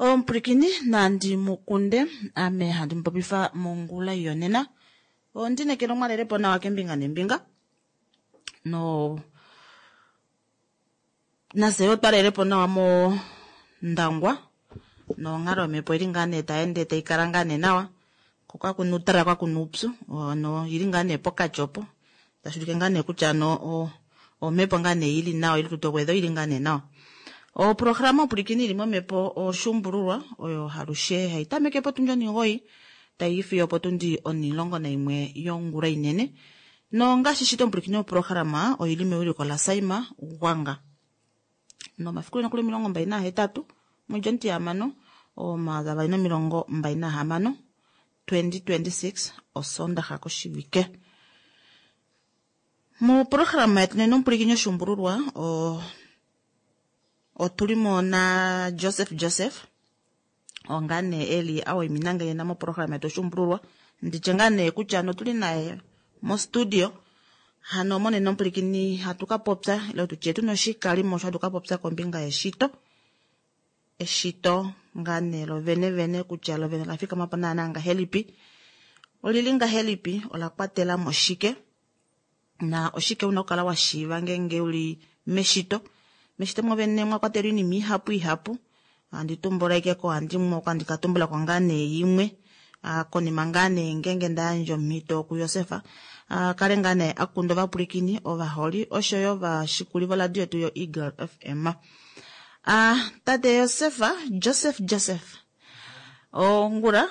Omupwilikini nandi mukunde ame handi mupopifa mongula yonena. Ondinekela omwalelepo nawa kembinga nembinga. No nafye yo twalelepo nawa mondangwa nonghalo yomhepo ili ngaa nee taende taikala ngaa nee nawa ko kakuna uutalala kakuna uupyu no ili ngaa nee pokati opo tashulike ngaa nee kutya no omhepo ngaa nee ili nawa ili tutogwedho ili ngaa nee nawa. Oprograma opulikini ili momhepo oshuumbululwa oyo halushe hayi tameke potundi 9 tayi fiyo potundi 11 yongula inene. Nongaashi shito omupulikini oprograma oili mewiliko laSaima Gwanga. Nomafiku nokuli 28 mwedhi omutiyamano 2026 2026 osondaha koshivike. Moprograma yetu nena omupulikini oshuumbululwa otulimo na Joseph Joseph onga nee eli awaimina nena moprograma yetu oshuumbululwa nditye ngaa nee kutya notuli naye mostudio hano monena omupulikini hatu ka popya ile tutye tuna oshikalimo sho hatu ka popya kombinga yeshito. Eshito ngaa nee lovenevene kutya lovene la fikama po naana ngahelipi, olili ngahelipi, ola kwatela mo shike na oshike una okukala wa shiiva ngeenge uli meshito. Meshito mwovene mwa kwatelwa oinima ihapu ihapu, handi tumbula ashike ko handi ka tumbulako ngaa nee imwe konima ngaa nee ngeenge ndayandja omhito kuJosef kale ngaa nee akunda ovapulikini ovaholi oshoyo ovashikuli voradio yetu yo Eagle FM. Tate Josef, Joseph Joseph, ongula.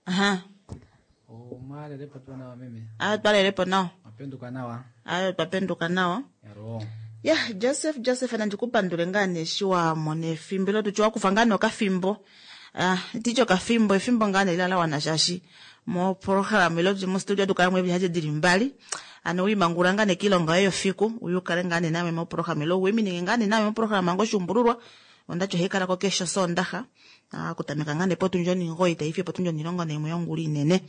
Aha. Omwalelepo tuu nawa meme. Ayo twalelepo nawa. Wapenduka nawa. Ayo twapenduka nawa. Yaro. Ya, Joseph Joseph nandi kupandule ngaa nee eshi wa mona efimbo ile tutye wakufa ngaa nee okafimbo. Titye okafimbo, efimbo ngaa nee la wana shaashi moprograma ile tutye mostudio atu kala mo eevili dili mbali. Ano wiimangulula ngaa nee kiilonga yoye yofiku, uye ukale ngaa nee naame moprograma ile uwiminine ngaa nee naame moprograma ngoshuumbululwa. Ondati ohayi kala ko keshe Osoondaxa. Okutameka ngaa nee potundi 9 tayi fiyo potundi 11 yongula inene.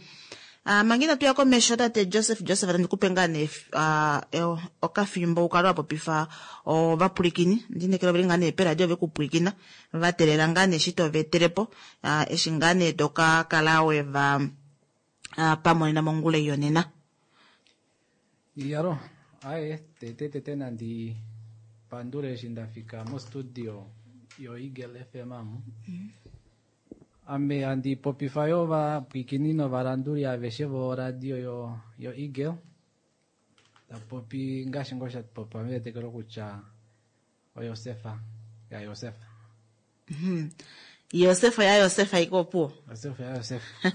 Manga inatu ya komesho tate Joseph Joseph tandi kupe ngaa nee okafimbo ukale wa popifa ovapulikini. Ndinekela oveli ngaa nee peradio vekupwilikina vatelela ngaa nee eshi toveetelepo eshi ngaa nee toka kala weva pamonena mongula yonena. Iyalo, aye tete tete nandi pandule eshi ndafika mostudio yo Eagle FM amu. Ame handi popifa yo ovapwilikini novalanduli aveshe voradio yo Eagle. Tapopi ngaashi ngoo sha popiwa metetekelo kutya oYosefa yaYosefa. Yosefa yaYosefa iko opuwo. Yosefa yaYosefa.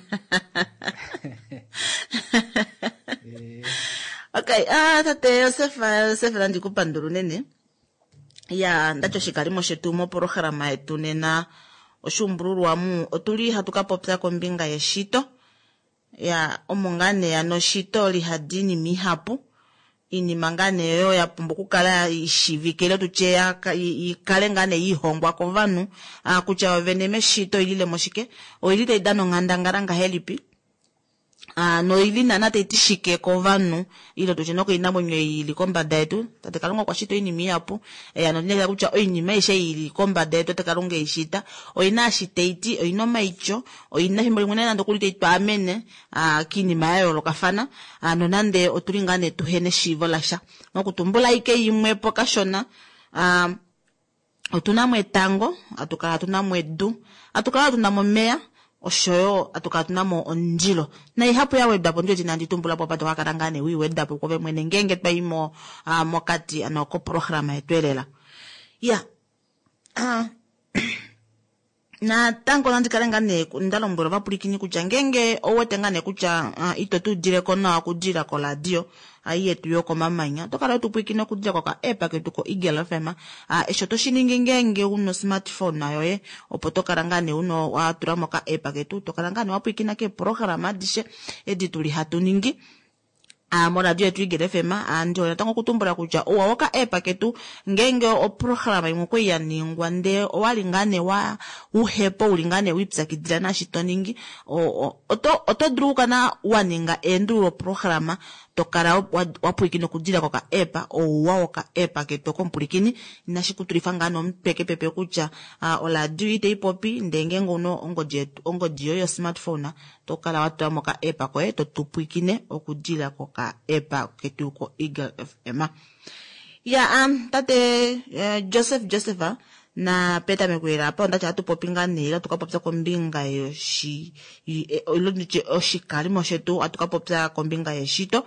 Okay, tate Yosefa Yosefa nandi kupandula unene. Ya, ndati oshikalimo shetu moprograma yetu nena oshuumbululwa mu otuli hatu ka popya kombinga yeshito. Ya, omo ngaa nee ano eshito lihadi iinima ihapu. Iinima ngaa nee oyo ya pumbwa okukala ishiivike ile tutye ikale ngaa nee ihongwa kovanhu kutya ovene meshito oilile mo shike, oili tai dana onghandangala ngahelipi, noili naana tai ti shike kovanhu ile tutye nokoinamwenyo ili kombada yetu. Tate Kalunga okwa shita oinima ihapu, nondinekela kutya oinima aishe ili kombada yetu Tate Kalunga ei shita oina eshi tai ti, oina omaityo, oina efimbo limwe nande okuli tai twaamene kiinima ya yoolokafana, nonande otuli ngaa nee tuhena eshiivo lasha. Mokutumbula ashike imwepo kashona, otuna mo etango, atukala tuna mo edu, atukala tuna mo omeya, oshoyo atukala tuna mo omundilo. Naihapu ya wedwapo ndiwete inandi tumbula po apa tokakala ngaa nee wiiwedapo kwoove mwene ngeenge twayi mo mokati ano koprograma yetu elela. Ya, natango nandi kale ngaa nee nda lombwela ovapulikini kutya ngeenge ouwete ngaa nee kutya ito tu udileko nawa okudilila koradio ai yetu yokomamanya, oto kala tupwilikine okudilila koka app ketu ko Eagle FM. Eshi oto shi ningi ngeenge una smartphone yoye, opo to kala ngaa nee una wa tula mo ka app ketu, to kala ngaa nee wa pwilikina keeprograma adishe edi tuli hatu ningi. Moradio yetu Eagle FM. Ndi hole natango okutumbula kutya ouwa woka app ketu ngeenge oprograma imwe okwali ya ningwa ndee owali ngaa nee wa uhepo uli ngaa nee wiipyakidila naashi to ningi, oto dulu okukala wa ninga eendululo programa to kala wa pwilikina okudilila koka app. Ouwa woka app ketu okomupulikini inashi kutulifa ngaa nee omutwe kepepe kutya oradio itayi popi, ndee ngeenge ouna ongodi yoye yo smartphone to kala wa tula mo ka app koye to tupwilikine okudilila koka app ketu ko Eagle FM. Ya tate Joseph Joseph na petameko lela apa ondati ohatu popi ngaa nee ile atu ka popya kombinga yoshi ile nditye oshikalimo shetu, ohatu ka popya kombinga yeshito.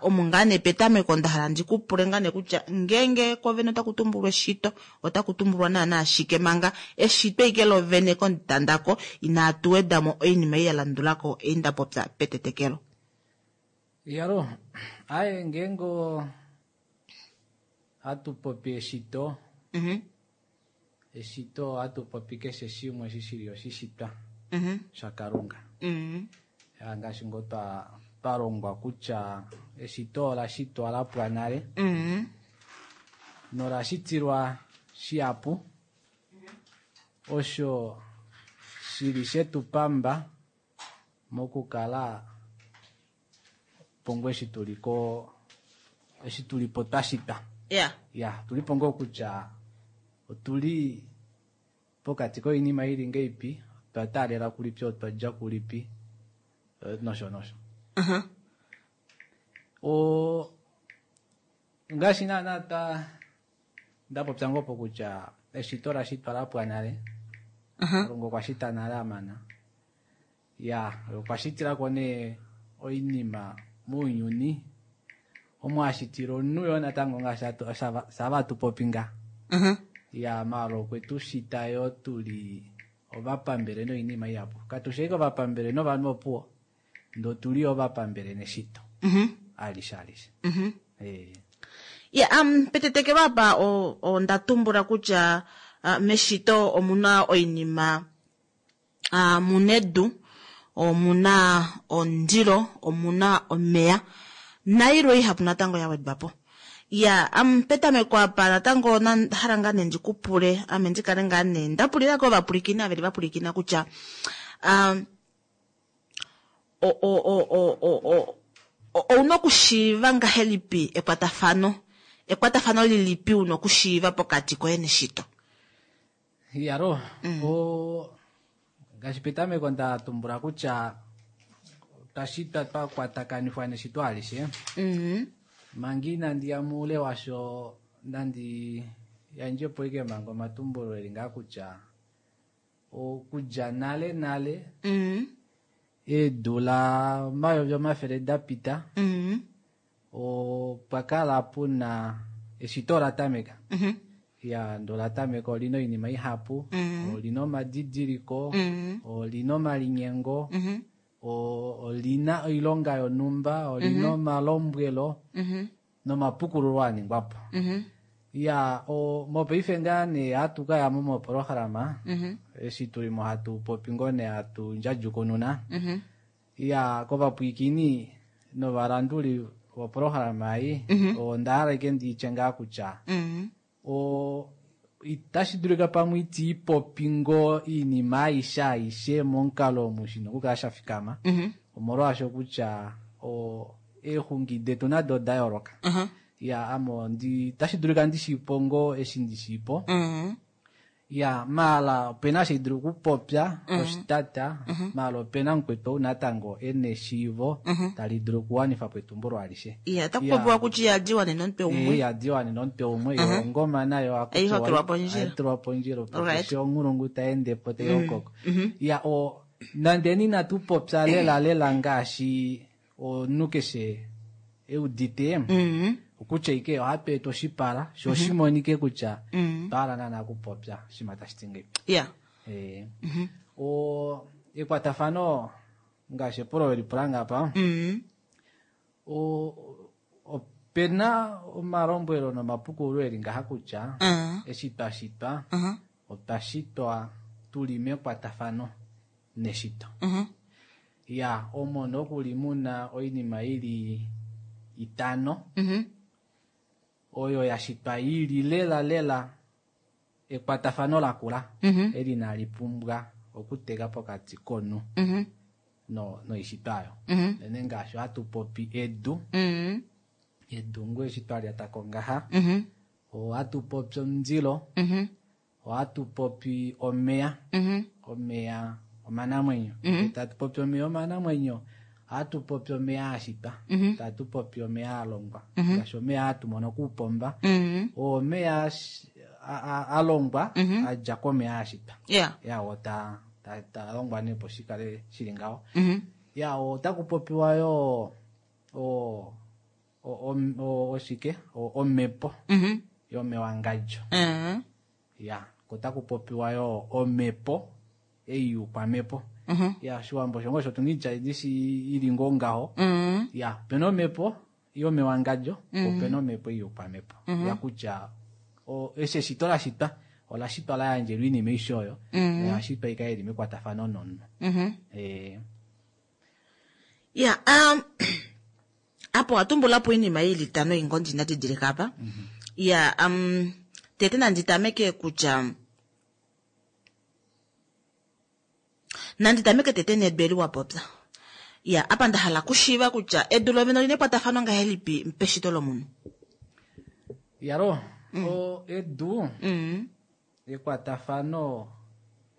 Omu ngaa nee petameko nda hala ndi ku pule ngaa nee kutya ngeenge kovene otaku tumbulwa eshito, otaku tumbulwa naanaa shike manga eshito ike lovene komutandako inaatu wedamo oinima ei ya landulako ei nda popya petetekelo. Yalo, aye ngeenge hatu popi eshito, eshito ohatu popi keshe shimwe eshi shili oshishitwa shaKalunga. Ngaashi ngoo twa longwa kutya eshito ola shitwa la pwa nale, nola shitilwa shihapu, osho shili shetu pamba mokukala pongo eshi tuliko, eshi tulipo twa shitwa. Ya, tulipo ngoo kutya otuli pokati koinima ili ngeipi, otwa taalela kulipi, otwa dja kulipi, nosho nosho. Ngaashi naana nda popya ngoo po kutya eshito la shitwa la pwa nale. Kalunga okwa shita nale amana. Ya, okwa shitilako nee oinima mounyuni omo a shitila omunhu yo natango ngaashi sava tu popi nga. Ya, maala okwe tu shita yo tuli ovapambele noinima ihapu. Katu shi ashike ovapambele novanhu opuwo, ndee otuli ovapambele neshito. Alishe, alishe. Ya, petetekelo apa onda tumbula kutya meshito omuna oinima, muna edu, omuna omundilo, omuna omeya nailwe ihapu natango ya wedwa po. Ya, petameko apa natango hala ngaa nee ndi ku pule, ame ndi kale ngaa nee nda pulila ko ovapulikini ava veli vapulikina kutya, ouna okushiiva ngahelipi ekwatafano? Ekwatafano lilipi una okushiiva pokati koye neshito? Yalo, ngaashi petameko nda tumbula kutya otwa shitwa twa kwatakanifwa neshito alishe. Manga inandi ya muule washo, nandi yandje po ike manga omatumbulo eli ngaa kutya okudja nale nale, eedula 500 da pita, opwa kala puna eshito la tameka. Ya, ndo la tameka olina oinima ihapu, olina omadidiliko, olina omalinyengo, olina oilonga yonhumba, olina omalombwelo, nomapukululo a ningwa po. Ya, mopaife ngaa nee hatu ka ya mo moprograma, eshi tuli mo hatu popi ngoo nee hatu ndjadjukununa. Ya, kovapwiikini novalanduli voprograma ei, onda hala ike nditye ngaa kutya, itashi dulika pamwe iti popi ngoo iinima aishe aishe momukalo omu shina okukala sha fikama. Omolwaasho kutya, eexungi detu nado oda yooloka. Ya, ame itashi dulika ndishiipo ngoo eshi ndishiipo. Ya, maala opena eshi dulu okupopya, oshitata, maala opena mukwetu ou natango ena eshiivo tali dulu okuwanifa po etumbulo alishe. Ya, otaku popiwa kutya ihadi wanene omutwe umwe. Ihadi wanene omutwe umwe, yo ongoma nayo Ei hokilwa pondjila. Ai tulwa pondjila, opo keshe onghulungu ta ende po tai hokoko. Ya, nande inatu popya lela lela ngaashi omunhu keshe eudite, okutya ike ohatu eta oshipala, sho oshimonike kutya otwa hala naana okupopya oshinima tashi ti ngei. Ekwatafano ngaashi epulo weli pula ngapa, opena omalombwelo nomapukululo eli ngaha kutya, eshi twa shitwa, otwa shitwa tuli mekwatafano neshito. Ya, omo nokuli muna oinima ili itano oyo ya shitwa ili lela lela ekwatafano lakula eli inali pumbwa okuteka pokati komunhu noishitwa oyo. Nene ngaashi ohatu popi edu, edu ngoo eshi twa lyatako ngaha, ohatu popi omundilo, ohatu popi omeya, omeya omanamwenyo. Tatu popi omeya omanamwenyo, ohatu popi omeya a shitwa, tatu popi omeya a longwa, ngaashi omeya hatu mono kuupomba, oo omeya a longwa a dja komeya a shitwa. Ya oo ta longwa nee opo shikale shili ngaho. Ya otaku popiwa yo oshike omhepo yomewangadjo. Ya otaku popiwa yo omhepo ei yukwamhepo. Ya oshiwambo osho ngoo osho tuna ishi ili ngoo ngaho. Ya opena omhepo yomewangadjo, opena omhepo ei yukwamhepo. Ya kutya eshi eshito la shitwa ola shitwa la yandjelwa oinima aishe oyo, oya shitwa ikale ili mekwatafano nomunhu. Ya apo watumbulapo oinima ili itano ingondi ndadidilika apa. Ya tete nanditameke kutya nanditameke tete nedu eli wapopya. Ya apa ndahala kushiiva kutya edu lovene olina ekwatafano ngahelipi peshito lomunhu. Yalo edu ekwatafano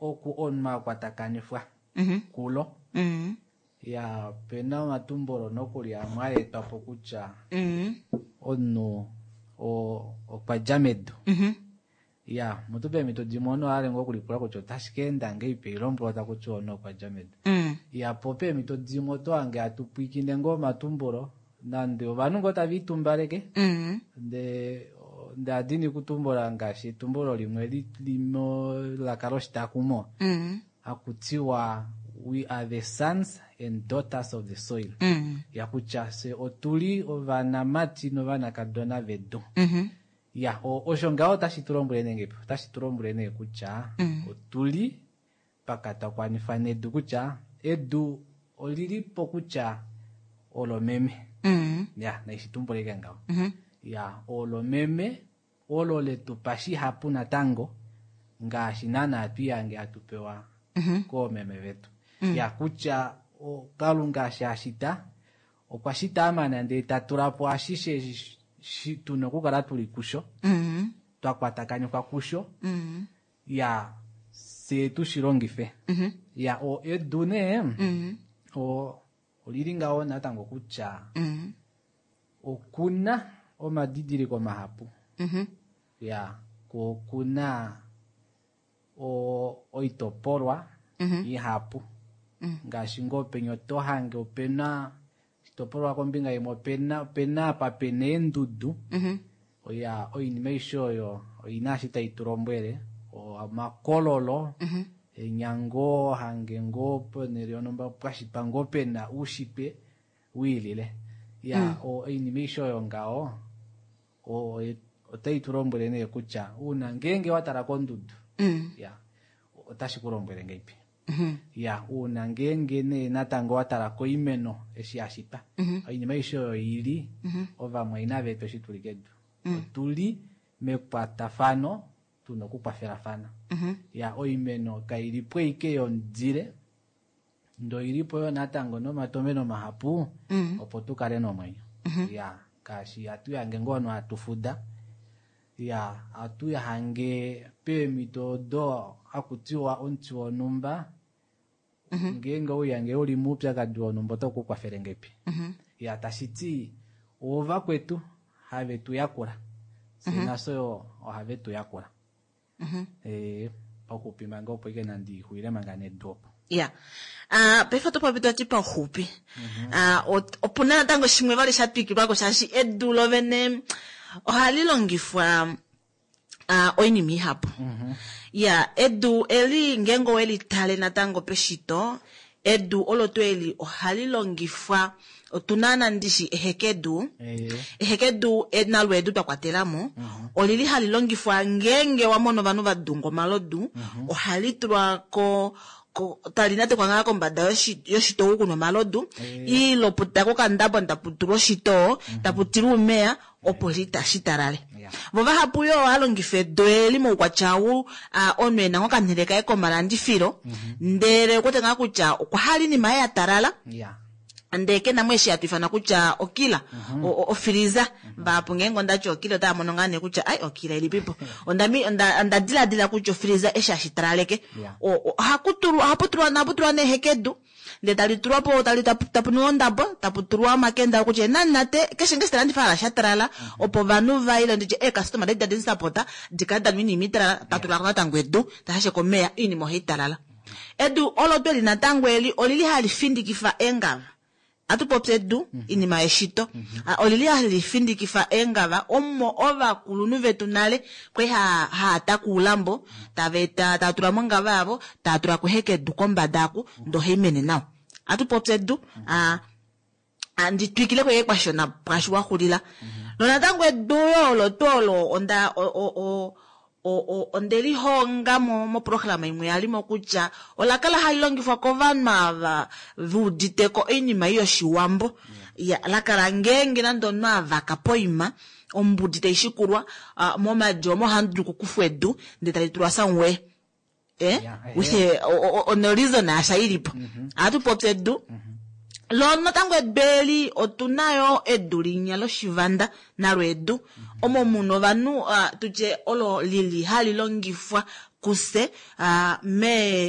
oku omunhu akwatakanifwa kulo. Ya pena omatumbulo nokuli amwe a etwa po kutya omunhu okwa dja medu. Ya mutu peemhito dimwe omunhu oha lenga okulipula kutya otashi ka enda ngeipi eilombwelo taku tiwa omunhu okwa dja medu. Ya po peemhito dimwe oto hange hatu pwiikine ngoo omatumbulo nande ovanhu ngoo tava itumbaleke nde adini kutumbula ngaashi etumbulo limwe laka loshitakumo haku tiwa we are the sons and daughters of the soil. Ya kutya se otuli ovanamati novanakadona vedu. Ya osho ngaho otashi tu lombwele nee otashi tu lombwele nee kutya otuli pakatakwanifa nedu kutya edu olili po kutya olomeme. Ya naishi tumbuleke ngaho. Ya olomeme olo letu pa shihapu natango ngaashi naana twiyange hatu pewa koomeme vetu. Ya kutya Kalunga eshi a shita okwa shita amana ndele ta tula po ashishe tuna okukala tuli kusho, twa kwatakanifwa kusho, ya se tushi longife. Ya edu nee olili ngaho natango kutya okuna omadidiliko mahapu. Ya okuna oitopolwa ihapu ngaashi ngoo penya oto hange opena oshitopolwa kombinga imwe opena apa pena eendudu. Ya oinima aishe oyo oina eshi tai tu lombwele omakololo enyango hange ngoo ponhele yonhumba pwashitwa ngoo pena oushitwe wiilile. Ya oinima aishe oyo ngaho otai tu lombwele nee kutya uuna ngeenge watala kondudu ya otashi ku lombwele ngeipi. Ya uuna ngeenge nee natango watala koimeno eshi ya shitwa oinima aishe oyo ili ovamwaina vetu eshi tuli kedu otuli mekwatafano tuna okukwafelafana. Ya oimeno kailipo ike yomudile ndo ilipo yo natango nomatomeno mahapu opo tukale nomwenyo. Ya ngaashi hatu yange ngoo no hatu fuda. Ya hatu yahange peemhito odo hakutiwa omuti wonhumba ngeenge ouyange uli moupyakadi wonhumba otaku kukwafele ngeipi. Ya tashi ti ovakwetu have tu yakula fye nafye ohave tu yakula. Pauxupi manga opo ike nandi xulile manga nedu opo. Ya paife oto popi toti pauxupi opuna natango shimwe vali sha twikilwako shaashi edu lovene ohali longifwa oinima ihapu. Ya edu eli ngeenge oweli tale natango peshito edu olo tuu eli ohali longifwa otuna nandishi ehekedu. Ehekedu nalo edu twa kwatelamo olili hali longifwa ngeenge wamono ovanhu vadunga omalodu ohali tulwa ko Tali natekwa ngaa kombada yoshitoo kuna omalodu iloputa kokandabo tapu tulwa oshitoo tapu tilwa uumeya opo shitalale. Vo vahapu yo ohava longifa edu eli moukwatya ou omunhu ena ngoo okanhele kaye komalandifilo ndele okuwete ngaa kutya okwa hala oinima yaye ya talala ndee kena mo eshi hatu ifana kutya okila ofiliza. Vahapu ngeenge ondati okila otava mono ngaa nee kutya ai okila ilipipo. Onda diladila kutya ofiliza eshi hashi talaleke. Ohapu tulwa nee hekedu ndee tali tulwa po tapu nuwa ondabo tapu tulwa omakenda kutya enanate keshe ngeshi talandifa hala sha talala opo ovanhu vaile nditye eekastoma dadi tadi sapota dikale danwa oinima italala tatulako natango edu tashashe komeya oinima ohai talala. Edu olo tweli natango eli olili hali findikifa eengava. Atu popya edu inima yeshito. Olili hali findikifa eengava omo ovakulunhu vetu nale kwali haata kuulambo tava eta tava tula mongava yavo tava tula kuheka edu kombada aku ndee ohai mene nawa. Atu popya edu andi twikile ko kwashona pwaashi waxulila. Nonatango edu yo olo tuu olo onda onde lihonga moprograma imwe yalimo kutya ola kala hali longifwa kovanhu ava veuditeko oinima yoshiwambo. La kala ngeenge nande omunhu avaka poima ombudi taishikulwa momadi omo ohamu dulu okukufwa edu ndee tali tulwa somewhere. Ono reason asha ilipo. Ohatu popya edu. Lo natango edu eli otuna yo edu linya loshivanda nalo edu omo muna ovanhu tutye olo lili hali longifwa kuse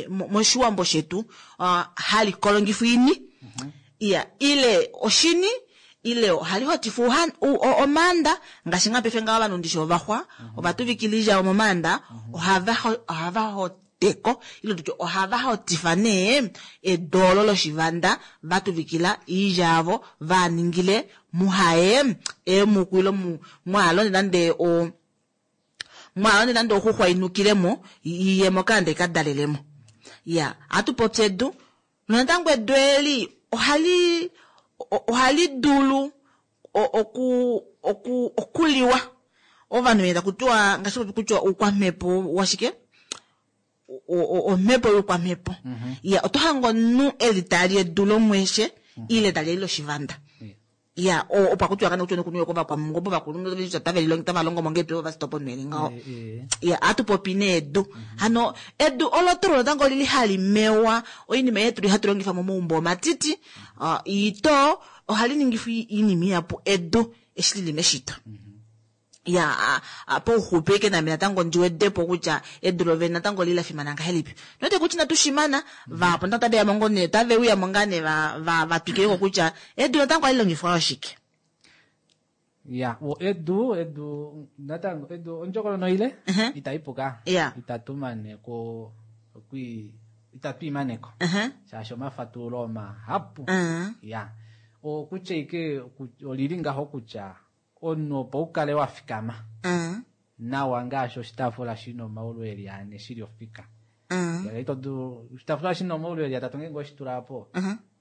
moshiwambo shetu hali kolongifwa ini ile oshini ile ohali hotifwa omaanda ngaashi nga paife ngaho ovanhu ndishi ovaxwa ovatuvikila oilya momaanda ohava hoteko ile tutye ohava hotifa nee edu olo loshivanda vatuvikila oilya yavo vaningile muhaye eemuku ile mwaalonde nande mwaalonde nande oxuxwa inukilemo iyemo kaande ikadalelemo. Ohatu popya edu nonatango edu eli ohali dulu okuliwa ovanhu vene takutiwa ngaashi popi kutya oukwamhepo washike omhepo youkwamhepo. Oto hange omunhu eli tali edu lomweshe ile tali eli loshivanda. Opo akutiwa kana kutya nokunuwa kovakwamungombo vakulunhu tava longo mongepi ovo vasitopo onwele ngaho. Ohatu popi nee edu. Hano edu olo tuu natango olili hali mewa oinima yetu hatu longifa momaumbo omatiti ito ohali ningifwa oinima ihapu edu eshi lili meshito. Pauxupi eke name natango ndiwedepo kutya edu lovene natango lili lafimana ngahelipi. Note kutya inatu shimana vahapu natango otave ya mo otave uya mo ngaa nee vatwikileko kutya edu natango ohali longifwa oshike. Edu natango edu ondjokonona ile itaipuka itatu maneko itatu imaneko shaashi omafatululo omahapu. Okutya ike olili ngaho kutya omunhu opo ukale wafikama nawa ngaashi oshitaafula shina omaulu eli ane shili ofika. Oshitaafula shina omaulu eli atatu ngeenge oshitula po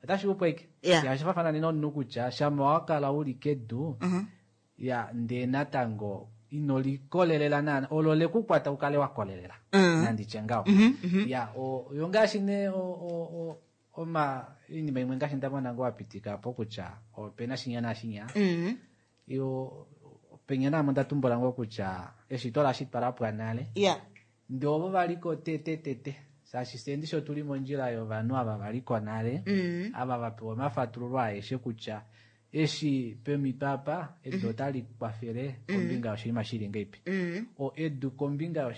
otashi upo ike. Oshafafana nomunhu kutya shama wakala uli kedu ndee natango ino likolelela naana olo lekukwata ukale wakolelela nanditye ngaho. Yo ngaashi nee oinima imwe ngaashi ndamona ngoo wapitika po kutya opena shinya nashinya. Yo penya namo ndatumbula ngoo kutya eshito lashitwa lapwa nale. Ndee ovo valiko tete shaashi fye ndishi otuli mondjila yovanhu ava valiko nale ava vapewa omafatululo aeshe kutya eshi pemito apa edu otali kwafele kombinga yoshinima shili ngeipi. Edu kombinga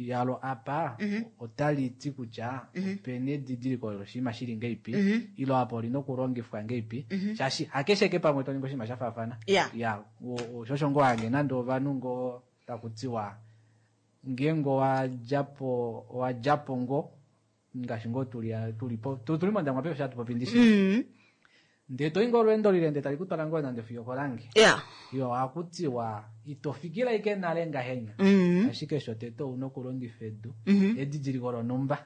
yalo apa otali ti kutya opena edidiliko loshinima shili ngeipi ilo apa olina okulongifwa ngeipi shaashi hakeshe ke pamwe toningi oshinima shafaafana. Shosho ngoo hange nande ovanhu ngoo takutiwa ngeenge owadjapo ngoo ngaashi ngoo tuli mondangwa paife hatu popi ndishi. Ndee toyi ngoo olweendo lile ndee tali kutwala ngoo nande fiyo kolange. Yo ohakutiwa ito fikila ike nale ngahenya. Ashike shotete ouna okulongifa edu edidiliko lonhumba.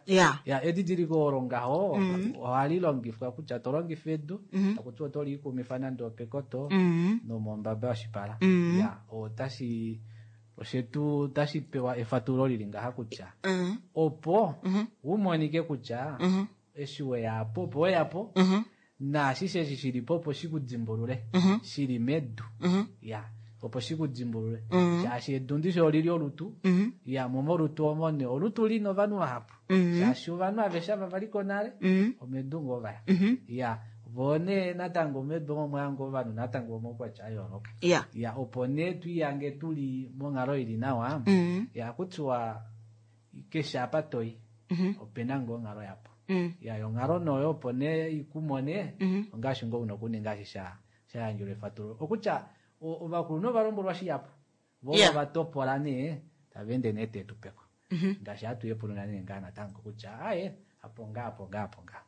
Edidiliko olo ngaho ohali longifwa kutya tolongifa edu takutiwa oto liikumifa nande opekoto nomombaba yoshipala. Otashi Oshetu otashi pewa efatululo lili ngaha kutya opo u monike kutya eshi weya apo opo weya po naashishe eshi shili po opo shi ku dimbulule shili medu ya opo shi ku dimbulule shaashi edu ndishi olili olutu ya mo molutu omo nee olutu lina ovanhu vahapu shaashi ovanhu aveshe ava valiko nale omedu ngoo vaya ya voo nee natango medu omo mwaya ngoo ovanhu natango vomaukwatya a yooloka ya opo nee twiihange tuli monghalo ili nawa ya kutiwa keshe apa toyi opena ngoo onghalo yapo ya yonghalo noyo opo nee ikumone ongaashi ngoo una okuninga eshi sha shayandjelwa efatululo okutya ovakulunhu ova lombwelwa shihapu vo ova topola nee tava ende nee teetupeko ngaashi hatu yepununa nee ngaa natango kutya aye apo ngaa apo ngaa apo ngaa.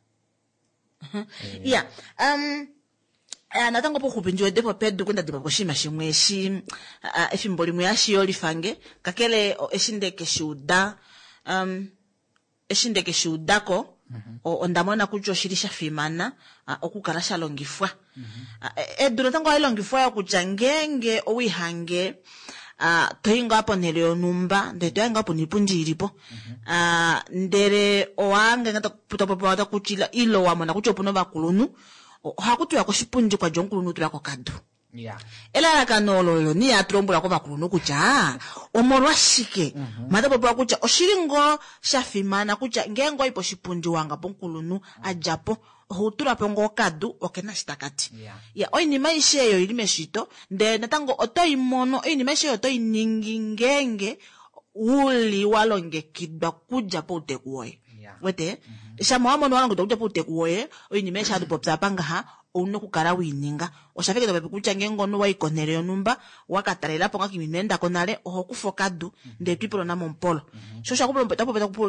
Ya natango pouxupi ndi wede po pedu kunda dimbwa koshinima shimwe eshi efimbo limwe hashi yolifange kakele eshi nde ke shi uda eshi nde ke shi udako onda mona kutya oshili sha fimana okukala sha longifwa. Edu natango ohali longifwa yo kutya ngeenge owiihange toyi ngaa ponhele yonhumba ndele toyange ngaho puna iipundi ilipo ndele owahange topopiwa takutila ile wamona kutya opuna ovakulunhu ohaku tiwa koshipundi kwadja omukulunhu tula kokadu. Elalakano olo olo nee hatu lombwelwa kovakulunhu kutya omolwashike mha tapopiwa kutya oshili ngoo sha fimana kutya ngeenge owayi poshipundi wahanga pomukulunhu a dja po oho tula po ngoo okadu okena eshi takati. Ya oinima aishe eyo oili meshito ndele natango oto i mono oinima aishe oyo oto i ningi ngeenge uli wa longekidwa kudja pouteku woye. Wete? Shama wa mono wa longekidwa kudja pouteku woye oinima aishe hatu popi apa ngaha ouna okukala weininga. Osha fa ike topopi kutya ngeenge omunhu wayi konhele yonhumba waka talelapo nga kiima ino endako nale oho kufa okadu ndele twiipula momupolo. Sho osho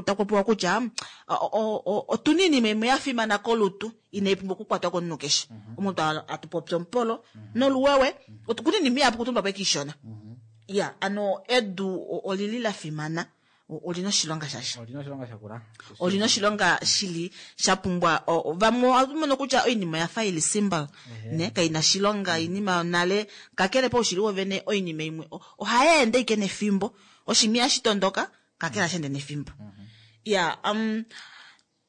takupopiwa kutya otuna oinima imwe ya fimana kolutu inai pumbwa okukwatwa komunhu keshe. Omuntu atu popi omupolo noluwewe okuna oinima ihapu okutumbula po ashike ishona. Ya ano edu olili la fimana olina oshilonga shasha. Olina oshilonga shakula. Olina oshilonga shili sha pumbwa vamwe ohatu mono kutya oinima oya fa ili simple ne kaina oshilonga oinima yonale kakele paushili wovene oinima imwe ohai ende ashike nefimbo oshinima ihashi tondoka kakele ohashi ende nefimbo. Ya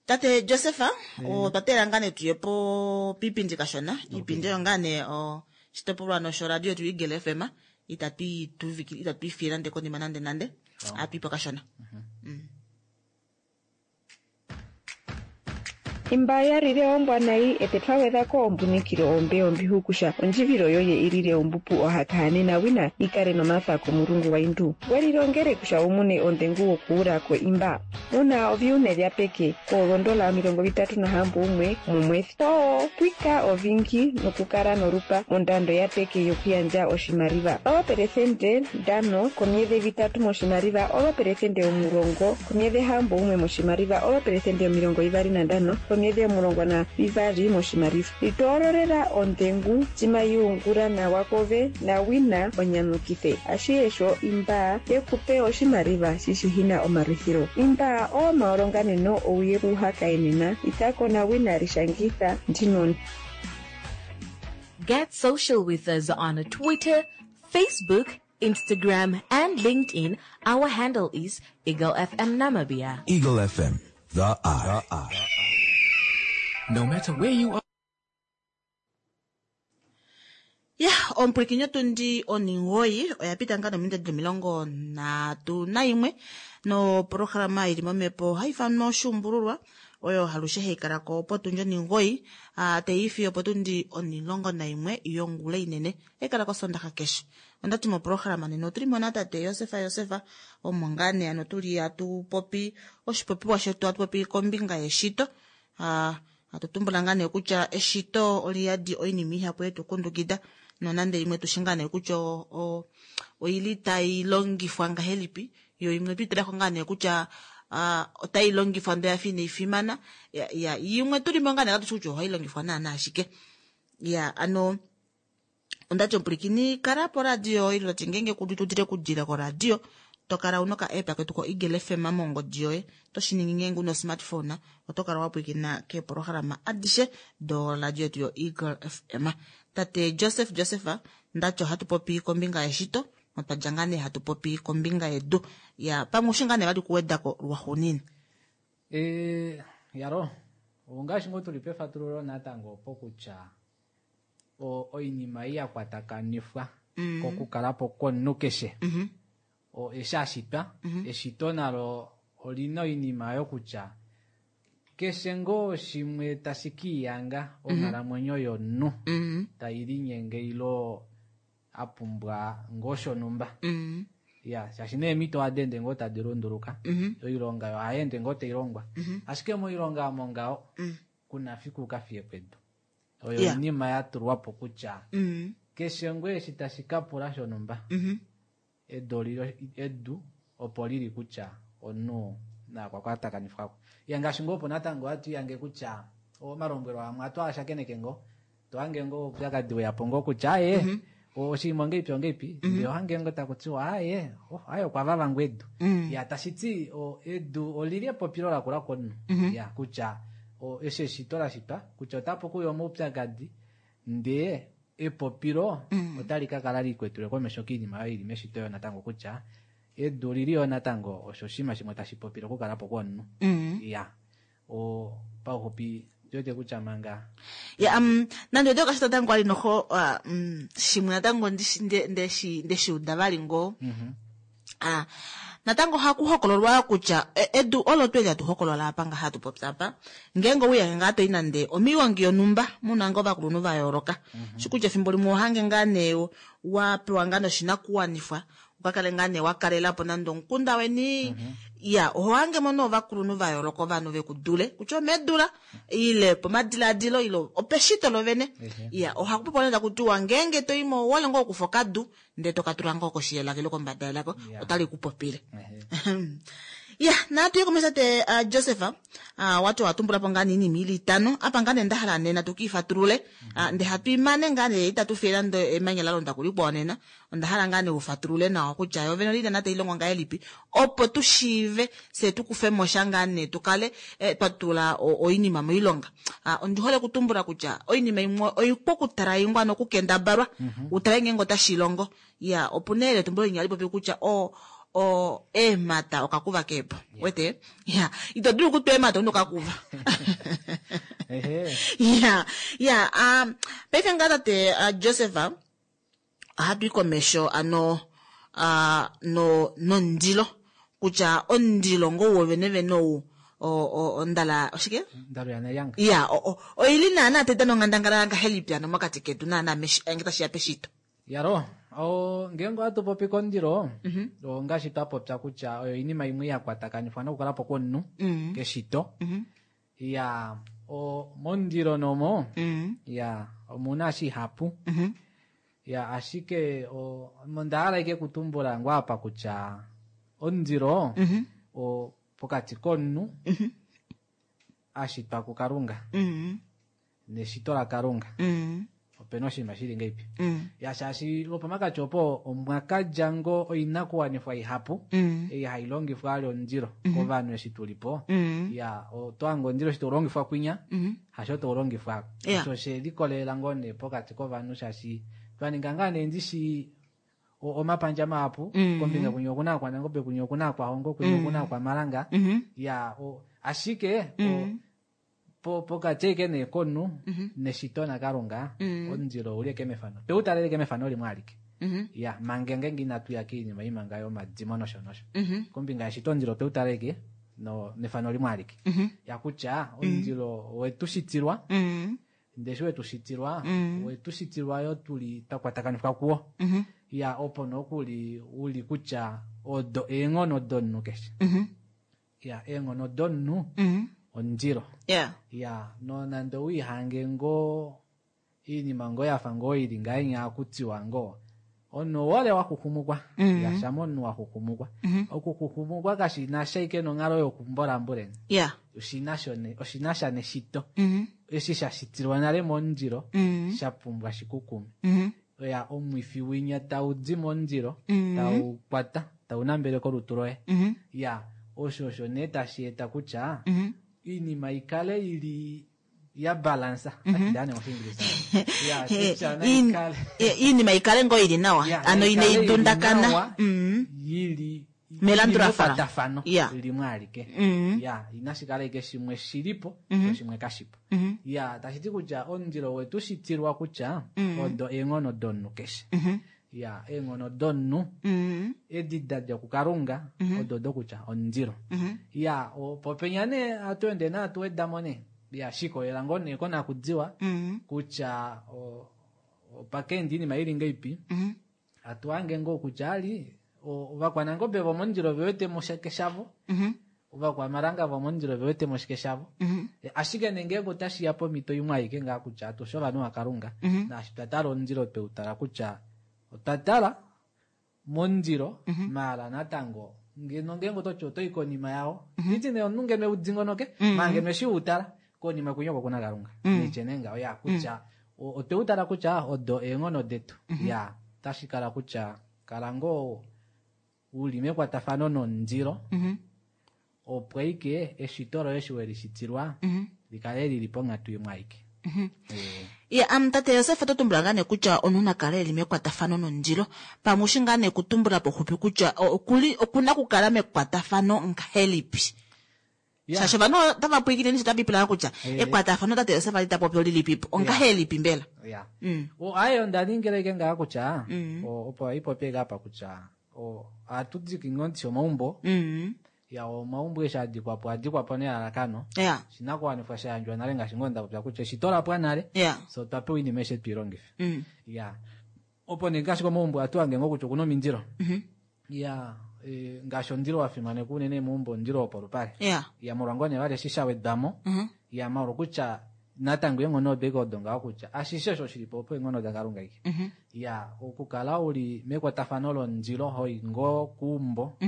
tate Joseph otwa teelela ngaa nee tuye po piipindi kashona iipindi oyo ngaa nee oshitopolwa noshoradio yetu Eagle FM itatu i fiye nande konima nande nande ohatu ipo kashona. Imba yalile ombwa nayi ete twagwedhako ombunikilo ombe ombihukusha ondjivilo yoye ilile ombupu ohakahanena wina ikale nomafa komulungu waindu welilongele kusha umune ondhengu wokuulako imba una oviune vya peke koolondola 36 mumwezi oo pwika ovingi nokukala norupa mondando ya peke yokuyandja oshimaliwa 5% komyedhi 3 moshimaliwa 10% komyedhi 61 moshimaliwa 25% komyedhi 12 moshimaliwa litoololela ondhengu timayuungula nawa kove nawina onyamukithe ashiesho imba yekupe oshimaliwa shishihina omalwithilo imba oomaolonganeno ouye kuhakaenena itako nawina lishangitha ndino. Get social with us on Twitter, Facebook, Instagram, and LinkedIn. Our handle is Eagle FM Namibia. Eagle FM, the eye. No matter where you are. Ya omupwilikini otundi 9 oya pita ngaa nominute 31 noprograma ili momhepo ohai ifanwa oshuumbululwa oyo halushe hai kala ko potundi 9 teifi opotundi 11 yongula inene hai kala kosondaxa keshe. Ondati moprograma nena otuli mo natate Joseph Joseph omo ngaa nee ano tuli hatu popi oshipopiwa shetu hatu popi kombinga yeshito. Hatu tumbula ngaa nee kutya eshito oliyadi oinima ihapu yetu kundukida nonande imwe tushi ngaa nee kutya oili tai longifwa ngahelipi yo imwe tuitalako ngaa nee kutya otai longifwa ndele yafa inai fimana ya imwe tulimo ngaa nee katushi kutya ohai longifwa naana ashike. Ya ano ondati omupulikini kala poradio ile tati ngeenge kudutudile kudila koradio tokala una oka app ketu ko Eagle FM mongodi yoye toshi ningi ngeenge una smartphone oto kala wapwilikina keeprograma adishe doradio yetu yo Eagle FM. Tate Joseph Joseph ndati ohatu popi kombinga yeshito Notwadja ngaa nee hatu popi kombinga yedu. Ya pamwe ushi ngaa nee vali kuwedako lwaxuuninwa. Yalo, ongaashi ngoo tuli pefatululo natango opo kutya oinima ei ya kwatakanifwa kokukalapo komunhu keshe. Eshi ashitwa, eshito nalo olina oinima yokutya keshe ngoo shimwe tashi kiiyanga onghalamwenyo yomunhu tai linyenge ilo apumbwa ngoo shonhumba. Ya, shaashi neemhito ohadi ende ngoo tadi lunduluka, oilonga yo ohai ende ngoo tailongwa. Ashike moilonga omo ngaho kuna fiku uka fiye pedu. Oyo oinima ya tulwapo kutya keshe ngoo eshi tashi kapula shonhumba, edu opo lili kutya omunhu nakwakwatakanifa. Ya ngaashi ngoo opo natango ohatu yange kutya omalombwelo amwe ohatu ashakeneke ngoo, tohange ngoo oupyakadi weyapo ngoo kutya aye oshinima ongeipi ongeipi, ndee ohange ngoo takutiwa aye aye okwa vava ngoo edu. Ya tashiti edu olili epopilo lakula komunhu. Ya kutya eshi eshito lashitwa kutya otapu kuya omaupyakadi ndee epopilo otali kakala likwetule komesho koinima oyo ili meshito yo natango kutya edu lili yo natango osho oshinima shimwe tashi popile okukalapo kwomunhu. Ya pauxupi ndiwete kutya manga ya nande ode okashita tango ali noho shimwe natango ndeshiuda vali ngoo. Natango ohaku hokololwa kutya edu olo tweli hatu hokolola apa nga hatu popya apa ngeenge ouyange ngaa toi nande omiwongi yonhumba muna ngoo ovakulunhu va yooloka. Shikutya efimbo limwe ohange ngaa nee wa pewa ngaa noshinakuwanifwa ukakale ngaa nee wa kalelapo nande omukunda weni. Ya oho hange mo nee ovakulunhu va yooloka ovanhu vekudule kutya omedula ile pomadiladilo ile opeshito lovene. Ya ohaku popiwa nee takutiwa ngeenge toimo owole ngoo okufa okadu ndee tokatula ngoo koshi yelaka ile kombada yelaka otali ku popile. Ya natu ye komesho tate Joseph, wati watumbula po ngaa nee iinima ili itano apa ngaa nee ndahala nena tukiifatulule, ndee hatu imane ngaa nee itatu fiye nande emanya la londa kulikwao nena. Onda hala ngaa nee ufatulule nawa kutya yo vene olili nana tailongo ngahelipi opo tu shiive fye tukufe mo sha ngaa nee tukale twa tula oinima moilonga. Ondi hole okutumbula kutya oinima imwe oipu okutala ingwa nokukendabalwa utale ngeenge otashi longo. Ya opu nee etumbulo linya hali popi kutya eemhata okakuva keepo. Wete? Ya ito dulu okutwa eemhata una okakuva. Ya ya paife ngaa tate Joseph ohatu i komesho ano nomundilo kutya omundilo ngoo wovene vene ou ondala oshike? Ondalo yaNelyanga. Ya oili naana tai dana onghandangala ngahelipi ano mokati ketu naana nge tashiya peshito. Yalo, ngeenge ohatu popi komundilo, ongaashi twa popya kutya oyo oinima imwe ya kwatakanifwa nokukalapo kwomunhu keshito. Ya momundilo nomo ya omuna shihapu. Ya ashike onda hala ike kutumbula ngoo apa kutya omundilo pokati komunhu ashitwa kuKalunga neshito laKalunga opena oshinima shili ngeipi. Ya shaashi lopomakati opo omwakadja ngoo oinakuwanifwa ihapu ei hai longifwa ali omundilo kovanhu eshi tulipo. Ya otwaanga omundilo eshi taulongifwa kwinya hasho taulongifwa osho shelikolelela ngoo nee pokati kovanhu shaashi twaninga ngaa nee ndishi omapandja mahapu kombinga kwinya okuna akwanangobe kwinya okuna akwahongo kwinya okuna akwamalanga. Ya ashike pokati eke nee komunhu neshito naKalunga omundilo ouli eke mefano teutalele eke mefano limwe alike. Ya manga ngeenge inatu ya koinima imanga yomadimo nosho nosho kombinga yeshito omundilo teutalele eke nefano limwe alike. Ya kutya omundilo wetu shitilwa ndee eshi wetu shitilwa wetu shitilwa yo tuli twakwatakanifwa kuwo. Ya opo nokuli uli kutya odo eenghono domunhu keshe. Ya eenghono domunhu omundilo. Ya nonande owiihange ngoo iinima ngoo yafa ngoo ili ngahenya akutiwa ngoo omunhu owole waxuxumukwa. Ya shama omunhu waxuxumukwa. Okuxuxumukwa kashina sha ike nonghalo yokumbolambuleni. Oshina sha neshito. Eshi sha shitilwa nale momundilo sha pumbwa shikukume. Ya omwifi winya taudi momundilo tau kwata tau nambele kolutu loye. Ya osho osho nee tashi eta kutya iinima ikale ili Ya balansa. Ndane moshiingilisa. Ya, kutya naikale. Iinima ikale ngoo ili nawa. Ya, Ano naikale inayi ili dundakana. nawa, yili Melandulafano. mekwatafano Ya. limwe alike. Ya, inashi kala ike shimwe shilipo, sho shimwe kashipo. Ya, tashi ti kutya omundilo wetu shitilwa kutya odo eenghono domunhu keshe. Ya, eenghono domunhu edi da dja kuKalunga odo dokutya omundilo. Ya, popenya nee hatu ende nee hatu wedamo nee. Ya, shikolela ngoo nee konakudiwa kutya opakeenda iinima ili ngeipi. Hatu hange ngoo kutya ali ovakwanangobe vomomundilo vewete mo shike shavo, ovakwamalanga vomomundilo vewete mo shike shavo. Ashike nee ngeenge otashiya pomhito imwe aike ngaa kutya atushe ovanhu vaKalunga, naashi twa tala omundilo tweu tala kutya otwa tala momundilo, maala natango ngeno ngeenge ototi otoyi konima yawo, nditi nee omunhu ngeno eudingonoke, maala ngeno eshi utala konima kwinya oko kuna Kalunga. Nitye nee ngaho ya kutya otweu tala kutya odo eenghono detu. Ya, otashi kala kutya kala ngoo uli mekwatafano nomundilo, opo aike eshito loye eshi welishitilwa likale lili ponghatu imwe aike. Ya, tate Josef oto tumbula ngaa nee kutya omunhu na kale eli mekwatafano nomundilo. Pamwe ushi ngaa nee kutumbula poxupi kutya okuna kukala mekwatafano ngahelipi? Shaashi ovanhu otava pwilikine nisho tava ipula kutya ekwatafano tate Josef ali ta popi olilipipo. Ongahelipi mbela? Ya. Aye onda ningile ike ngaa kutya, opo aipopi ike apa kutya ohatu diki ngoo ndishi omaumbo. Ya, omaumbo eshi adikwapo, adikwapo nelalakano. Oshinakuwanifwa sha yandjwa nale ngaashi ngoo nda popya kutya eshito la pwa nale. So twa pewa oinima aishe twiilongife. Ya. Opo nee ngaashi komaumbo ohatu hange ngoo kutya okuna omindilo. Ya, ngaashi omundilo wa fimanekwa unene meumbo, omundilo wopolupale. Ya, molwa ngoo nee vali eshi sha wedwamo. Ya, molwa kutya natango eenghono odo ike odo ngaho kutya ashishe osho shilipo opo eenghono daKalunga ike. Ya, okukala uli mekwatafano lomundilo hoi ngoo kuumbo.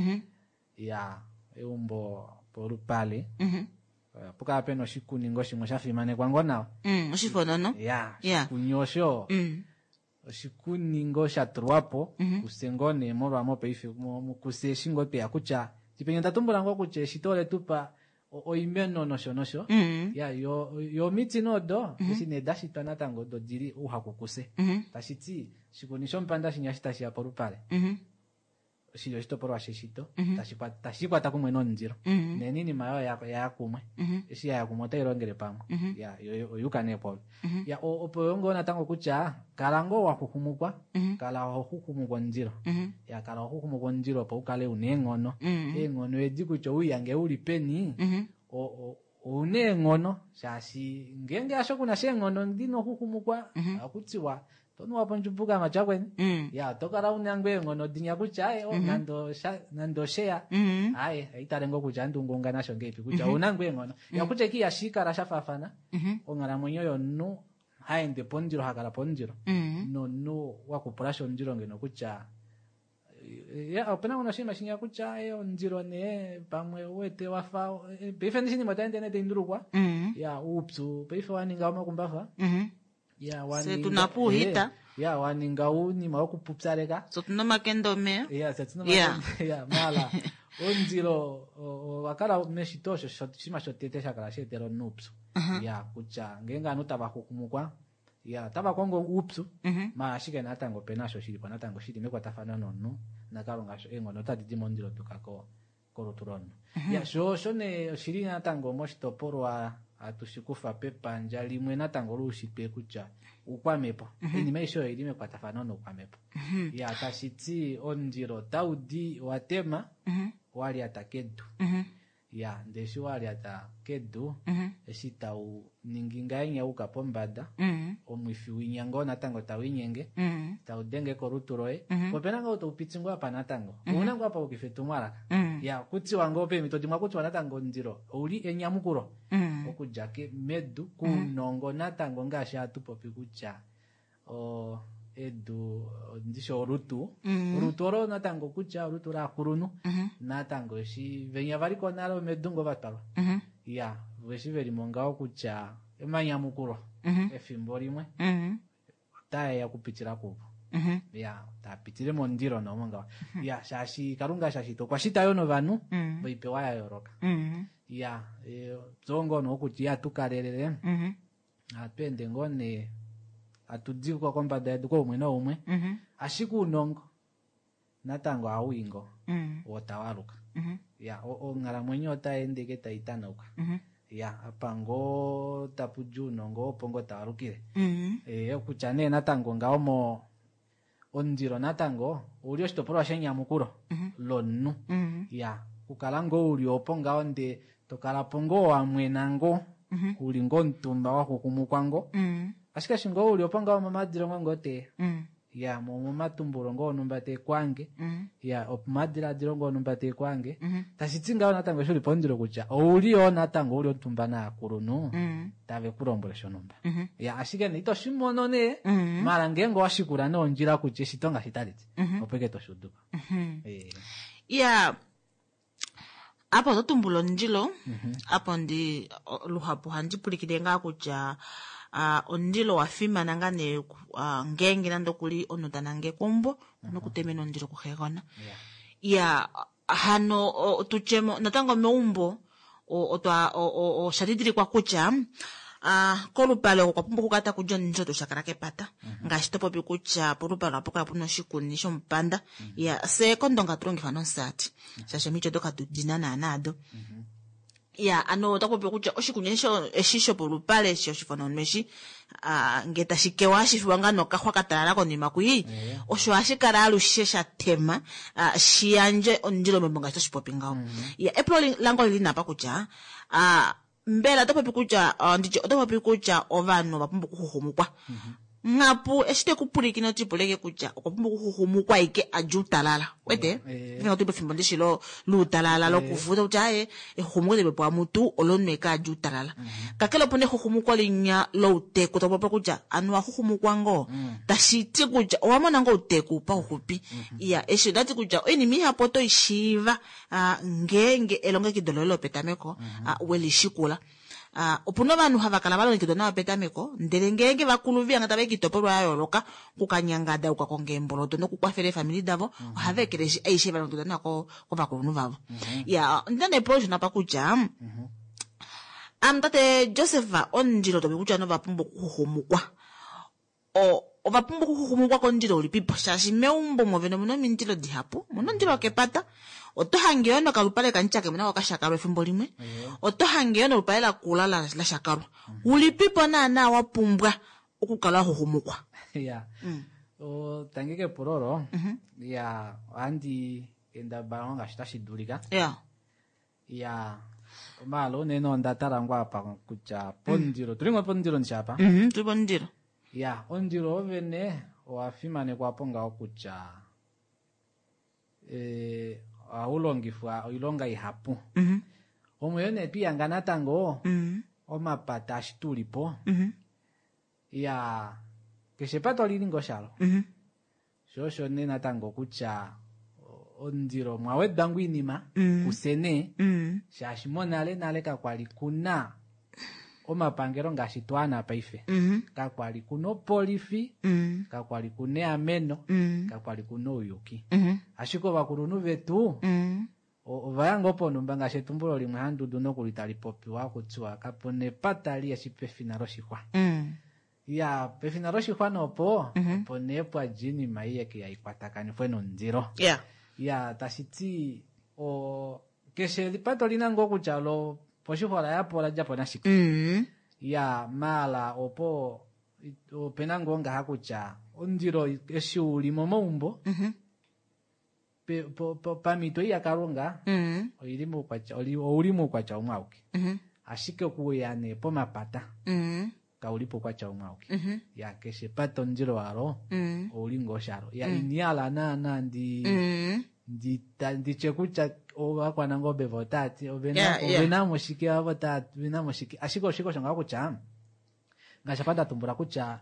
Ya, eumbo polupale. Opo kala pena oshikuningo shimwe sha fimanekwa ngoo nawa. Oshifonono. Ya, oshikuni osho. Oshikuningo sha tulwapo, kuse ngoo nee molwa mopaife, kuse eshi ngoo tweya kutya, tipenya onda tumbula ngoo kutya eshito ole tupa oimeno nosho nosho. Ya, yo omiti nodo, eshi nee da shitwa natango odo dili ouhaku kuse. Tashi ti, oshikuni shomupanda shinya shi tashi ya polupale. Oshili oshitopolwa sheshito, tashi kwata kumwe nomundilo. Neeninima oyo ya kumwe. Eshi ya kumwe otai longele pamwe. Ya, yo oyuka nee polo. Ya, opo yo ngoo natango kutya, kala ngoo wa xuxumukwa, kala ho xuxumukwa omundilo. Ya, kala ho xuxumukwa omundilo opo u kale una eenghono. Eenghono edi kutya ouyange uli peni, ouna eenghono, shaashi ngeenge hasho kuna sha eenghono dina okuxuxumukwa, ohakutiwa tonuwa po ndjumbuka matyakweni. Ya, oto kala una ngoo eenghono dinya kutya, aye, nande osheya. Aye, aitale ngoo kutya andi ungaunga nasho ngeipi, kutya ouna ngoo eenghono. Ya, kutya iki ihashi kala sha faafana, onghalamwenyo yomunhu haende pomundilo, hakala pomundilo. Nomunhu wakupulasha omundilo ngeno kutya, ya, opena ngono oshinima shinya kutya, aye, omundilo nee, pamwe uwete wafa, paife ndi shinima otaende nee taindulukwa. Ya, uupyu, paife waninga omakumbafa. Ya, Se waninga, tuna puuhita. ya, waninga uunima wokupupyaleka. So tuna omakende omeya. Ya, se tuna omakende, ya, mala. Omundilo, owakala meshito osho oshinima shotete sha kala sheetela omunhu uupyu. Ya, kutya ngeenge ovanhu tava xuxumukwa, ya, otava kongo uupyu, maala ashike natango opena osho shilipo natango shili mekwatafano nomunhu, naKalunga osho eenghono otadi di momundilo duka kolutu lomunhu. Ya, sho osho nee oshili natango moshitopolwa hatu shi kufa pepandja limwe natango loushitwe kutya oukwamhepo. Oinima aishe oyo ili mekwatafano noukwamhepo. Ya, tashi ti omundilo otau di wa tema, wa lyata kedu. Ya, ndele eshi wa lyata kedu, eshi tau ningi ngahenya uka pombada, omwifi winya ngoo natango tau inyenge, tau denge kolutu loye. Po opena ngoo tau piti ngoo apa natango. Ouna ngoo apa ukifa etumwalaka. Ya, kutiwa ngoo peemhito dimwe kutiwa natango omundilo ouli enyamukulo. Okudja medu kuunongo natango ngaashi hatu popi kutya, edu, ndishi olutu. Olutu olo natango kutya olutu laakulunhu. Natango eshi venya vali ko nale omedu ngoo vatwalwa. Ya, eshi veli mo ngaho kutya emanyamukulo efimbo limwe otaeya okupitila kuvo. Ya, tapitile momundilo nomo ngaho. Ya, shaashi Kalunga shaashi okwa shita yo novanhu voipewa ya yooloka. Ya, zongo nokutya ya tukalelele. Ohatu ende ngoo nee hatu diko kombada yedu koumwe noumwe. Ashike ounongo natango ohau ngoo wo tawaluka. Ya, onghalamwenyo otai ende ike tai tanauka. Ya, apa ngoo tapu di ounongo opo ngoo tawalukile. Okutya nee natango ngaho mo omundilo natango ouli oshitopolwa shenyamukulo lomunhu. Ya, okukala ngoo uli opo ngaho ndee tokala po ngoo wamwena ngoo, uli ngoo omutumba waxuxumukwa ngoo. Ashike eshi ngoo uli opo ngaho momadilongo ngoo te ya, momatumbulo ngoo onumba te kwange, ya, omadiladilo ngoo onumba te kwange. Tashi ti ngaho natango eshi uli pomundilo kutya ouli yoo natango uli omutumba naakulunhu tave ku lombwele shonumba. Ya, ashike nee ito shi mono nee, mala ngeenge owa shikula nee ondjila kutya eshito ngaashi tali ti, opo ike toshi udu ko. Ya, apa oto tumbula omundilo, apo ndi luhapu ohandi pulikile ngaa kutya omundilo owa fimana ngaa nee, ngeenge nande okuli omunhu ta nangekwa omumbo, okuna okutemena omundilo kuxegona. Ya, hano tutyemo natango meumbo otwa osha didilikwa kutya kolupale oko kwa pumbwa okukala taku di omundilo tuu shakala kepata. Ngaashi to popi kutya polupale ohapu kala puna oshikuni shomupanda. Ya, fye kOndonga hatu longifa nomusati, shaashi omiti odo katu dina naana ado. Ya, ano ota popi kutya oshikuni eshi shopolupale eshi oshifono eshi, nge tashi kewa hashi fiwa ngaa nokaxwa ka talala konima kwii, osho hashi kala alushe sha tema, shi yandje omundilo meumbo ngaashi toshi popi ngaho. Ya, epulo lange oli li napa kutya, mbela oto popi kutya, nditye oto popi kutya ovanhu ova pumbwa okuxuxumukwa. Ngapu eshi te ku pulikina oti puleke kutya okwa pumbwa okuxuxumukwa ike a dje outalala. Wete? Fimbo tu pefimbo ndishi lo luutalala lokufuta kutya aye exuxumuko lipepo amutu olo eke a dje outalala. Kakele opuna exuxumuko linya louteku to popi kutya anu wa xuxumukwa ngoo, tashi ti kutya owa mona ngoo outeku pauxupi. Ya, eshi otati kutya oinima ihapu oto i shiiva ngeenge elongekido loye lopetameko we li shikula. Opuna ovanhu hava kala va longekidwa nawa petameko, ndele ngeenge vakulu viyanga tava i kiitopolwa ya yooloka okukanyangada, okukakonga eemboloto nokukwafela eefamili davo, ohava ekeleshi aishe va longekidwa nawa kovakulunhu vavo. Ya, ondina nee epulo lishona apa kutya, ame tate Joseph, omundilo topopi kutya ovanhu ova pumbwa okuxuxumukwa. Ova pumbwa okuxuxumukwa komundilo ulipipo, shaashi meumbo mwovene omuna omindilo dihapu. Omuna omundilo wokepata, oto hange yoo nokalupale kamutyakemo nako kashakalwa efimbo limwe, oto hange yoo nolupale lakula la shakalwa. Ulipipo naana wa pumbwa okukala wa xuxumukwa? Ya, tangi kepulo olo. Ya, ohandi kendabala ngoo ngaashi tashi dulika. Ya, omaalo unene onda tala ngoo apa kutya pomundilo, tuli ngoo pomundilo ndishi apa? Tuli pomundilo. Ya, omundilo wovene owa fimanekwa po ngaho kutya ohau longifwa oilonga ihapu. Omweyo nee twihanga natango omapata ashi tuli po. Ya, keshe epata olili ngoo shalo. Sho osho nee natango kutya omundilo omwa wedwa ngoo oinima kufye nee, shaashi monale nale kakwali kuna omapangelo ngaashi twaana paife. Kakwali kuna opolifi, kakwali kuna eameno, kakwali kuna ouyuki. Ashike ovakulunhu vetu ova ya ngoo ponhumba ngaashi etumbulo limwe handudu nokuli tali popiwa kutiwa kapuna epata liheshi pefina loshixwa. Ya, pefina loshixwa nopo, opo nee pwa dja oinima ei yeke ya ikwatakanifwe nomundilo. Ya, tashi ti keshe epata olina ngoo kutya lo poshixwa ola yapo ola dja po nashike. Ya, maala opo opena ngoo ngaha kutya omundilo eshi uli momaumbo, pamhito ei yaKalunga, oili moukwatya, ouli moukwatya umwe auke. Ashike okuya nee pomapata, kauli poukwatya umwe auke. Ya, keshe epata omundilo walo, ouli ngoo shalo. Ya, ini hala naana nditye kutya ovakwanangobe vo otaa ti, ovena mo shike, avo ovena mo shike. Ashike oshike osho ngaho kutya, ngaashi apa nda tumbula kutya,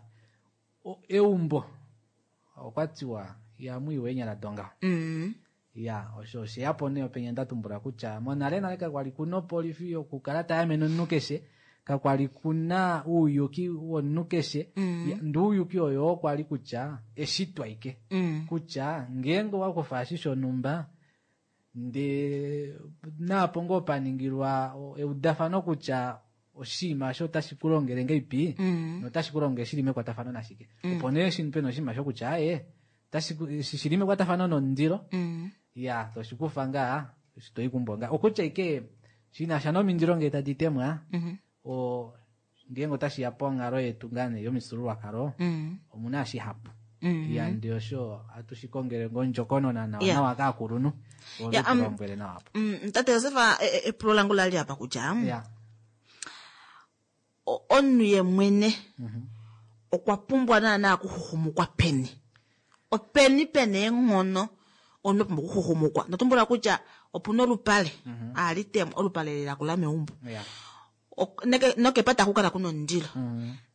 eumbo okwa tiwa ihamu iwa eenyala dongaho. Ya, osho osheyapo nee openya nda tumbula kutya monale nale kakwali kuna opolifi yokukala ta yamene omunhu keshe, kakwali kuna ouyuki womunhu keshe. Ya, ndee ouyuki oyo okwa li kutya eshitwa ike. Kutya ngeenge owa kufa eshi shonhumba, ndee naapo ngoo pa ningilwa eudafano kutya oshinima osho otashi ku longele ngeipi notashi ku longele shili mekwatafano nashike. Opo nee shi pena oshinima shokutya aye tashi shili mekwatafano nomundilo ya toshikufa ngaa toikumbo ngaa okutya ike shinasha nomindilo ngee tadi temwa o ngeenge otashi ya ponghalo yetu ngaa nee yomifyuululwakalo omuna shihapu. Ya ndi osho atu shi kongele ngondjokonona nawa nawa kaakulunhu ovetulombwele nawa apo. Tate Joseph, epulo langu lali apa kutya omunhu ye mwene okwa pumbwa naana okuxuxumukwa peni? Openi pena eenghono omunhu a pumbwa okuxuxumukwa? Ndatumbula kutya opuna olupale ali temwa, olupale lela kula meumbo. Nokepata kukala kuna omundilo.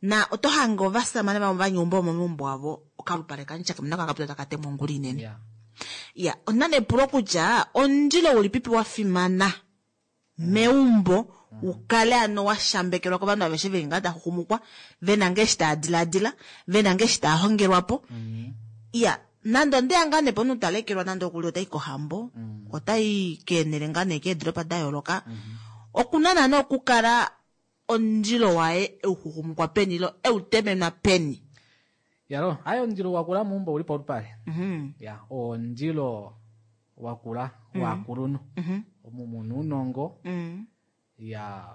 Na oto hange ovasamane vamwe vanyumba omomeumbo avo okalupale kamutyaka muna kakapita taka temwa ongula inene. Ya, onda nepulo kutya omundilo ulipipi wa fimana meumbo ukale ano wa shambekelwa kovanhu aveshe veli ngaa taxuxumukwa, vena ngee eshi taa dilaadila, vena ngee eshi taa hongelwapo. Ya, nande ondeya ngaa nee pomunhu talekelwa nande okuli otai kohambo, otai keenele ngaa nee keedoropa da yooloka, okuna naana okukala omundilo waye euxuxumukwa peni ilo eutemenwa peni? Yalo, aye omundilo wakula meumbo uli polupale. Ya, omundilo wakula wakulunhu. Omu muna ounongo ya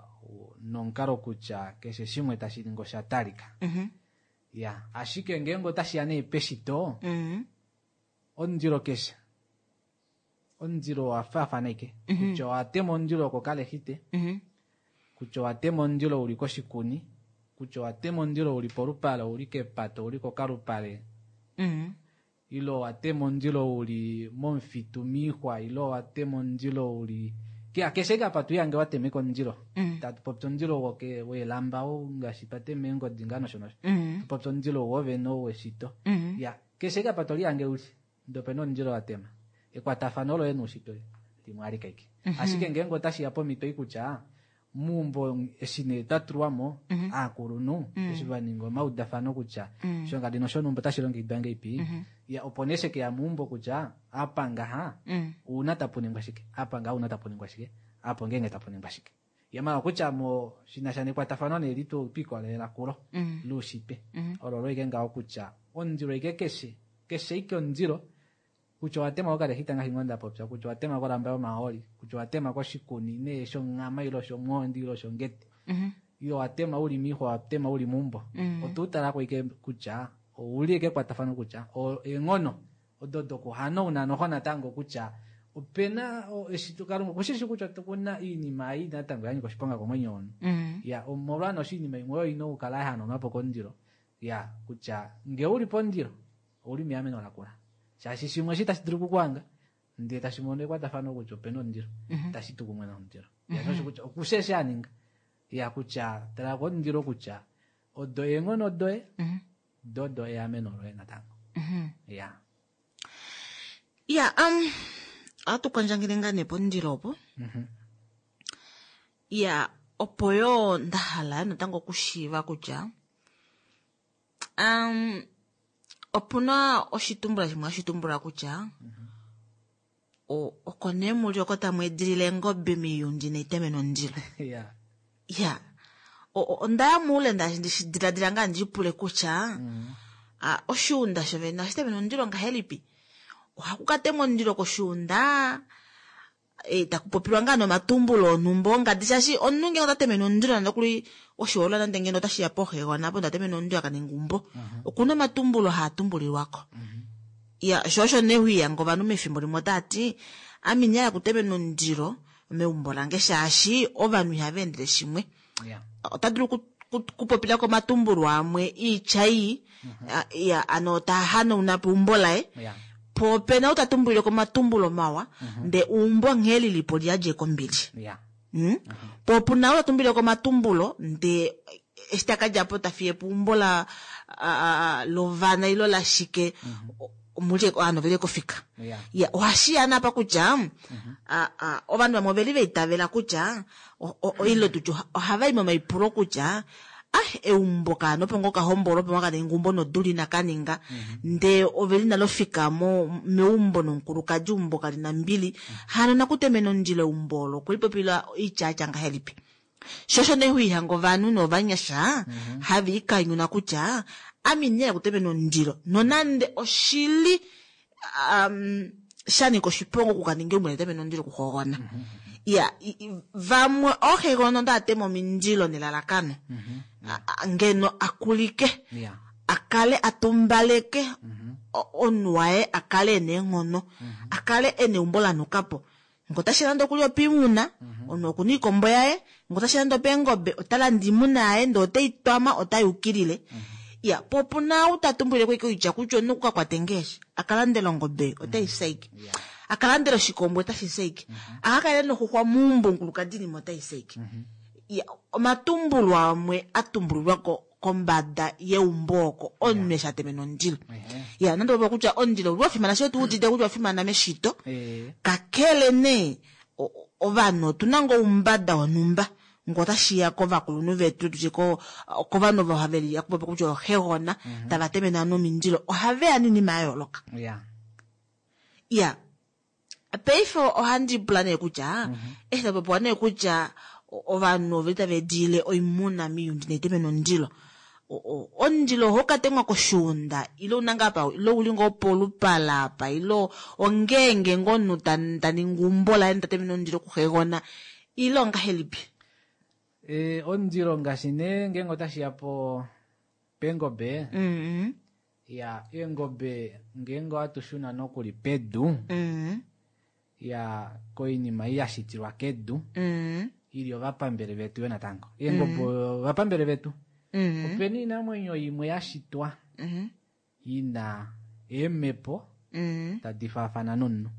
nomukalo kutya keshe shimwe tashi ningi osha talika. Ya, ashike ngeenge otashi ya nee peshito, omundilo keshe omundilo owa faafana ike. Kutya owa tema omundilo kokalexite, kutya owa tema omundilo uli koshikuni, kutya owa tema omundilo uli polupale, uli kepato, uli kokalupale, ile owa tema omundilo uli momufitu miixwa, ile owa tema omundilo uli keshe ike apa twiihange wa temeka omundilo. Tatu popi omundilo weelamba ou ngaashi twatema eengodi ngaa nosho nosho. Tupopi omundilo wovene ou weshito. Ya, keshe ike apa tolihange uli ndee opena omundilo wa tema. Ekwatafano loye noushitwe limwe alike ike. Ashike ngeenge otashi ya pomhito ei kutya meumbo eshi nee twa tulwamo aakulunhu eshi va ninga omaudafano kutya shongadi noshonhumba otashi longekidwa ngeipi, ya opo nee shekeya meumbo kutya apa ngaha ouna tapu ningwa shike, apa ngaha ouna tapu ningwa shike, apo ngeenge tapu ningwa shike. Ya mala kutya mo shinasha nekwatafano nee litu twikolelela kulo loushitwe. Olo loike ngaho kutya omundilo ike keshe, keshe ike omundilo kutya owa tema kokalexita ngaashi ngoo nda popya, kutya owa tema kolamba yomahooli, kutya owa tema koshikuni nee shonghama ile shomwondi ile shongete, ile owa tema uli miixwa, owa tema uli meumbo. Oto talako ike kutya ouli ike ekwatafano kutya eenghono odo dokuhanauna noho natango kutya opena eshi Kalunga okushishi kutya okuna oinima ei natango ya nyika oshiponga komwenyo womunhu. Ya, omolwa noshinima imwe oyo ina okukala ya hanaunwa po komundilo. Ya, kutya ngee uli pomundilo ouli meameno lakula. Shaashi shimwe eshi tashi dulu okukuhanga ndee tashi mono ekwatafano kutya opena omundilo, tashi tu kumwe nomundilo. Ya, shosho kutya okushe eshi a ninga. Ya, kutya tala komundilo kutya odo eenghono doye, dodo eameno loye natango. Ya. Ya, ohatu kwandjangele ngaa nee pomundilo opo. Ya, opo yoo nda hala natango okushiiva kutya opuna oshitumbula shimwe hashi tumbula kutya oko nee muli oko tamu edilile eengobe miiyundi neiteme nomundilo. Ya, onda ya muule ndi diladila ngaa ndi pule kutya oshiunda shovene ohashi temene omundilo ngahelipi? Ohaku ka temwa omundilo koshiunda taku popilwa ngaa nomatumbulo onhumba ongadi, shaashi omunhu ngenge ota temene omundilo nande okuli oshihoololwa nande ngeno otashi ya pooxegona apo nda temene omundilo aka ninga umbo, okuna omatumbulo haa tumbulilwako. Ya, sho osho nee hwiiyanga ovanhu mefimbo limwe otaa ti ame ina hala okutemena omundilo meumbo lange shaashi ovanhu ihava endele shimwe. Ota dulu kupopila komatumbulo amwe iitya ii, ya, ano taa hanauna po eumbo laye. Po opena ou ta tumbulile komatumbulo mawa, ndee eumbo nghee lilipo liyadje kombili. Po opuna ou ta tumbulile komatumbulo, ndee eshi taka djapo ta fiye po eumbo la lovana ilo lashike, mulye ovanhu oveli kofika. Ya, ohashi ya napa kutya ovanhu vamwe oveli vaitavela kutya ile tutye ohava i momaipulo kutya eumbo kaano opo ngoo kahombolo opo kaninga eumbo nodula ina kaninga, ndee oveli nalo fika mo meumbo nomukulukadi eumbo kali na mbili, hano nakutemena omundilo eumbo olo okwelipopila oitya yatya ngahelipi? Shosho nee huihanga ovanhu novanyasha have ikanyuna kutya ame indihala okutemena omundilo nonande oshili shanika oshiponga okukaninga eumbo netemena omundilo okuhogona. Iya, vamwe oohegona onda tema omindilo nelalakano ngeno akulike akale atumbaleke omunhu waye akale ena eenghono, akale ena eumbo lanukapo. Ngo tashi landa okuli opiimuna, omunhu okuna iikombo yaye, ngo tashi landa opeengobe, ota landa iimuna yaye ndee otei twama ota yukilile. Iya, po opuna ou ta tumbulile ko oitya kutya omunhu okuka kwate ngeeshi, akalandela ongobe, otai fyaike. Akalandela oshikombo otashi fyaike. Akakale noxuxwa meumbo omukulukadi inima otai fyaike. Iya, omatumbulo amwe a tumbulilwa kombada yeumbo oko omunhu eshi a temena omundilo. Ya, nande opo kutya omundilo owa fimana, shoo tu udite kutya owa fimana meshito. Kakele nee ovanhu otuna ngoo oumbada wonhumba ngo otashi ya kovakulunhu vetu, tutye kovanhu ovo have li akupopi kutya ooxegona, tava temene ovanhu omindilo, ohave ya noinima ya yooloka. Ya, paife ohandi pula nee kutya, eshi ta popiwa nee kutya ovanhu oveli tava ediile oimuna miiundi naitemene omundilo, omundilo ohau ka temwa koshuunda ile una ngaa pa, ile uli ngoo polupala apa, ile ongeenge ngoo omunhu ta ningi eumbo laye ta temene omundilo kuxegona, ile ongahelipi? Omundilo ngaashi nee ngeenge otashi ya po peengobe, ya eengobe ngeenge ohatu shuna nokuli pedu, ya koinima ei ya shitilwa kedu, ili ovapambele vetu yo natango. Eengobe ovapambele vetu. Opena oinamwenyo imwe ya shitwa ina eemhepo tadi faafana nomunhu.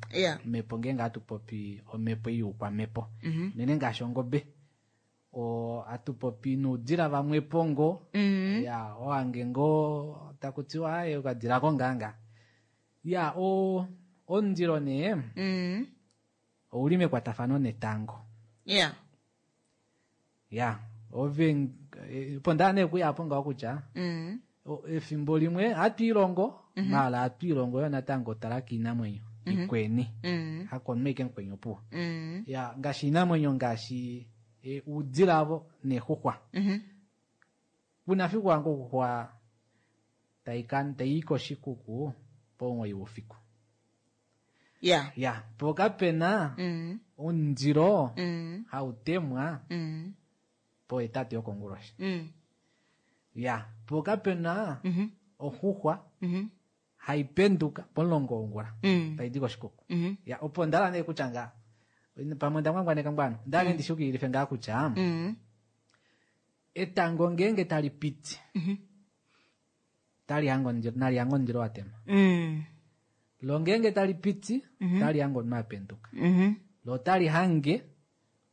Omhepo ngeenge hatu popi omhepo ei youkwamepo. Unene ngaashi ongobe. Hatu popi noudila vamwe pongo. Ya, owange ngoo taku tiwa, aye, okadila kongaanga. Ya, omundilo nee, ouli mekwatafano netango. Ya, ove, opo ndaa nee kuya po ngaho kutya, efimbo limwe hatu ilongo, maala hatu ilongo yo natango tala kiinamwenyo ikweni. Hako omunhu aike mukweni opuwo. Ya, ngaashi iinamwenyo ngaashi uudila avo neexuxwa. Kuna fiku wange okuxwa tai koshikuku pomuwoi woufiku. Ya, po kapena omundilo hau temwa pohetatu yokonguloshi. Ya, po kapena oxuxwa hai penduka pomulongo wongula tai di koshikuku. Ya, opo ndala nee kutya nga pamwe nda ngwangwaneka ngwano, ndala nee ndishukililife ngaa kutya etango ngeenge tali piti, tali hange omundilo, nali hange omundilo wa tema. Lo ngeenge tali piti, tali hange omunhu a penduka. Lo tali hange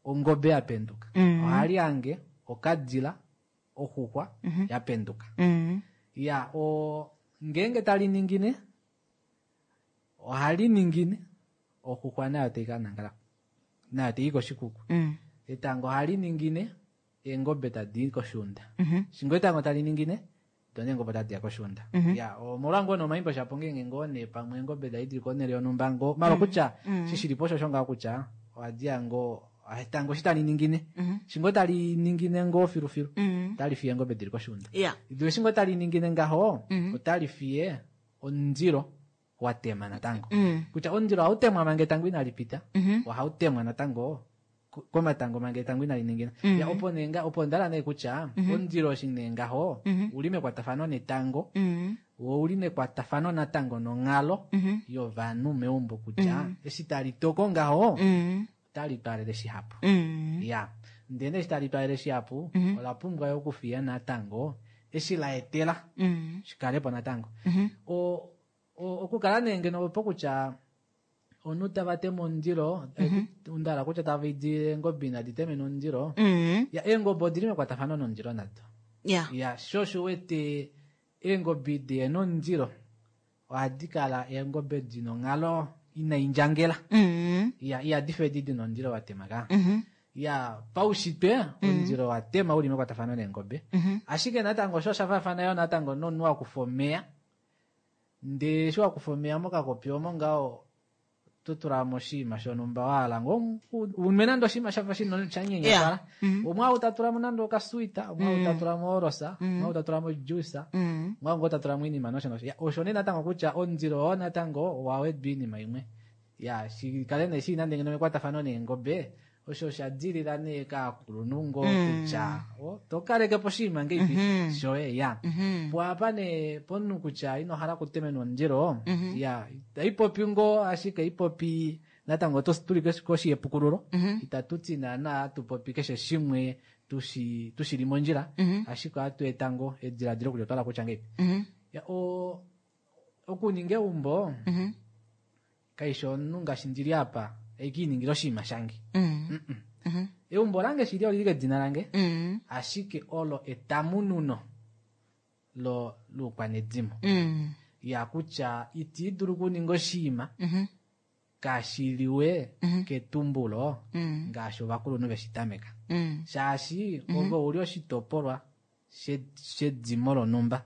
ongobe ya penduka. Ohali hange okadila, oxuxwa ya penduka. Ya, ngeenge tali ningine, ohali ningine, oxuxwa nayo tai ka nangala, nayo tai i koshikuku. Etango ohali ningine, eengobe tadi i koshuunda. Shingo etango tali ningine, do neengobe otadi ya koshuunda. Ya, omolwa ngoo nomaimbo shapo ngeenge ngoo nee pamwe eengobe da idili konhele yonhumba ngoo, malo kutya, shishilipo osho osho ngaho kutya, ohadi ya ngoo, etango eshi tali ningine, shingo tali ningine ngoo filufilu, otali fiye eengobe dili koshuunda. Do eshi ngoo tali ningine ngaho, otali fiye omundilo wa tema natango. Kutya omundilo ohau temwa manga etango inali pita, ohau temwa natango komatango manga etango inali ningina. Ya, opo nee nga, opo ndala nee kutya, omundilo eshi nee ngaho, uli mekwatafano netango, wo uli mekwatafano natango nonghalo yovanhu meumbo kutya, eshi tali toko ngaho, otali twaalele shihapu. Ya, ndele eshi tali twaalele shihapu, ola pumbwa yo okufiya natango, eshi la etela, shikale po natango. Okukala nee ngeno opo kutya, omunhu tava tema omundilo, undala kutya tava idile eengobe inadi temena omundilo. Ya, eengobe odili mekwatafano nomundilo nado. Ya, sho osho wete eengobe dihena omundilo, ohadi kala eengobe dina onghalo inai ndjangela. Ya, ihadi fe edi dina omundilo wa tema ka. Ya, paushitwe, omundilo wa tema uli mekwatafano neengobe. Ashike natango osho osha faafana yo natango nomunhu wa kufa omeya. Ndee eshi wa kufa omeya mokakopi omo ngaho, To tula mo oshinima shonhumba wa hala ngoo unwe nande oshinima shafa shino sha nyenyepala. Umwe ou ta tula mo nande okaswita, umwe ou ta tula mo orosa, umwe ou ta tula mo juice, umwe ou ta tula mo iinima nosho nosho. Osho nee natango kutya omundilo oo natango owa wedwa iinima imwe. Ya, shi kale nee shili nande ngeno mekwatafano neengobe, osho osha dilila nee kaakulunhu ngoo kutya to kaleke po oshinima ngeipi shoye ya. Po apa nee pomunhu kutya ino hala okutemenwa omundilo, ya, itaipopi ngoo ashike ipopi natango oto tuli koshi yepukululo, itatu ti naana atupopi keshe shimwe tushili mondjila, ashike ohatu eta ngoo ediladilo kutya otwa hala kutya ngeipi. Ya, okuninga eumbo kaishi omunhu ngaashi ndili apa eiki iningile oshinima shange. Eumbo lange shili olili kedina lange, ashike olo etamununo loukwanedimo. Ya kutya iti dulu okuninga oshinima kashiliwe ketumbulo ngaashi ovakulunhu veshi tameka. Shaashi ove uli oshitopolwa shedimo lonhumba.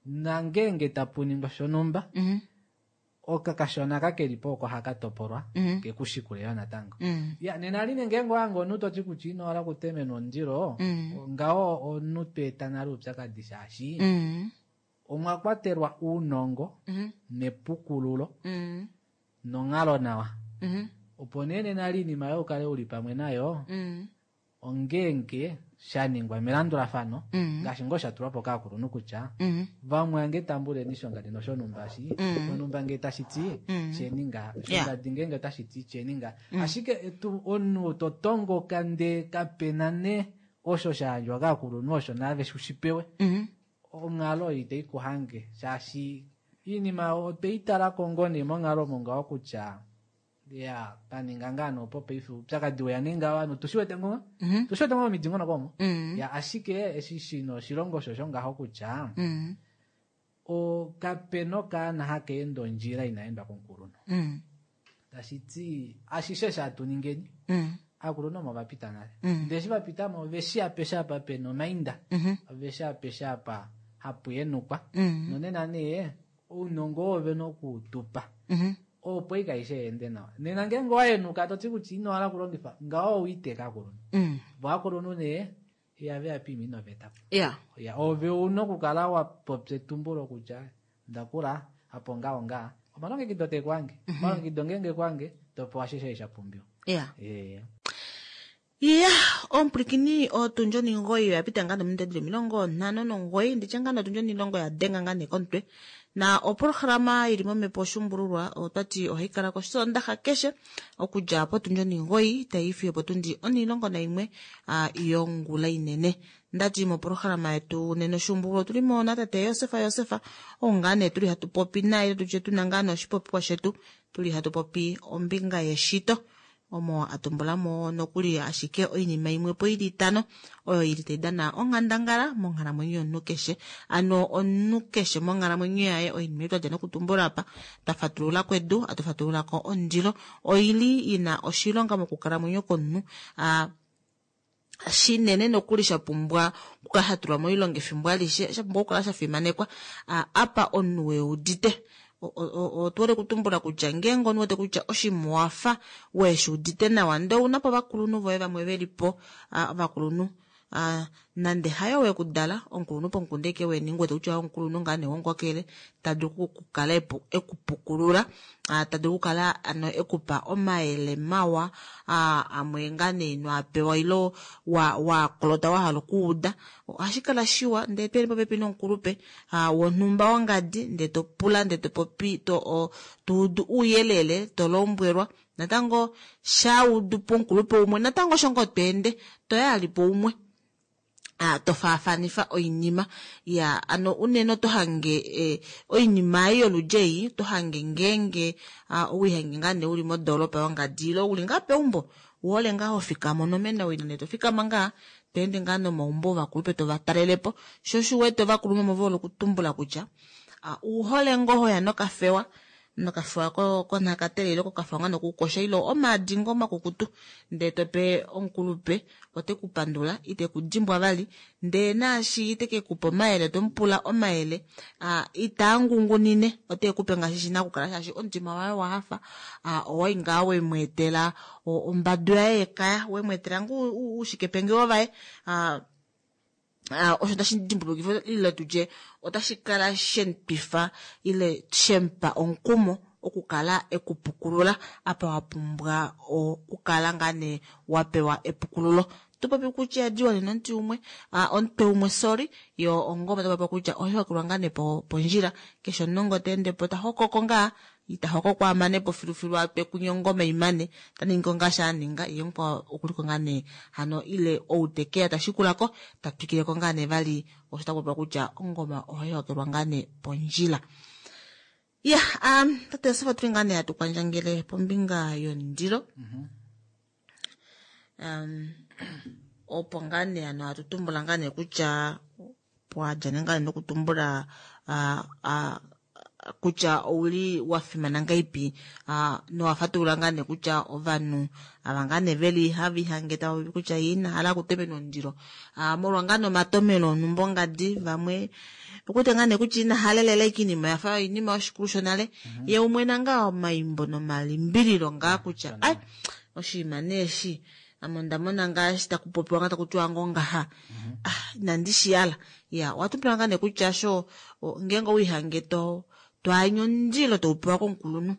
Nangenge tapu ningwa shonhumba, okakashona kakelipo oko haka topolwa kekushikule yo natango. Ya, nena line ngeenge owange omunhu toti kutya ino hala okutemenwa omundilo, ngaho omunhu tweeta nale oupyakadi shaashi omwa kwatelwa ounongo nepukululo nonghalo nawa. Opo nee nena li iinima yoye ukale uli pamwe nayo, ongeenge sha ningwa melandulafano, ngaashi ngoo sha tulwa po kaakulunhu kutya vamwe ange tambuleni shongadi noshonhumba shi, shonhumba ngee tashi ti sheninga, shongadi ngeenge otashi ti sheninga. Ashike omunhu to tongoka ndee kapena nee osho sha yandjwa kaakulunhu osho naave ushipewe, onghalo itai ku hange shaashi iinima otwei talako ngoo nee monghalo omo ngaho kutya ya paninga ngaa nee opo paife oupyakadi weya nee ngaho ovanhu tushiwete ngoo tushiwete ngoo momidingonoko omo. Ya, ashike eshi shina oshilongo osho osho ngaho kutya kapena okaana haka ende ondjila ina endwa komukulunhu. Tashi ti ashishe sha tuningeni aakulunhu omo va pita nale. Ndele eshi va pita mo oveshi apeshe apa pena omainda, oveshi apeshe apa hapu yenukwa. Nonena nee ounongo oo vena okuutupa opo ika aishe yeende nawa. Nena ngeenge owa yenuka toti kutya ino hala okulongifa ngaho owiiteka aakulunhu. Vo aakulunhu nee ihave ya piima inoveta po. Ya, ove una okukala wa popya etumbulo kutya ndakula apo ngaho ngaa omalongekido te kwange, omalongekido ngeenge kwange topewa ashishe sha pumbiwa. Ya, omupwilikini otundi oningoyi oya pita ngaa nominute dili 59, nditye ngaa notundi onilongo ya denga ngaa nee komutwe. Na oprograma ili momhepo oshuumbululwa otwati ohayi kala kosondaxa keshe okudja potundi oningoyi tai fiyo potundi 11 yongula inene. Ndati moprograma yetu nena oshuumbululwa otuli mo natate Josefa Josefa, ou ngaa nee tuli hatu popi naye tutye tuna ngaa nee oshipopiwa shetu tuli hatu popi ombinga yeshito. Omo atumbulamo nokuli ashike oinima imwe po ili itano oyo ili tai dana onghandangala monghalamwenyo yomunhu keshe. Ano omunhu keshe monghalamwenyo yaye oinima ei twadja nokutumbula apa, twa fatulula kwedu, atu fatulula ko omundilo, oili ina oshilonga mokukalamwenyo komunhu, shinene nokuli sha pumbwa okukala sha tulwa moilonga efimbo alishe, sha pumbwa okukala sha fimanekwa, apa omunhu weudite. Otuhole okutumbula kutya ngeenge omunhu wete kutya oshimuwafa weshi udite nawa, ndee ouna po ovakulunhu voye vamwe velipo, ovakulunhu nande hayo wekudala, omukulunhu pomukunda eke weni, wete kutya omukulunhu ngaa nee womukokele, ta dulu okukala ekupukulula, ta dulu okukala ano ekupa omayele mawa, amwe ngaa nee ino a pewa ilo wa kolota wa hala okuuda. Ohashi kala shiwa ndee tweli popepi nomukulupe wonhumba wongadi, ndee to pula, ndee to popi, to udu ouyelele, to lombwelwa. Natango shaudu pomukulupe umwe, natango osho ngoo tweende, toya ali po umwe. To faafanifa oinima. Ya, ano unene oto hange oinima ei yoludji ei, oto hange ngeenge owihange ngaa nee uli modoolopa yongadi ile uli ngaa peumbo, uhole ngaa ho fikama onomena wina nee to fikama ngaa, to ende ngaa nomaumbo ovakulupe to va talelepo. Sho osho uwete ovakulunhu ovo vehole okutumbula kutya, uhole ngoo hoya nokafewa. Nokafiwa konhakatele ile kokafiwa ngaa nokukosha ile omaadi ngoo makukutu ndee tope omukulupe ote ku pandula ite ku dimbwa vali ndee naashi ite ke kupa omayele tomupula omayele itaa ngungunine ote kupe ngaashi shina okukala shaashi omutima waye owa hafa owai ngaa wemweetela ombadu yaye yekaya wemweetela ngoo uushikepengewo vaye osho tashi dimbulukifa ile tutye otashi kala shemutwifa ile shemupa omukumo okukala ekupukulula apa wapumbwa okukala ngaa nee wapewa epukululo. Topopi kutya diwa nena omuti umwe omutwe umwe sorry yo ongoma topopi kutya ohayi ngaa nee pondjila keshe omunongo teendepo tahokoko ngaa itahokoko amanepo filufilu atwe kunye ongoma imane taningi ngaashi aninga ye mukwao okuliko ngaa nee hano ile ou tekeya tashikulako tatwikileko ngaa nee vali osho takupopiwa kutya ongoma ohayi hokelwa ngaa nee pondjila. Ya tate Josef otuli ngaa nee hatu kwandjangele pombinga yomundilo. Opo ngaa nee hano hatu tumbula ngaa nee kutya pwadja nee ngaa nee nokutumbula kutya ouli wafimana ngaipi nowafatulula ngaa nee kutya ovanhu ava ngaa nee veli hava ihange tava popi kutya ye ina hala okutemena omundilo molwa ngaa nee omatomelo onhumba ongadi vamwe okuwete ngaa nee kutya ina halelela ike iinima yafa oinima yoshikulu shonale ye umwe nanga omaimbo nomalimbililo ngaa kutya ai oshinima nee eshi ame onda mona ngaashi taku popiwa ngaa taku tiwa ngoo ngaha inandi shiyala. Ya owatumbula ngaa nee kutya sho ngeenge owiihange to anye omundilo toupewa komukulunhu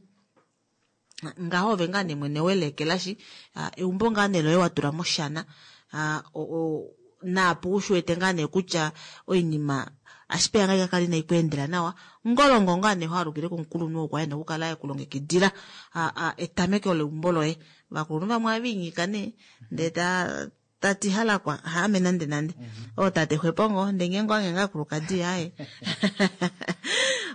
ngaho ove ngaa nee mwene welekelashi eumbo ngaa nee loye watula moshana naapo ushiwete ngaa nee kutya oinima ashike ngaa kakala inai kweendela nawa ngolongo ngaa nee hoalukile komukulunhu oo kwali ena okukala ekulongekidila etameko leumbo loye. Ovakulunhu vamwe ohava inyika nee ndee tati halakwa haame nande nande ootate xwepo ngoo ndee ngeenge owange ngaa kulukadi aaye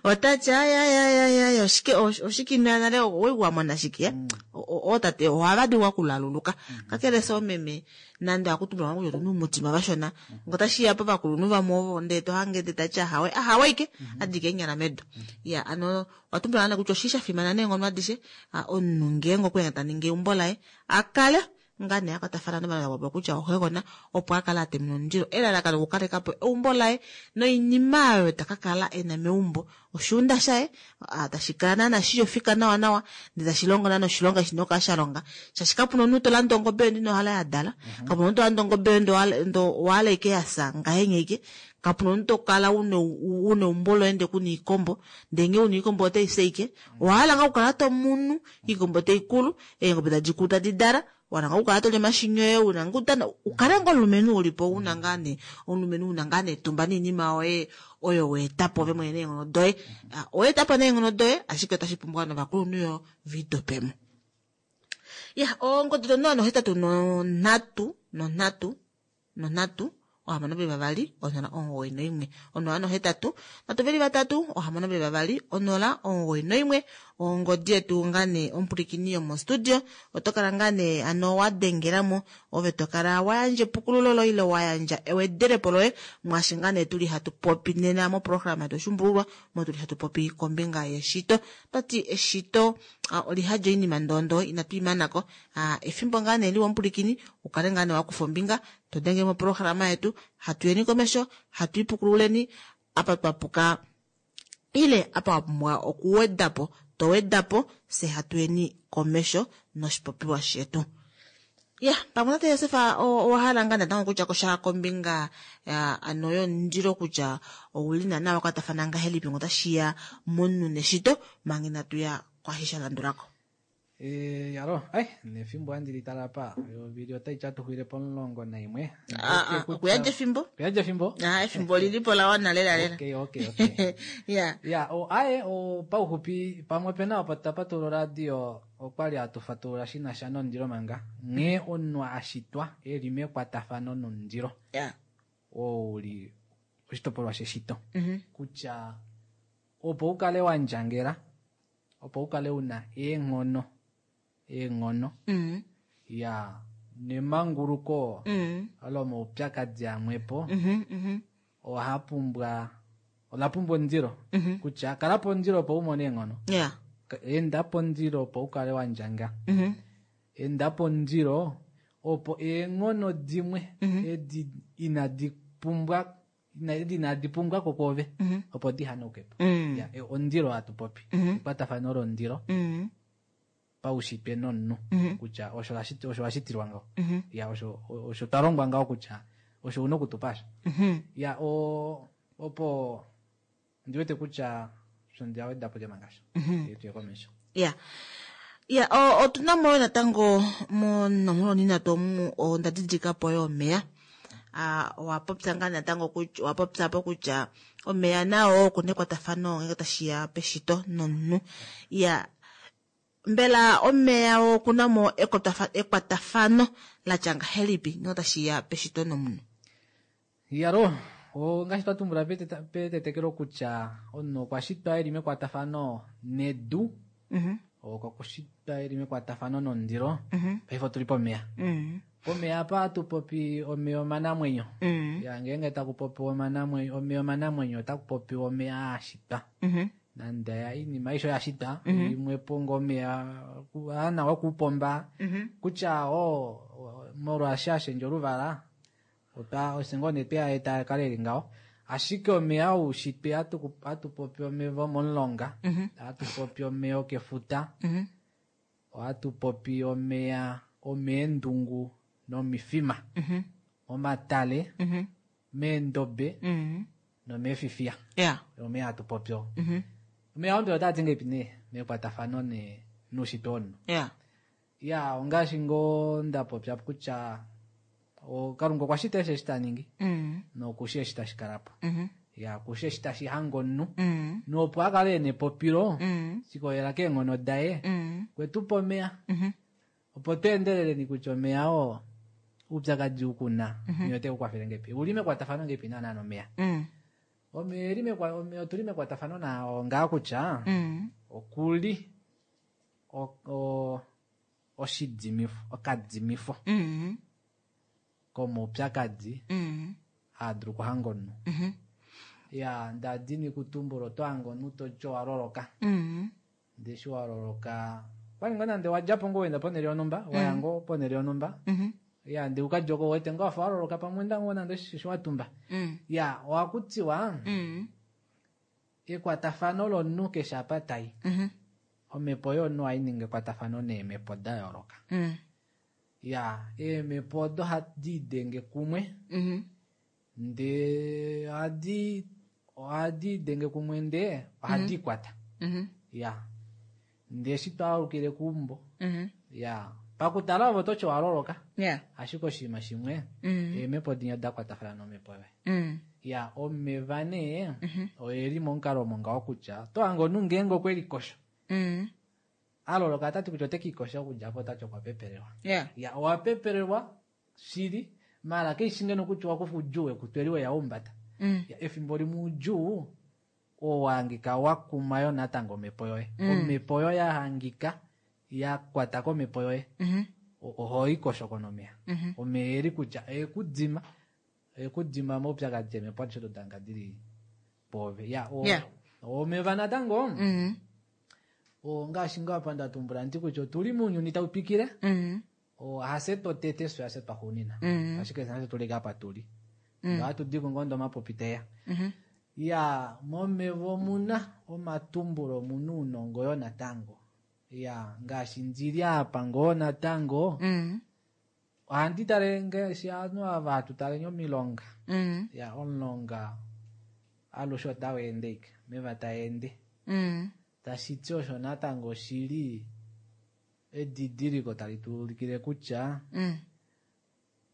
otati ayayayaya oshike oshike inoya nale owai wamona shike ootate ohava dulu okulaluluka kakele se omeme nande akutumbula kutya otuna omutima vashona ngo tashiya povakulunhu vamwe ovo ndee tohange ndee tati ahawe ahawe ike adike eenyala medu. Ya ano owatumbula nee kutya oshi shafimana neenghono adishe omunhu ngeenge okweenda taningi eumbo laye akale ngaa nee akwatafana novanhu vapopiwa kutya oxegona opo akale atemena omundilo elalakano okukalekapo eumbo laye noinima oyo takakala ena meumbo oshuunda shaye tashi kala naana shili ofika nawa nawa ndee tashi longo naana oshilonga shina okukala shalonga shaashi kapuna omunhu tolanda ongobe yoye ino hala yadala kapuna omunhu tolanda ongobe yoye ndo owahala ike yafya ngahenya ike kapuna omunhu tokala una eumbo loye ndee kuna iikombo ndee ngee una iikombo otaifye ike owahala ngaa okukala tomunu iikombo taikulu eengobe tadikulu tadi dala wana ngaa okukala toli omashini oye una ngoo ukale ngoo omulumenhu ulipo una ngaa nee omulumenhu una ngaa nee etumba noinima yoye oyo weetapo ove mwene neenghono doye oweetapo neenghono doye ashike otashi pumbwa novakulunhu yo viidopemo. Ya ongodi 083 3 3 3 6 2 0 9 1 0 8 3 6 2 0 9 1 ongodi yetu ngaa nee omupulikini yomostudio oto kala ngaa nee ano wadengelamo ove tokala wayandja epukululo loye ile wayandja ewedelepo loye mwaashi ngaa nee tuli hatu popi nena moprograma yetu oshumbululwa mo tuli hatu popi kombinga yeshito. Toti eshito olihadja oinima ndondo inatu imanako efimbo ngaa nee liwa omupulikini ukale ngaa nee wakufa ombinga todenge moprograma yetu hatuyeni komesho hatu ipukululeni apa twapuka ile apa wapumbwa okuwedapo towedapo se hatuyeni komesho noshipopiwa shetu. Ya pamwe tate Josef owahala ngaa natango kutya kosha kombinga ano yomundilo kutya ouli naana wakwatafana ngahelipi ngo otashiya momunhu neshito manga inatuya kwaashi shalandulako. Yalo ai nefimbo handi litala pa ovili otai tyatuxwile po11. Okuyandja efimbo? Okuyandja efimbo? Efimbo olilipo lawana lela lela. Okay okay okay. Ya. Ya, aye pauxupi pamwe pena opo tapatula oradio okwali hatu fatulula shina sha nomundilo manga nghee omunhu ashitwa eli mekwatafano nomundilo. Ya. Oo uli oshitopolwa sheshito. Kutya opo ukale wandjangela opo ukale una eenghono ya nemanguluko olo maupyakadi amwepo ohapumbwa ola pumbwa omundilo kutya kalapo omundilo opo umone eenghono. Ya. Enda pondilo opo ukale wandjanga. Enda pondilo opo eenghono dimwe edi inadi pumbwa edi inadi pumbwa ko kwoove opo dihanauke po. Ya, ondilo hatu popi. Ekwatafano londilo paushitwe nomunhu kutya osho osho washitilwa ngaho. Ya, osho twa longwa ngaho kutya osho una okutupa asho. Ya, opo ndiwete kutya osho ndiawedapo lyemangasho. Tuye komesho. Ya. Ya, otuna mo natango monomola onhinatu omu onda didilika po yo omeya. Owa popya ngaa natango kutya owa popya po kutya omeya nao okuna ekwatafano ngenge tashiya peshito nomunhu. Ya, mbela omeya okuna mo ekwatafano la tya ngahelipi ngenge tashiya peshito nomunhu? Yalo, ngaashi twa tumbula petetekelo kutya omunhu okwa shitwa eli mekwatafano nedu, okwa shitwa eli mekwatafano nomundilo, paife otuli pomeya. Pomeya apa hatu popi omeya omanamwenyo. Ya, ngeenge taku popiwa omeya omanamwenyo, otaku popiwa omeya a shitwa. Nande ya inima aisho ya shitwa, imwe po ngo omeya ana okupomba, kutya molwaashi ashendja oluvala, ose ngoo nee tweya eta kale eli ngaho. Ashike omeya oushitwe hatu popi omeva omomulonga, hatu popi omeya okefuta, ohatu popi omeya omeendungu nomifima, omatale, meendobe, nomeefifiya. Omeya hatu popi oo. Omeya oo mbela otaa ti ngahelipi nee mekwatafano noushitwe womunhu? Ya, ongaashi ngoo nda popya kutya Kalunga okwa shita eshi ta ningi, nokushi eshi tashi kala po. Ya, kushi eshi tashi hange omunhu, nopo a kale ena epopilo, shikolela keenghono daye, kwe tu pa omeya. Opo tu endeleleni kutya omeya oo oupyakadi ukuna, omeya ote ku kwafele ngahelipi? Uli mekwatafano ngahelipi naana nomeya? Omeya eli omeya otuli mekwatafano nao ngaa kutya okuli oshidimifo, okadimifo komaupyakadi haa dulu okuhanga omunhu. Ya, ndadini kutumbula oto hange omunhu toti owa loloka. Ndee eshi wa loloka, kwali ngoo nande wa dja po ngoo wenda ponhele yonhumba, waya ngoo ponhele yonhumba. Ya, ndee ukadja oko wete ngoo wafa wa loloka pamwe enda ngoo nande oshisho wa tumba. Ya, ohaku tiwa ekwatafano lomunhu keshe apa tai. Omhepo yomunhu ohai ningi ekwatafano neemhepo da yooloka. Ya, eemhepo odo hadi idenge kumwe, ndee ohadi idenge kumwe ndee ohadi ikwata. Ya, ndee eshi twaalukile keumbo, ya, pakutala ovo toti owa loloka, ashike oshinima shimwe, eemhepo dinya da kwatafana nomhepo yoye. Ya, omeva nee, oeli momukalo omo ngaho kutya, oto hange omunhu ngeenge okwe likosho. A loloka otati kutya ote kiikosha okudja apo otati okwa pepelelwa. Ya, owa pepelelwa shili, maala keishi ngeno kutya owa kufa oudjuu wekutweli weya umbata. Ya, efimbo limwe oudjuu oo wa hangika wa kuma yo natango omhepo yoye. Omhepo yoye ya hangika ya kwata komhepo yoye. Oho ikosho konomeya. Omeya eli kutya ekudima, ekudima moupyakadi emhepo adishe odo danga dili pove. Ya, omeva natango, ngaashi ngoo apa nda tumbula ndi kutya otuli mounyuni tau twikile, hafye twotete fye hafye twaxuunina. Ashike nafye tuli apa tuli. Ohatu di ko ngoo ndo omapopi teya. Ya, momeva omuna omatumbulo, omuna ounongo yo natango. Ya, ngaashi ndili apa ngoo natango, ohandi tale ngaashi ovanhu ava hatu tale omilonga. Ya, omulonga alushe otau ende ike, omeva taa ende. Tashi ti osho natango oshili edidiliko tali tu ulikile kutya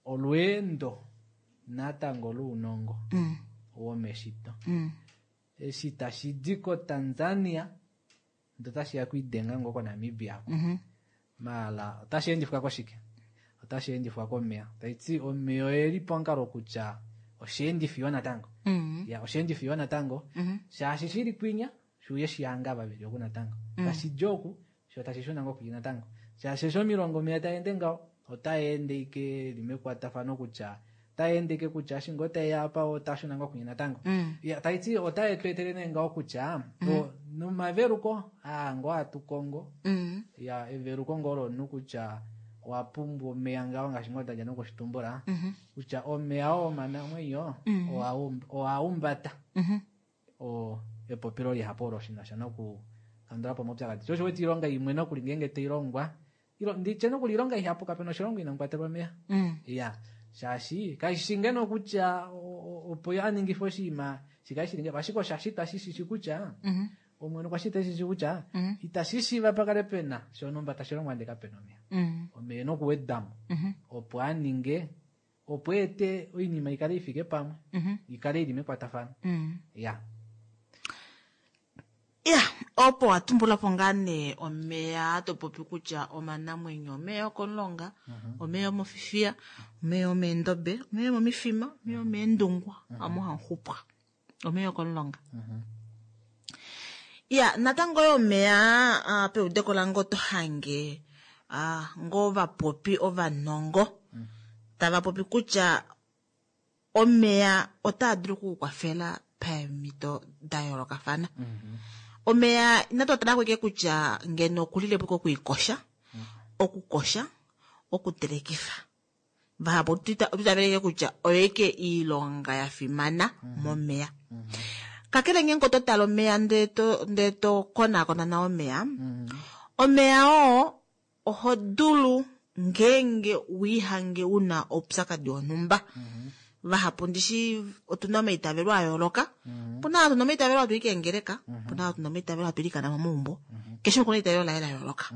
olweendo natango lounongo womeshito. Eshi tashi di koTanzania ndo tashi ya kuidenga ngoo koNamibia ako. Maala otashi endifwa koshike? Otashi endifwa komeya. Taiti omeya oeli pamukalo kutya osheendifi yo natango. Ya, osheendifi yo natango. Shaashi shili kwinya, shuuye shihanga vaveli oku natango. Tashi di oku, sho tashi shuna ngoo kwinya natango. Shaashi eshi omilongo omeya taa ende ngaho, otaa ende ike li mekwatafano kutya, otaa ende ike kutya eshi ngoo taeya apa, ota shuna ngoo kwinya natango. Ya, taiti otae tu etele nee ngaho kutya, Nomaveluko aa ngoo hatu kongo. Ya, eveluko ngoo lomunhu kutya owa pumbwa omeya ngaho ngaashi ngoo ndadja nokushitumbula kutya omeya oo omanamwenyo owa umbata o epopilo lihapu olo shinasha noku kandula po omaupyakadi. Sho osho wete oilonga imwe nokuli ngeenge tai longwa, nditye nokuli oilonga ihapu kapena oshilongo inamu kwatelwa omeya. Ya, shaashi kashi ngeno kutya opo a ningife oshinima shikale shili ngaho, ashike osha shitwa shi shishi kutya Omwene okwa shita eshi shi kutya itashi shiiva pa kale pena shonhumba tashi longwa ndele kapena omeya. Omeya e na okuwedwa mo opo a ninge opo eete oinima i kale i fike pamwe, i kale i li mekwatafano. Ya. Ya, opo wa tumbula po ngaa nee omeya to popi kutya omanamwenyo, omeya okomulonga, omeya omofifiya, omeya omeendobe, omeya omomifima, omeya omeendungwa, amu hamu xupwa. Omeya okomulonga. Ya, natango yo omeya ah, peudeko lange oto hange ah, ngoo vapopi ovanongo tava popi kutya omeya otaa dulu oku ku kwafela paemhito da yoolokafana. Omeya inatu a tala ko ashike kutya ngeno okulile po okwiikosha, okukosha, okutelekifa. Vahapu otu itavele ashike kutya oyo ashike iilonga ya fimana momeya. Kakele ngeenge oto tale omeya ndee to ndee to konaakona nawa omeya, omeya oo oho dulu ngeenge wiihange una oupyakadi wonhumba. Vahapu ndishi otuna omaitavelo a yooloka. Opuna ava tuna omaitavelo hatu i keengeleka, opuna ava tuna omaitavelo hatu ilikana momaumbo. Keshe umwe okuna eitavelo laye la yooloka.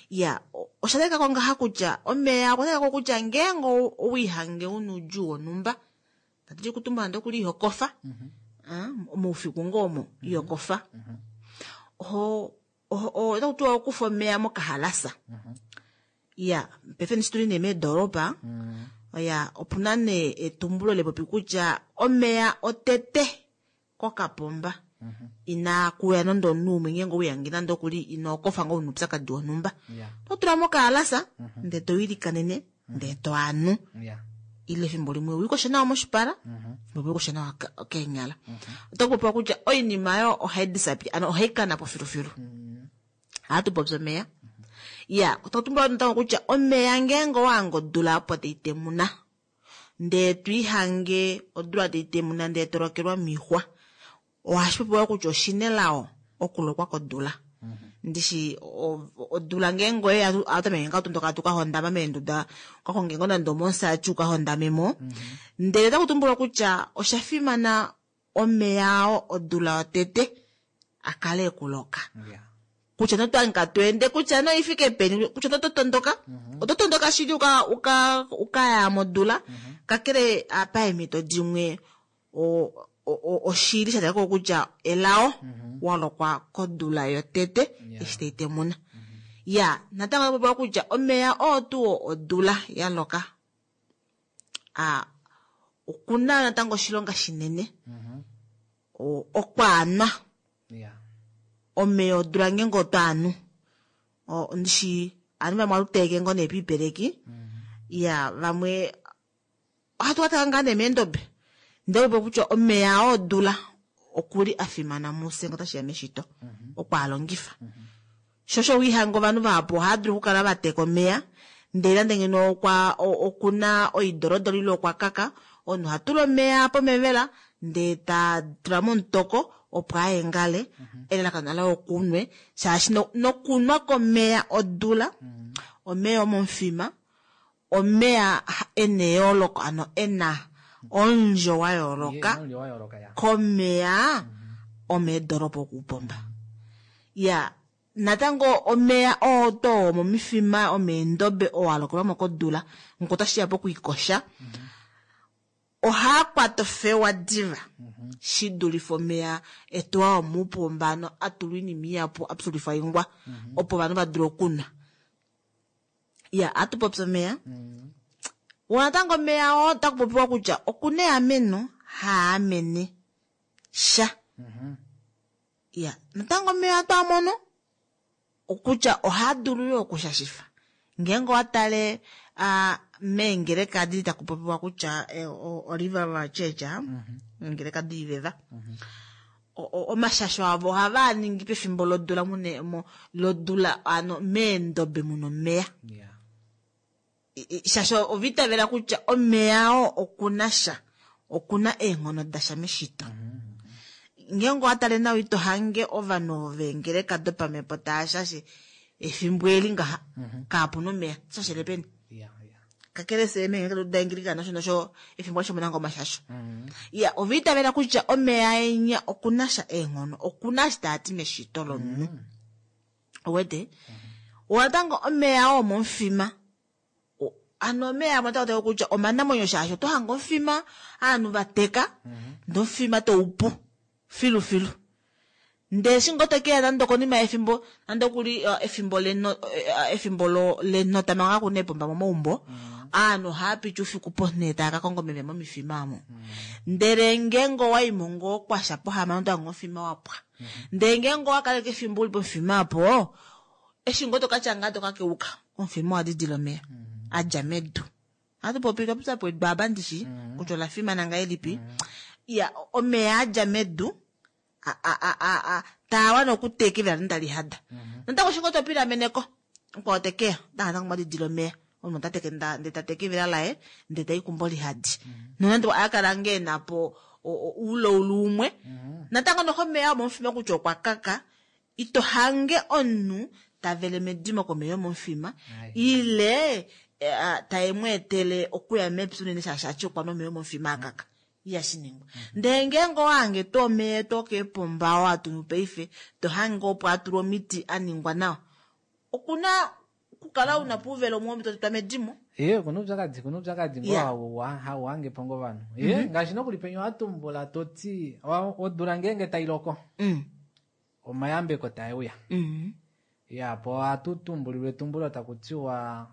Ya, osha talika ko ngaha kutya omeya okwa talika ko kutya ngeenge owiihange una oudjuu wonhumba, tatu ti kutumbula nande okuli iho kofa, moufiku ngoo omo iho kofa, oho otaku tiwa okufa omeya mokahalasa. Ya, paife ndishi tuli nee meedolopa, oya, opuna nee etumbulo lepopi kutya omeya otete kokapomba inaa kuya nande omunhu umwe ngeenge owihange nande okuli ino kofa ngoo una oupyakadi wonhumba. Oto tula mokahalasa ndee to ilikanene ndee to anu. Ile efimbo limwe wiikoshe nawa moshipala, efimbo limwe wiikoshe nawa keenyala. Oto popiwa kutya oinima oyo ohai disappear, ano ohai kana po filufilu. Ohatu popi omeya. Ya, oto tumbula natango kutya omeya ngeenge owa hange odula opo tai temuna, ndee to ihange odula tai temuna ndee to lokelwa moixwa, ohashi popiwa kutya oshina elao okulokwa kodula. Ndishi odula ngeenge oye ya, ohatu tameke ngaa tondoka hatu ka hondama meenduda, uka konge ngoo nande omomusati uka hondame mo. Ndele otaku tumbulwa kutya osha fimana omeya oo odula yotete a kale ekuloka. Kutya noto hangika to ende kutya noi fike peni, kutya noto tondoka, oto tondoka shili uka, uka, uka ya modula, kakele paemhito dimwe oshili sha talika ko kutya elao wa lokwa kodula yotete eshi tai temuna. Ya, natango otaku popiwa kutya omeya oo tuu odula ya loka, okuna natango oshilonga shinene okwaanwa. Omeya odula ngeenge oto anu, ndishi ovanhu vamwe ohatu teleke ngoo nee piipeleki, ya vamwe ohatu ka tala ngaa nee meendobe, ndele opo kutya omeya oo odula okuli a fimana mufye ngee otashiya meshito okwaalongifa. Sho osho wiihanga ovanhu vahapu ohava dulu okukala va teka omeya ndele nande ngeno okwa okuna oidorodoro ile okwa kaka, omunhu oha tula omeya pomevela ndee ta tula momutoko opo a engale, elalakano laye okunwe, shaashi nokunwa komeya odula, omeya omomufima, omeya ena eyooloko, ano ena omundjo wa yooloka komeya omeedolopa okuupomba. Ya, natango omeya oo to omomifima, omeendobe oo a lokelwa mo kodula, ngoo otashi ya pokwiikosha, ohaa kwata ofewa diva shi dulife omeya etu aa omuupomba, ano a tulwa oinima ihapu, a pyulifwa oingwa, opo ovanhu va dule okunwa. Ya, ohatu popi omeya. Wo natango omeya oo otaku popiwa kutya okuna eameno haa amene sha. Ya, natango omeya ohatu a mono kutya ohaa dulu yo okushashifa. Ngeenge owa tale meengeleka adi taku popiwa kutya o Revival Church, eengeleka doiveva. Omashasho avo ohavaa ningi pefimbo lodula mune lodula ano meendobe muna omeya. Shaashi ova itavela kutya omeya oo okuna sha, okuna eenghono dasha meshito. Ngeenge owa tale nawa ito hange ovanhu ovo veengeleka dopamhepo taa shashe efimbo eli ngaha kaapuna omeya, shashele peni? Kakele fye meengeleka daAnglican nosho nosho efimbo alishe omuna ngoo omashasho. Ya, ova itavela kutya omeya enya okuna sha eenghono, okuna eshi taa ti meshito lomunhu. Uwete? Natango omeya oo momufima, ano omeya amwe otaa ti kutya omanamwenyo shaashi oto hange omufima ovanhu va teka, ndee omufima tau pu filu filu. Ndee eshi ngoo tokeya nande okonima yefimbo, nande okuli efimbo leno, efimbo lenota manga kakuna eepomba momaumbo, ovanhu ohava piti oufiku ponhele tava ka konga omeva momifima omo. Ndele ngeenge owaimo ngoo kwasha pohamano oto hange omufima wa pwa. Ndele ngeenge owa kaleke efimbo uli pomufima opo, eshi ngoo tokatya ngaa toka keuka, omufima owa didila omeya a dja medu. Ohatu popi twa popya po edu apa ndishi kutya ola fimana ngahelipi. Ya, omeya a dja medu taa wana okutekela notali hada. Natango eshi ngoo to pilameneko, mukwao tekeya, ota natango mwa didila omeya. Omunhu ota teke ndee ta teke evila laye, ndee ta i kumbo lihadi. Nonande a kala ngee e na po ouloulu umwe, natango noho omeya omomufima kutya okwa kaka, ito hange omunhu ta vele medimo komeya omomufima, ile tae mu etele okuya mepya unene shaashi ati okwa nwa omeya omomufima a kaka. Ihashi ningwa. Ndele ngeenge owa hange tuu omeya etu okeepomba oo hatu nu paife, to hange opo a tulwa omiti a ningwa nawa, oku na okukala una pouvelo umwe to tetwa medimo. Ee, okuna oupyakadi, okuna oupyakadi ngoo hau hange po ngoo ovanhu. Ee, ngaashi nokuli penya owa tumbula to ti, odula ngeenge tai loko, omayambeko tae uya. Ya, po ohatu tumbulilwa etumbulo taku tiwa,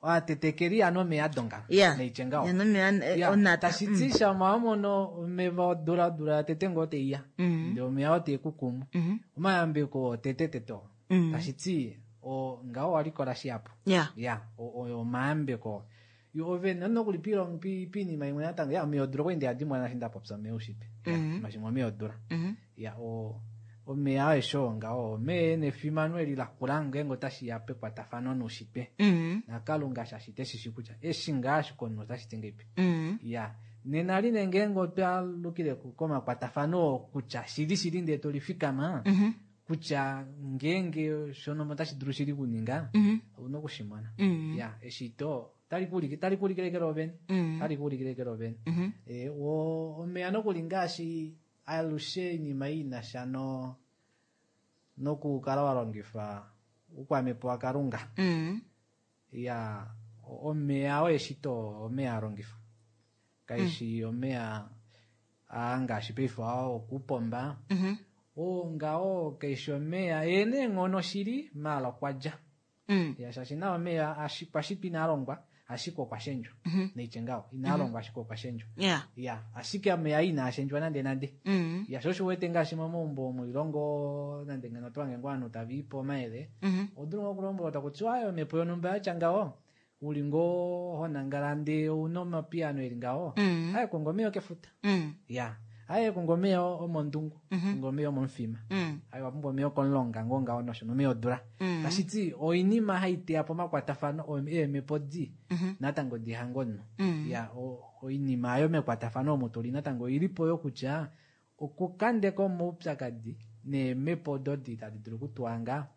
oatetekeli ya nomeya donga neitye ngaho. Ya nomeya, onata. Tashi ti shama wa mono omeva odula, odula ya tete ngoo teiya. Ndee omeya oo tee ku kumu. Omayambeko oo tete tete oo. Tashi ti, ngaho owa likola shihapu. Ya, omayambeko. Yo ove nokuli piinima imwe natango, ya, omeya odula okwali nde a dimona eshi nda popya omeya oushitwe. Ya, mashimwe omeya odula. Ya, omeya aeshe oo ngaho, omeya e na efimano eli lakula ngeenge otashi ya pekwatafano noushitwe. NaKalunga shaashi te shi shii kutya eshi ngaa ashike omunhu otashi ti ngeipi. Ya, nena line ngeenge otwa lukile komakwatafano oo kutya shili shili ndee to lifikama, kutya ngeenge shonhumba otashi dulu shili kuninga, ouna oku shi mona. Ya, eshito tali ku ulike, tali ku ulikile eke lovene. Tali ku ulikile eke lovene. Omeya nokuli ngaashi alushe oinima ei ina sha nokukala wa longifa oukwamhepo waKalunga. Ya, omeya oo eshito omeya a longifwa. Kaishi omeya aa ngaashi paife oo okupomba. Oo ngaho kaishi omeya e na eenghono shili, maala okwa dja. Ya, shaashi na omeya kwa shitwa inaa longwa, ashike okwa shendjwa. Neitye ngaho, inaa longwa ashike okwa shendjwa. Ya, ashike omeya inaa shendjwa nande nande. Ya, sho osho uwete ngaashi momaumbo omoilongo, nande ngeno oto hange ngoo ovanhu tava ipe omayele, oho dulu ngoo okulombwelwa taku tiwa, aye, omhepo yonhumba yatya ngaho, uli ngoo ho nangala ndee ouna omapiyano eli ngaho, aye konga omeya okefuta. Ya, aye konga omeya omondungu, konga omeya omomufima. Aye owa pumbwa omeya okomulonga ngoo ngaho nosho nomeya odula. Tashi ti oinima hai teya po omakwatafano eemhepo di natango di hange omunhu. Ya, oinima ayo mekwatafano omo tuli natango oili po yo kutya okukandeka omaupyakadi neemhepo odo di tadi dulu okutuhanga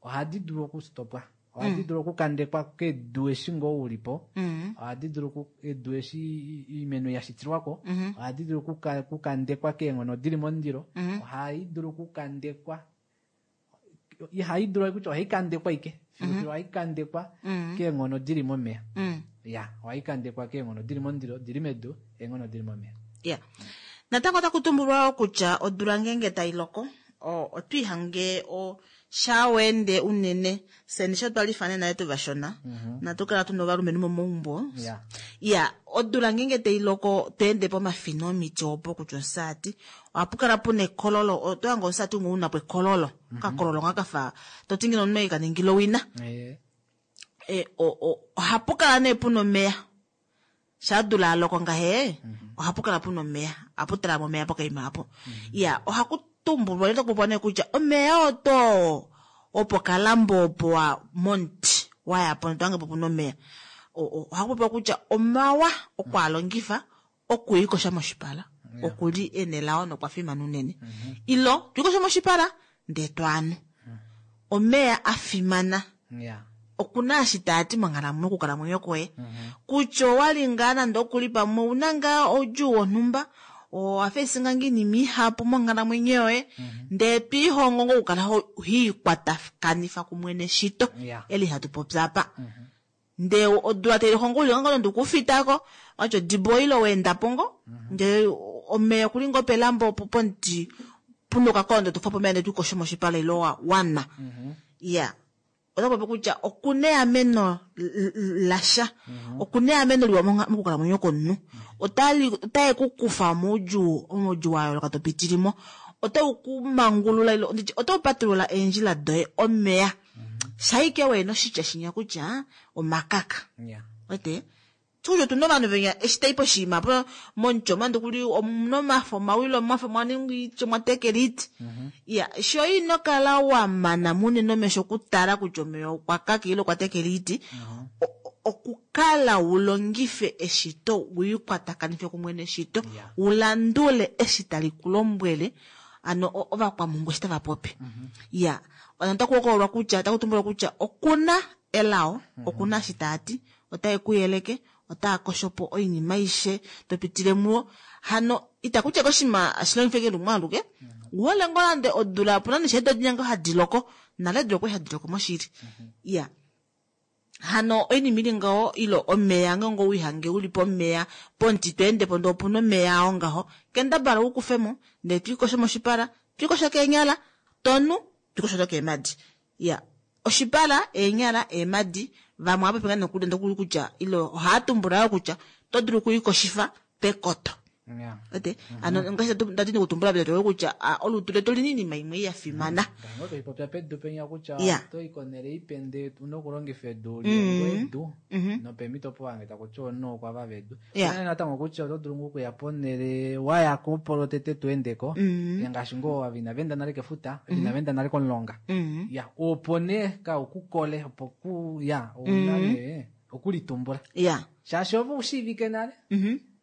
ohadi dulu okustopwa. Ohadi dulu okukandekwa kedu eshi ngoo uli po. Ohadi dulu edu eshi oimeno ya shitilwako. Ohadi dulu okukandekwa keenghono dili momundilo. Ohai dulu okukandekwa. Ihai dulu kutya ohai kandekwa ike. Filu ohai kandekwa keenghono dili momeya. Ya, ohai kandekwa keenghono dili momundilo, dili medu, eenghono dili momeya. Ya. Natango otaku tumbulwa kutya odula ngeenge tai loko, otwiihange sha wende unene seni sho twali fane naye tuvashona. Natu kala tuna ovalumenhu momaumbo. Ya, odula ngeenge tai loko tweende pomafina omiti opo kutya omusati. Ohapu kala puna ekololo, oto hange omusati umwe una po ekololo. Okakololo nga kafa to ti ngeno omunhu e ka ningila owina. Ohapu kala nee puna omeya. Sha dula aloko ngahe, Ohapu kala puna omeya, ohapu talama omeya pokaima apo. Iya, ohaku tumbulwa ile taku popiwa nee kutya omeya oto opo kalambo opo wa momuti waya po noto po puna omeya. Ohaku popiwa kutya omawa okwaalongifa okwiikosha moshipala. Okuli enelao nokwa fimana unene. Ilo twiikoshe moshipala ndee twaanu. Omeya a fimana. Okuna eshi taati monghalamwenyo okukalamwenyo kwoye. Kutya owali ngaa nande okuli pamwe ouna ngaa oudjuu wonhumba, owa fesinga ngaa oinima ihapu monghalamwenyo yoye, ndee twiihongo ngoo okukala hiikwatakanifa kumwe neshito eli hatu popi apa. Ndee odula tailoko ngoo uli ngoo nande okufitako, watya odibo ile weendapo ngoo, ndee omeya okuli ngoo pelambo opo pomuti puna okakondo tokufapo omeya ndee twiikosho moshipala ile wanwa. Iya. Ota popi kutya okuna eameno lasha. Okuna eameno liwa mokukalamwenyo komunhu. Otae ku kufa moudjuu, moudjuu wa yooloka to pitilimo. Otau ku mangulula ile nditye otau patulula eendjila doye omeya. Shaike wena oshitya shinya kutya omakaka. Wete? Tuyo otuna ovanhu venya eshi tai poshiima po momuti omande kuli omuna omafo omawilo omafo mwa ningi itye mwa tekela iti. Iya, sho ino kala wa mana munene omesho okutala kutya omeya okwa kaka ile okwa tekela iti, okukala wu longife eshito, wiikwatakanife kumwe neshito, wu landule eshi tali ku lombwele, ano ovakwamhungu eshi tava popi. Iya, otaku hokololwa kutya, otaku tumbulwa kutya okuna elao, okuna eshi taati, otae ku yeleke, otaa kosho po oinima aishe to pitile muwo. Hano itakutya koshima ashilongife ke lumwe aluke. Uhole ngoo nande odula opuna neshe edo dinya ngoo hadi loko, nale odula okwali hadi loko moshili. Iya. Hano oinima ili ngaho ilo omeya ngoo ngoo wihange uli pomeya pomuti to ende po ndee opuna omeya oo ngaho, kendabala u kufemo ndee twiikosho moshipala, twiikosho keenyala, tonu, twiikosho nokeemadi. Iya. Oshipala, eenyala, eemadi, vamwe ohava popi ngaa nokuli nokuli kutya ilo ohaa tumbula yoo kutya oto dulu okwiikoshifa pekoto. Ete? Ano ngaashi ndati nokutumbula pekoto kutya olutu letu olina iinima imwe ya fimana. Ngaashi toipopya pedu penya kutya otoyi konhele ipe ndee una okulongifa edu lilongo edu nopemhito opo wange takuti omunhu okwa vava edu. Unene natango kutya oto dulu ngoo okuya ponhele waya ko opo lwotete to endeko, ngaashi ngoo ava inava enda nale kefuta, inava enda nale komulonga. Ya, opo nee kaukukole opo ku ya ouna nee okulitumbula. Shaashi ove ushiivike nale.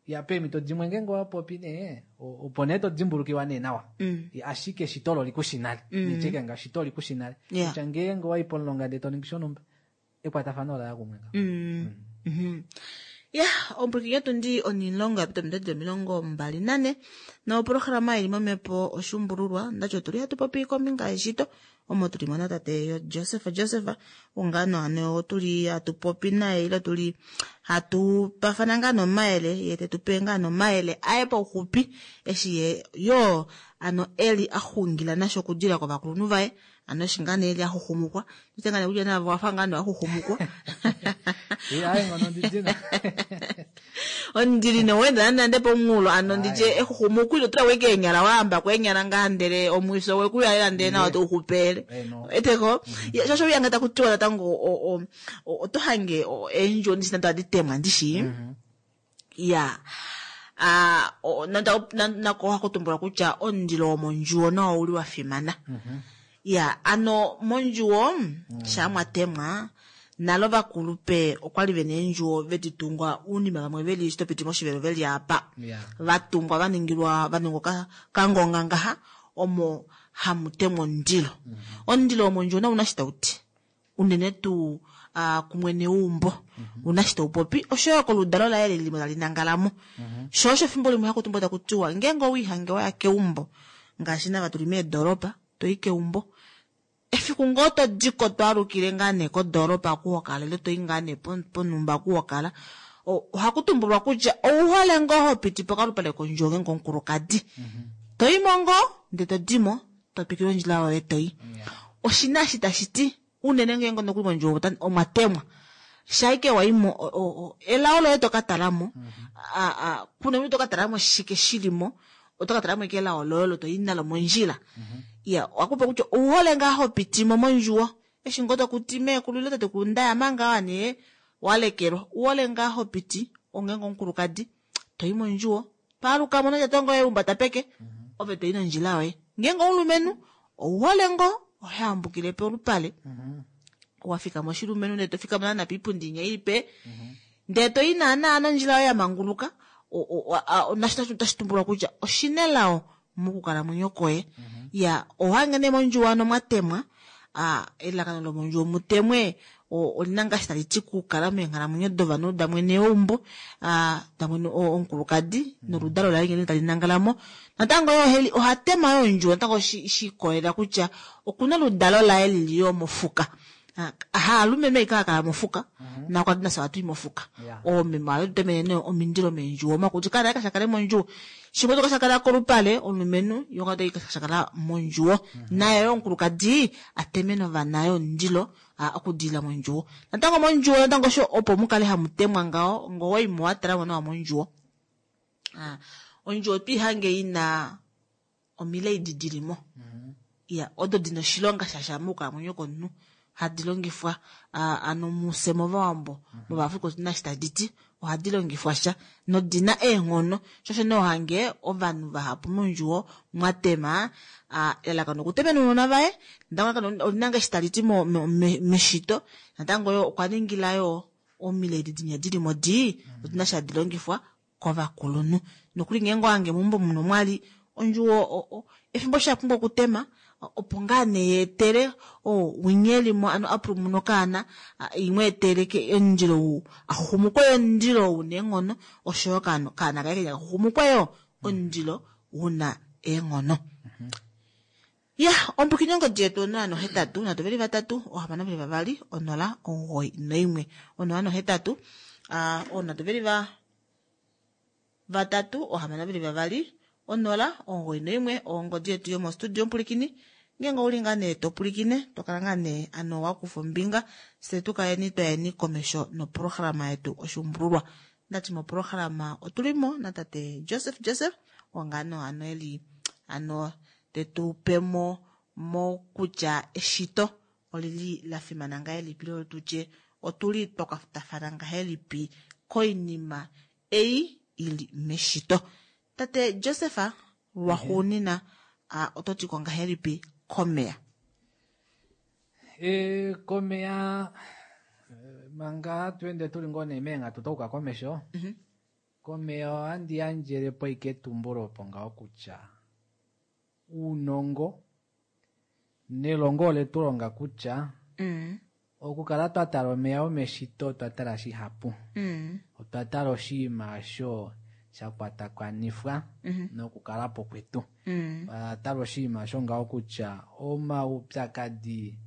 Ya, peemhito dimwe ngeenge owa popi nee, opo nee to dimbulukiwa nee nawa. Ya, ashike eshito olo likushi nale. Nitye ngaashi eshito olikushi nale. Kutya ngeenge owayi pomulonga ndee to ningi shonhumba, ekwatafano ola ya kumwe ngaho. Ya, ompwikinyo tundi onilongo yapita ominute 24 noprograma ili momhepo oshuumbululwa ndacho otuli hatu popi kombinga yeshito omo tuli mona tate yo Joseph Joseph ungano ano otuli hatu popi naye ile tuli hatu pafana ngaa nomayele ye tetupe ngaa nomayele aye pauxupi eshi ye yo ano eli axungila nasho okudila kovakulunhu vaye ano eshi ngaa nee eli axuxumukwa ndite ngaa nee kutya navo wafa ngaa nee waxuxumukwa. Aye ngono ndidina. Ondili nowenda nande pomunghulo ano nditye exuxumuko ilo tula weke eenyala wahamba kweenyala ngaa ndele omwiso wekuyalela ndele nawa touxupele. Eteko shosho uyanga takutiwa natango oto hange eendjo ndishi nande ohadi temwa ndishi. Ya. Nako ohaku tumbulwa kutya omundilo womondjuwo nawo ouli wa fimana. Ya, ano mondjuwo shaa mwa temwa nalo vakulupe okwali vena eendjuwo vedi tungwa uunima vamwe veli eshi topiti moshivelo veli apa. Vatungwa vaningilwa vaningwa kangonga ngaha omo hamu temwa omundilo. Omundilo womondjuwo nawo una shi tauti. Unene tuu kumwene weumbo una shi taupopi oshoyo koludalo laye leli limwe tali nangalamo. Sho osho efimbo limwe haku tumbulwa taku tiwa ngeenge owiihange waya keumbo ngaashi nava tuli meedoropa toyi keumbo efiku ngoo to diko twaalukile ngaa nee kodoropa kuhokala ile toyi ngaa nee ponhumba kuhokala ohaku tumbulwa kutya ouhole ngoo hopiti pokalupale kondjuwo ngeenge omukulukadi toyimo ngoo ndee todimo totwikile ondjila yoye toyi. Oshina eshi tashi ti unene ngeenge nokuli mondjuwo omwa temwa shaike waimo elao loye toka talamo kuna toka talamo shike shilimo otoka talamo eke elao loye olo toyi nalo mondjila. Iya, wakupa kutya ouhole ngaa hopitimo mondjuwo eshi ngoo tokuti meekulu ile tatekulu ndaya manga awa nee walekelwa uhole ngaa hopiti ongeenge omukulukadi toyi mondjuwo. Paaluka mo nondjato ngoye umbata peke, ove toyi nondjila yoye. Ngeenge oulumenhu, ouhole ngoo, oho yambukile polupale. Wa fika moshilumenhu ndee to fikama naana piipundi inya ilipe, ndee toyi naana nondjila yoye ya manguluka, nasho otashi tumbulwa kutya oshinelao mokukalamwenyo kwoye. Ya, ohange nee mondjuwo ano mwa temwa, elalakano lomondjuwo mutemwe olina ngaashi tali ti kukala meenghalamwenyo dovanhu damwene weumbo, damwene omukulukadi noludalo laye ngene tali nangala mo. Natango yo oha tema yo ondjuwo natango shi ikolelela kutya okuna oludalo laye lili yo mofuka. Haalumenhu aike hava kala mofuka, nakwati nafye ohatu i mofuka. Oomeme ohave tu temene nee omindilo meendjuwo omakuti kaana kasha kale mondjuwo. Shimwe to kasha kala kolupale omulumenhu yo ngoo kasha kala mondjuwo. Naye yo omukulukadi a temene ovana yo omundilo okudilila mondjuwo. Natango mondjuwo natango osho opo mukale hamu temwa ngaho ngoo waimo wa tala mo nawa mondjuwo. Ondjuwo twiihange ina omilaidi dilimo. Ya, odo dina oshilonga shasha mokukalamwenyo komunhu hadi longifwa ano mufye movawambo movafrika otuna shi tadi ti ohadi longifwa sha nodina eenghono shosho nee ohange ovanhu vahapu mondjuwo mwatema elalakano okutemena ounona vaye natango olina ngaashi tali ti meshito natango yo okwa ningila yo omilaidi dinya dilimo di odina shi hadi longifwa kovakulunhu nokuli ngeenge ohange meumbo muno mwali ondjuwo efimbo sha pumbwa okutema opo ngaa nee yeetele winyelimo ano apulumuna okaana imwe etele omundilo ou axuxumukwe omundilo una eenghono oshoyo kaana kaye kenya kaxuxumukwe yo omundilo una eenghono. Ya, ombukini ongodi yetu 083 323 622 091 083 323 622 091 ongodi yetu yomostudio mpulikini ngeenge ouli ngaa nee topulikine tokala ngaa nee ano wakufa ombinga fye tukaleni twayeni komesho noprograma yetu oshuumbululwa. Ndati moprograma otulimo natate Joseph Joseph ongano ano eli ano tetu pemo mokutya eshito olili la fimana ngahelipi lolo tutye otuli twakwatafana ngahelipi koinima ei ili meshito. Tate Joseph lwaxuunina oto ti ko ngahelipi komeya? Komeya manga twende tuli ngoo nee meenghatu touka komesho. Komeya ohandi yandjelepo ike etumbulo opo ngaho kutya uunongo nelongo ole tu longa kutya okukala twa tala omeya omeshito otwa tala shihapu. Otwa tala oshinima osho sha kwatakanifwa nokukala po kwetu. Otwa tala oshinima osho ngaho kutya omaupyakadi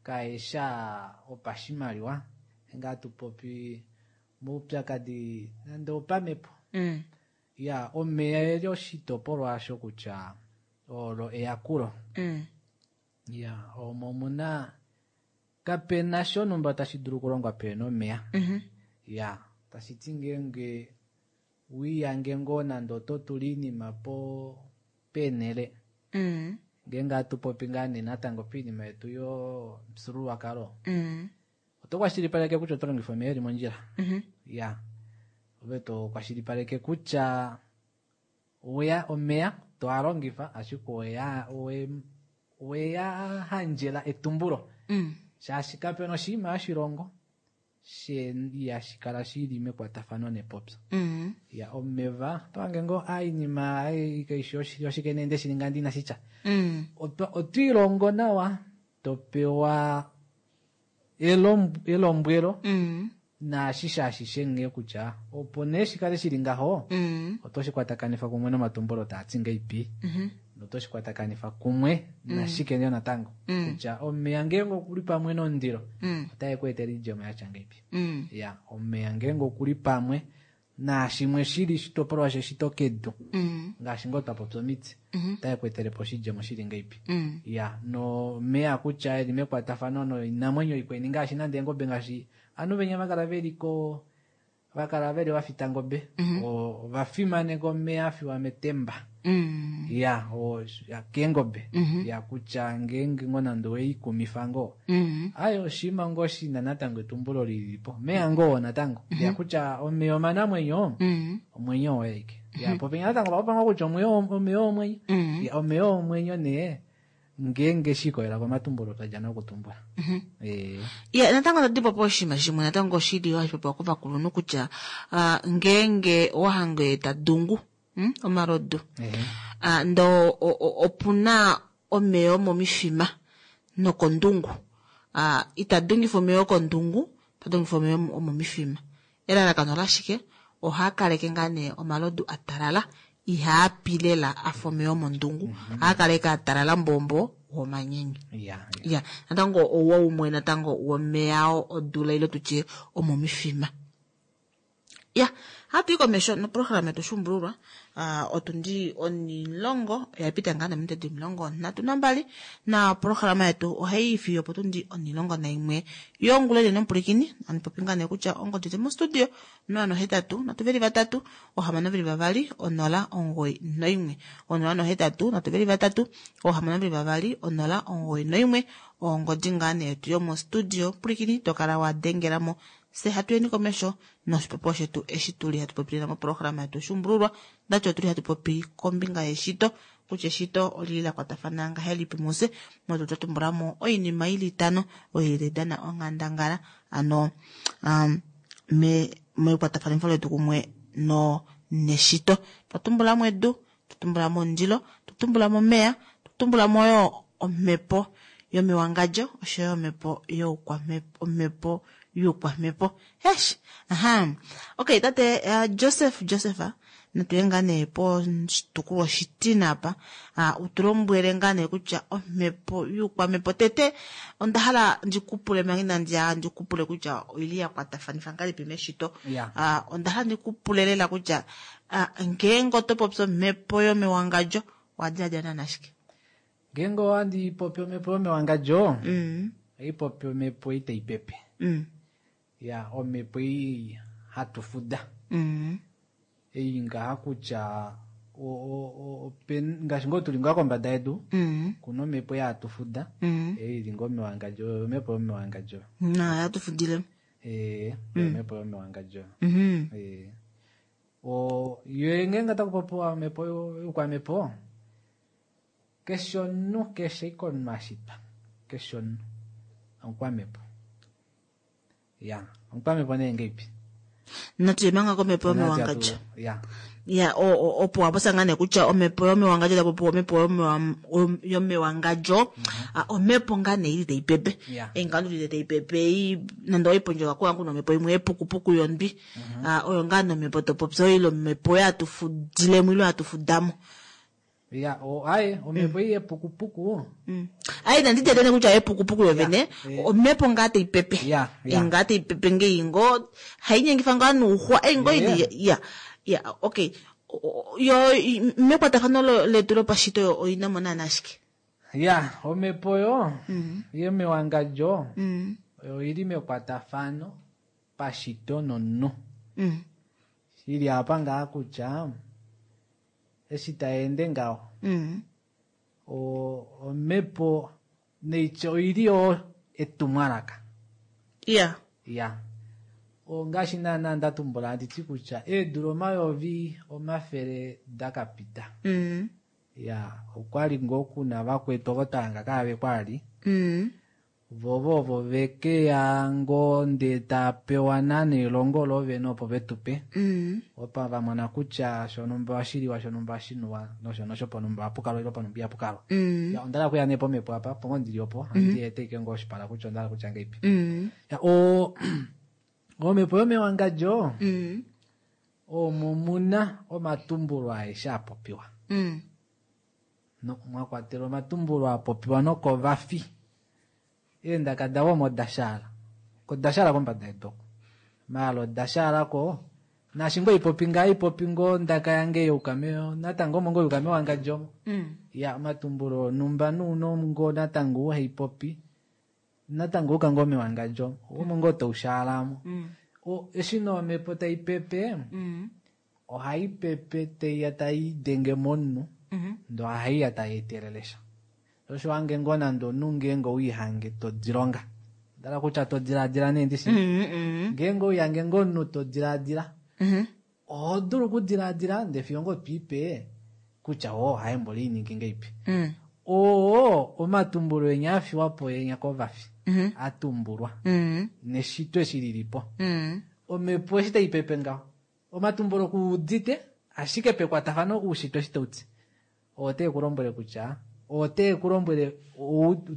kaesha opashimaliwa nga tupopi omaupyakadi nande opamhepo. Ya, omeya eli oshitopolwa asho kutya olo eyakulo. Ya, omo muna kapena shonumba tashi dulu okulongwa pena omeya. Ya, tashi ti ngeenge wiiyange ngoo nande oto tula iinima po penele. Ngeenge hatu popi ngaa nee natango piinima yetu yomufyuululwakalo. Oto kwashilipaleke kutya oto longifa omeya eli mondjila. Ya, ove to kwashilipaleke kutya oya omeya to a longifa ashike oweya handjela etumbulo. Shaashi kapena oshinima hashilongo ihashi kala shili mekwatafano nepopyo. Ya, omeva oto hange ngoo iinima kaishi oshike nee nde shininga ndi inashitya. Otwiilongo nawa topewa elombwelo naashi ashishe nghee kutya opo nee shikale shili ngaho oto shi kwatakanifa kumwe nomatumbulo taa ti ngeipi noto shi kwatakanifa kumwe nashike nee natango kutya omeya ngeenge okuli pamwe nomundilo otae ku etele oidjemo yatya ngeipi. Ya, omeya ngeenge okuli pamwe naashimwe shili shitopolwa sheshito kedu ngaashi ngoo twapopya omiti otae ku etele po oshidjemo shili ngeipi. Ya, nomeya kutya eli mekwatafano noinamwenyo ikweni ngaashi nande eengobe ngaashi ovanhu venya vakala veliko vakala veli vafita ngobe ovafimaneka omeya afiwa metemba. Ya, keengobe. Ya, kutya ngeenge ngoo nande oweikumifa ngoo ayo oshinima ngoo shina natango etumbulo lilipo omeya ngoo natango. Ya kutya omeya omanamwenyo omwenyo woye aike. Ya, popenya natango opa kutya omeya omwenyo. Ya, omeya omwenyo nee ngeenge shikolela komatumbulo twadja nokutumbula. Ya, natango tadi popi oshinima shimwe natango shili hashi popiwa kovakulunhu kutya ngeenge owa hange ta dungu omalodu, ndo opuna omeya omomifima nokondungu, ita dungifa omeya okondungu, ta dungifa omeya omomifima. Elalakano lashike? Ohaa kaleke ngaa nee omalodu a talala, ihaa pi lela a fa omeya omondungu, ohaa kaleke a talala mbombo womanyenye. Ya, natango ouwa umwe natango womeya odula ile tutye omomifima. Ya, hatu i komesho noprograma yetu Shuumbululwa. Otundi 10 oya pita ngaa nominute 32, na programa yetu ohai i fiyo opotundi 11 yongula inene omupulikini. Handi popi ngaa nee kutya ongodi yetu mostudio 083 323 622 091 083 323 622 091 ongodi ngaa nee yetu yomostudio pulikini, to kala wa dengelamo se hatu yeni komesho noshipopiwa shetu eshi tuli hatu popilila moprograma yetu Shuumbululwa. Ndati otuli hatu popi kombinga yeshito, kutya eshito olili la kwatafana ngahelipi muse, notu twa tumbulamo oinima ili itano oyo ili dana onghandangala ano mekwatafanifo letu kumwe no neshito. Twa tumbulamo edu, twa tumbulamo omundilo, twa tumbulamo omeya, twa tumbulamo yo omhepo yomewangadjo oshoyo omhepo youkwamhepo, omhepo yuukwamhepo. Hesh, aha. Okay, tate Joseph, Joseph, natuye ngaa nee poshitukulwa oshitina apa, utulombwele ngaa nee kutya omhepo yuukwamhepo tete onda hala ndikupule manga inandi ya ndikupule kutya oili ya kwatafanifa ngahelipi meshito. Onda hala ndikupule lela kutya ngeenge oto popi omhepo yomewangadjo owa diladila naana shike? Ngeenge ohandi popi omhepo yomewangadjo, ohai popi omhepo ei tai pepe. Ya, omhepo ei hatu fuda. Ei ngaha kutya ngaashi ngoo tuli ngaa kombada yedu, kuna omhepo ei hatu fuda, ei ili ngoo mewangadjo, omhepo yomewangadjo. Na, hatu fudile. Omhepo yomewangadjo. Yo ngeenge taku popiwa omhepo youkwamhepo, keshe omunhu, keshe ike omunhu a shitwa, keshe omunhu omukwamhepo. Ya, omukwamhepo nee ngeipi? Natuye manga komhepo yomewangadjo. Ya, opo waposa ngaa nee kutya omhepo yomewangadjo tapopiwa omhepo yomewangadjo, omhepo ngaa nee ili tai pepe. Einga ili tai pepe, nande oipondjoka kuwangu nomhepo imwe yepukupuku yondwi. Oyo ngaa nomhepo topopya oyo omhepo yatufudilemo ile yatufudamo. Ya, aye, omhepo ei yepukupuku. Aye, nandi tete kutya yepukupuku yovene, omhepo ngaa tai pepe. Ngaa tai pepe ngei ngo, hainyengifa ngaa nuuxwa, ei ngo ili, ya. Ya, okay. Yo, mekwatafano letu lopashito oina mo naana ashike. Ya, omhepo yo, yemewangadjo, oili mekwatafano pashito nomunhu. Ili apa ngaa kutya, eshi taende ngaho. Omhepo neityo oili yo etumwalaka. Ya. Ongaashi naana ndatumbula handiti kutya eedula 200 dakapita. Ya, okwali ngoo kuna vakwetu ovo twahanga kaave kwali. Vovo ovo vekeya ngoo ndee tapewa naana elongo lovene opo vetupe. Opa vamona kutya shonumba oshiliwa, shonumba oshinuwa, nosho nosho ponumba ohapukalwa ile ponumba ihapukalwa. Ya, onda hala okuya nee pomhepo apa, opo ngoo ndili opo, handi ete ike ngoo oshipala kutya onda hala kutya ngeipi. Ya, omhepo yomewangadjo, omo muna omatumbulo aeshe a popiwa. No, mwa kwatelwa omatumbulo a popiwa nokovafi. Eendaka davo omo dashaala. Ko dashaala kombada yedu oko. Maala odashaala ko, naashi ngoo ipopi ngaa ipopi ngoo ndaka yange youkame, natango omo ngoo youkame wangadjo omo. Ya, omatumbulo onumba nuuno ngoo natango haipopi, natango uka ngoo mewangadjo, omo ngoo toushaalamo. Eshi no omhepo tai pepe, ohai pepe taiya tai denge momunhu, ndo ohaiya tai etelelesha. Osho wange ngoo nande omunhu ngeenge owiihange to dilonga. Ndala kutya to diladila nee ndishi. Ngeenge owiihange ngoo omunhu to diladila. Oho dulu okudilaadila ndee fiyo ngoo twiipe kutya oo haembo leiningi ngeipi. Oo omatumbulo enya a fiwa po enya kovafi a tumbulwa neshito eshi lilipo. Omhepo eshi taipepe ngaho omatumbulo kuudite ashike pekwatafano oushitwe eshi tauti ote ku lombwele kutya ote ku lombwele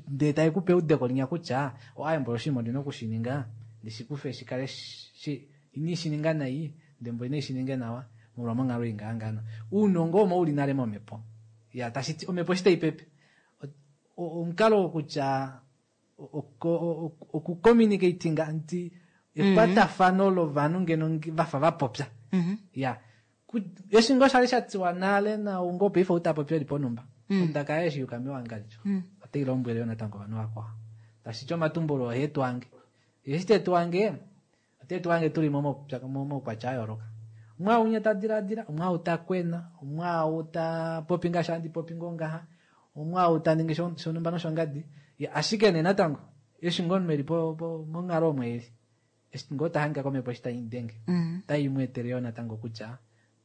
ndee tae kupe eudeko linya kutya oaembo oshinima ondina okushininga ndishikufe shikale ini shininga nai ndembo ine shininge nawa molwa monghalo ingahangano. Uunongo omo uli nale momhepo. Ya tashiti omhepo eshi taipepe omukalo wokutya okucommunicatinga nti ekwatafano lovanhu ngeno vafa vapopya. Ya eshi ngoo shali shatiwa nale naungo paife utapopi eli ponumba. Ondaka yaye eshi yuka mewangadjo otai lombwele yo natango ovanhu vakwao. Tashiti omatumbulo ohe tu ange. Eshi te tu ange ote tu ange tuli momaukwatya a yooloka. Omwaaunya ta dilaadila, omwaau ta kwena, omwaau ta popi ngaashi handi popi ngoo ngaha, omwaau ta ningi shonhumba noshongadi. Ashike nee natango eshi ngoo omunhu eli monghalo omo eli eshi ngoo ta hangika komhepo eshi tai denge otai mu etele yoo natango kutya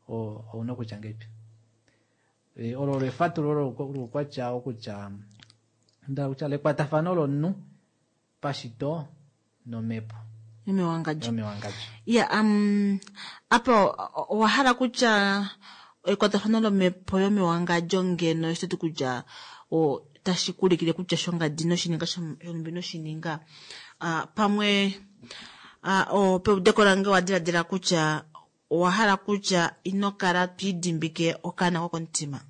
ouna okutya ngeipi. Olo olo efatululo loukwatya wokutya nda kutya lekwatafano lomunhu pashito nomhepo yomewangadjo. Ya apa owa hala kutya ekwatafano lomhepo yomewangadjo ngeno eshi toti kutya tashi kulikile kutya shongadi noshininga shonhumbi noshininga pamwe peudeko lange owa diladila kutya owa hala kutya ino kala twiidimbike okaana kokomutima.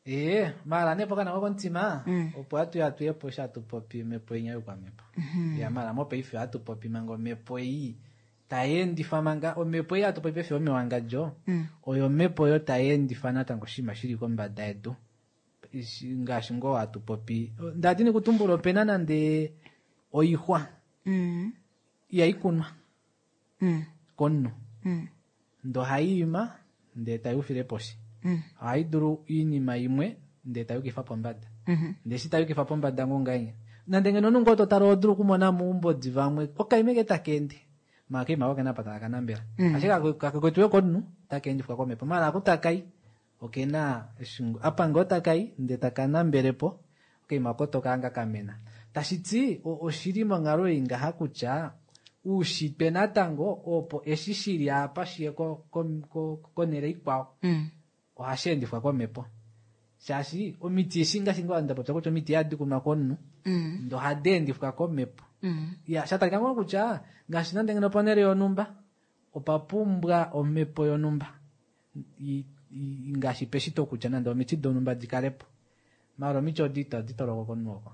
Ee, mala nee pokana kokomutima opo hatu ya tuyepo eshi hatu popi omhepo inya yokwamhepo. Ya mala mopaife ohatu popi manga omhepo ei tai endifa manga omhepo ei hatu popi paife yomewangadjo oyo omhepo oyo tai endifa natango oshinima shili kombada yedu. Ngaashi ngoo hatu popi ndadini kutumbula opena nande oixwa ihai kunwa komunhu ndo ohai ima ndee tai ufile poshi. Ohai dulu oinima imwe ndee tai yukifa pombada. Ndee eshi tai yukifa pombada ngoo ngahenya nande ngeno omunhu ngoo totala oho dulu okumona moumbodi vamwe okaima eke taka ende maala okaima oko okena apa taka kanambela. Ashike kakekwetiwe komunhu otaka endifwa komhepo maala aku takai okena apa ngoo takai ndee taka nambelepo okaima oko tokahanga kamena. Tashiti oshili monghalo ei ngaha kutya uushitwe natango opo eshi shili apa shiye konhele ikwao ohashi endifwa komhepo. Shaashi omiti eshi ngaashi ngoo nda popya kutya omiti ihadi kunwa komunhu ndo ohadi endifwa komhepo. Ya shatalika ngoo kutya ngaashi nande ngeno ponhele yonhumba opa pumbwa omhepo yonhumba ngaashi peshito kutya nande omiti donhumba dikalepo. Maala omiti odi itadi toloko komunhu oko.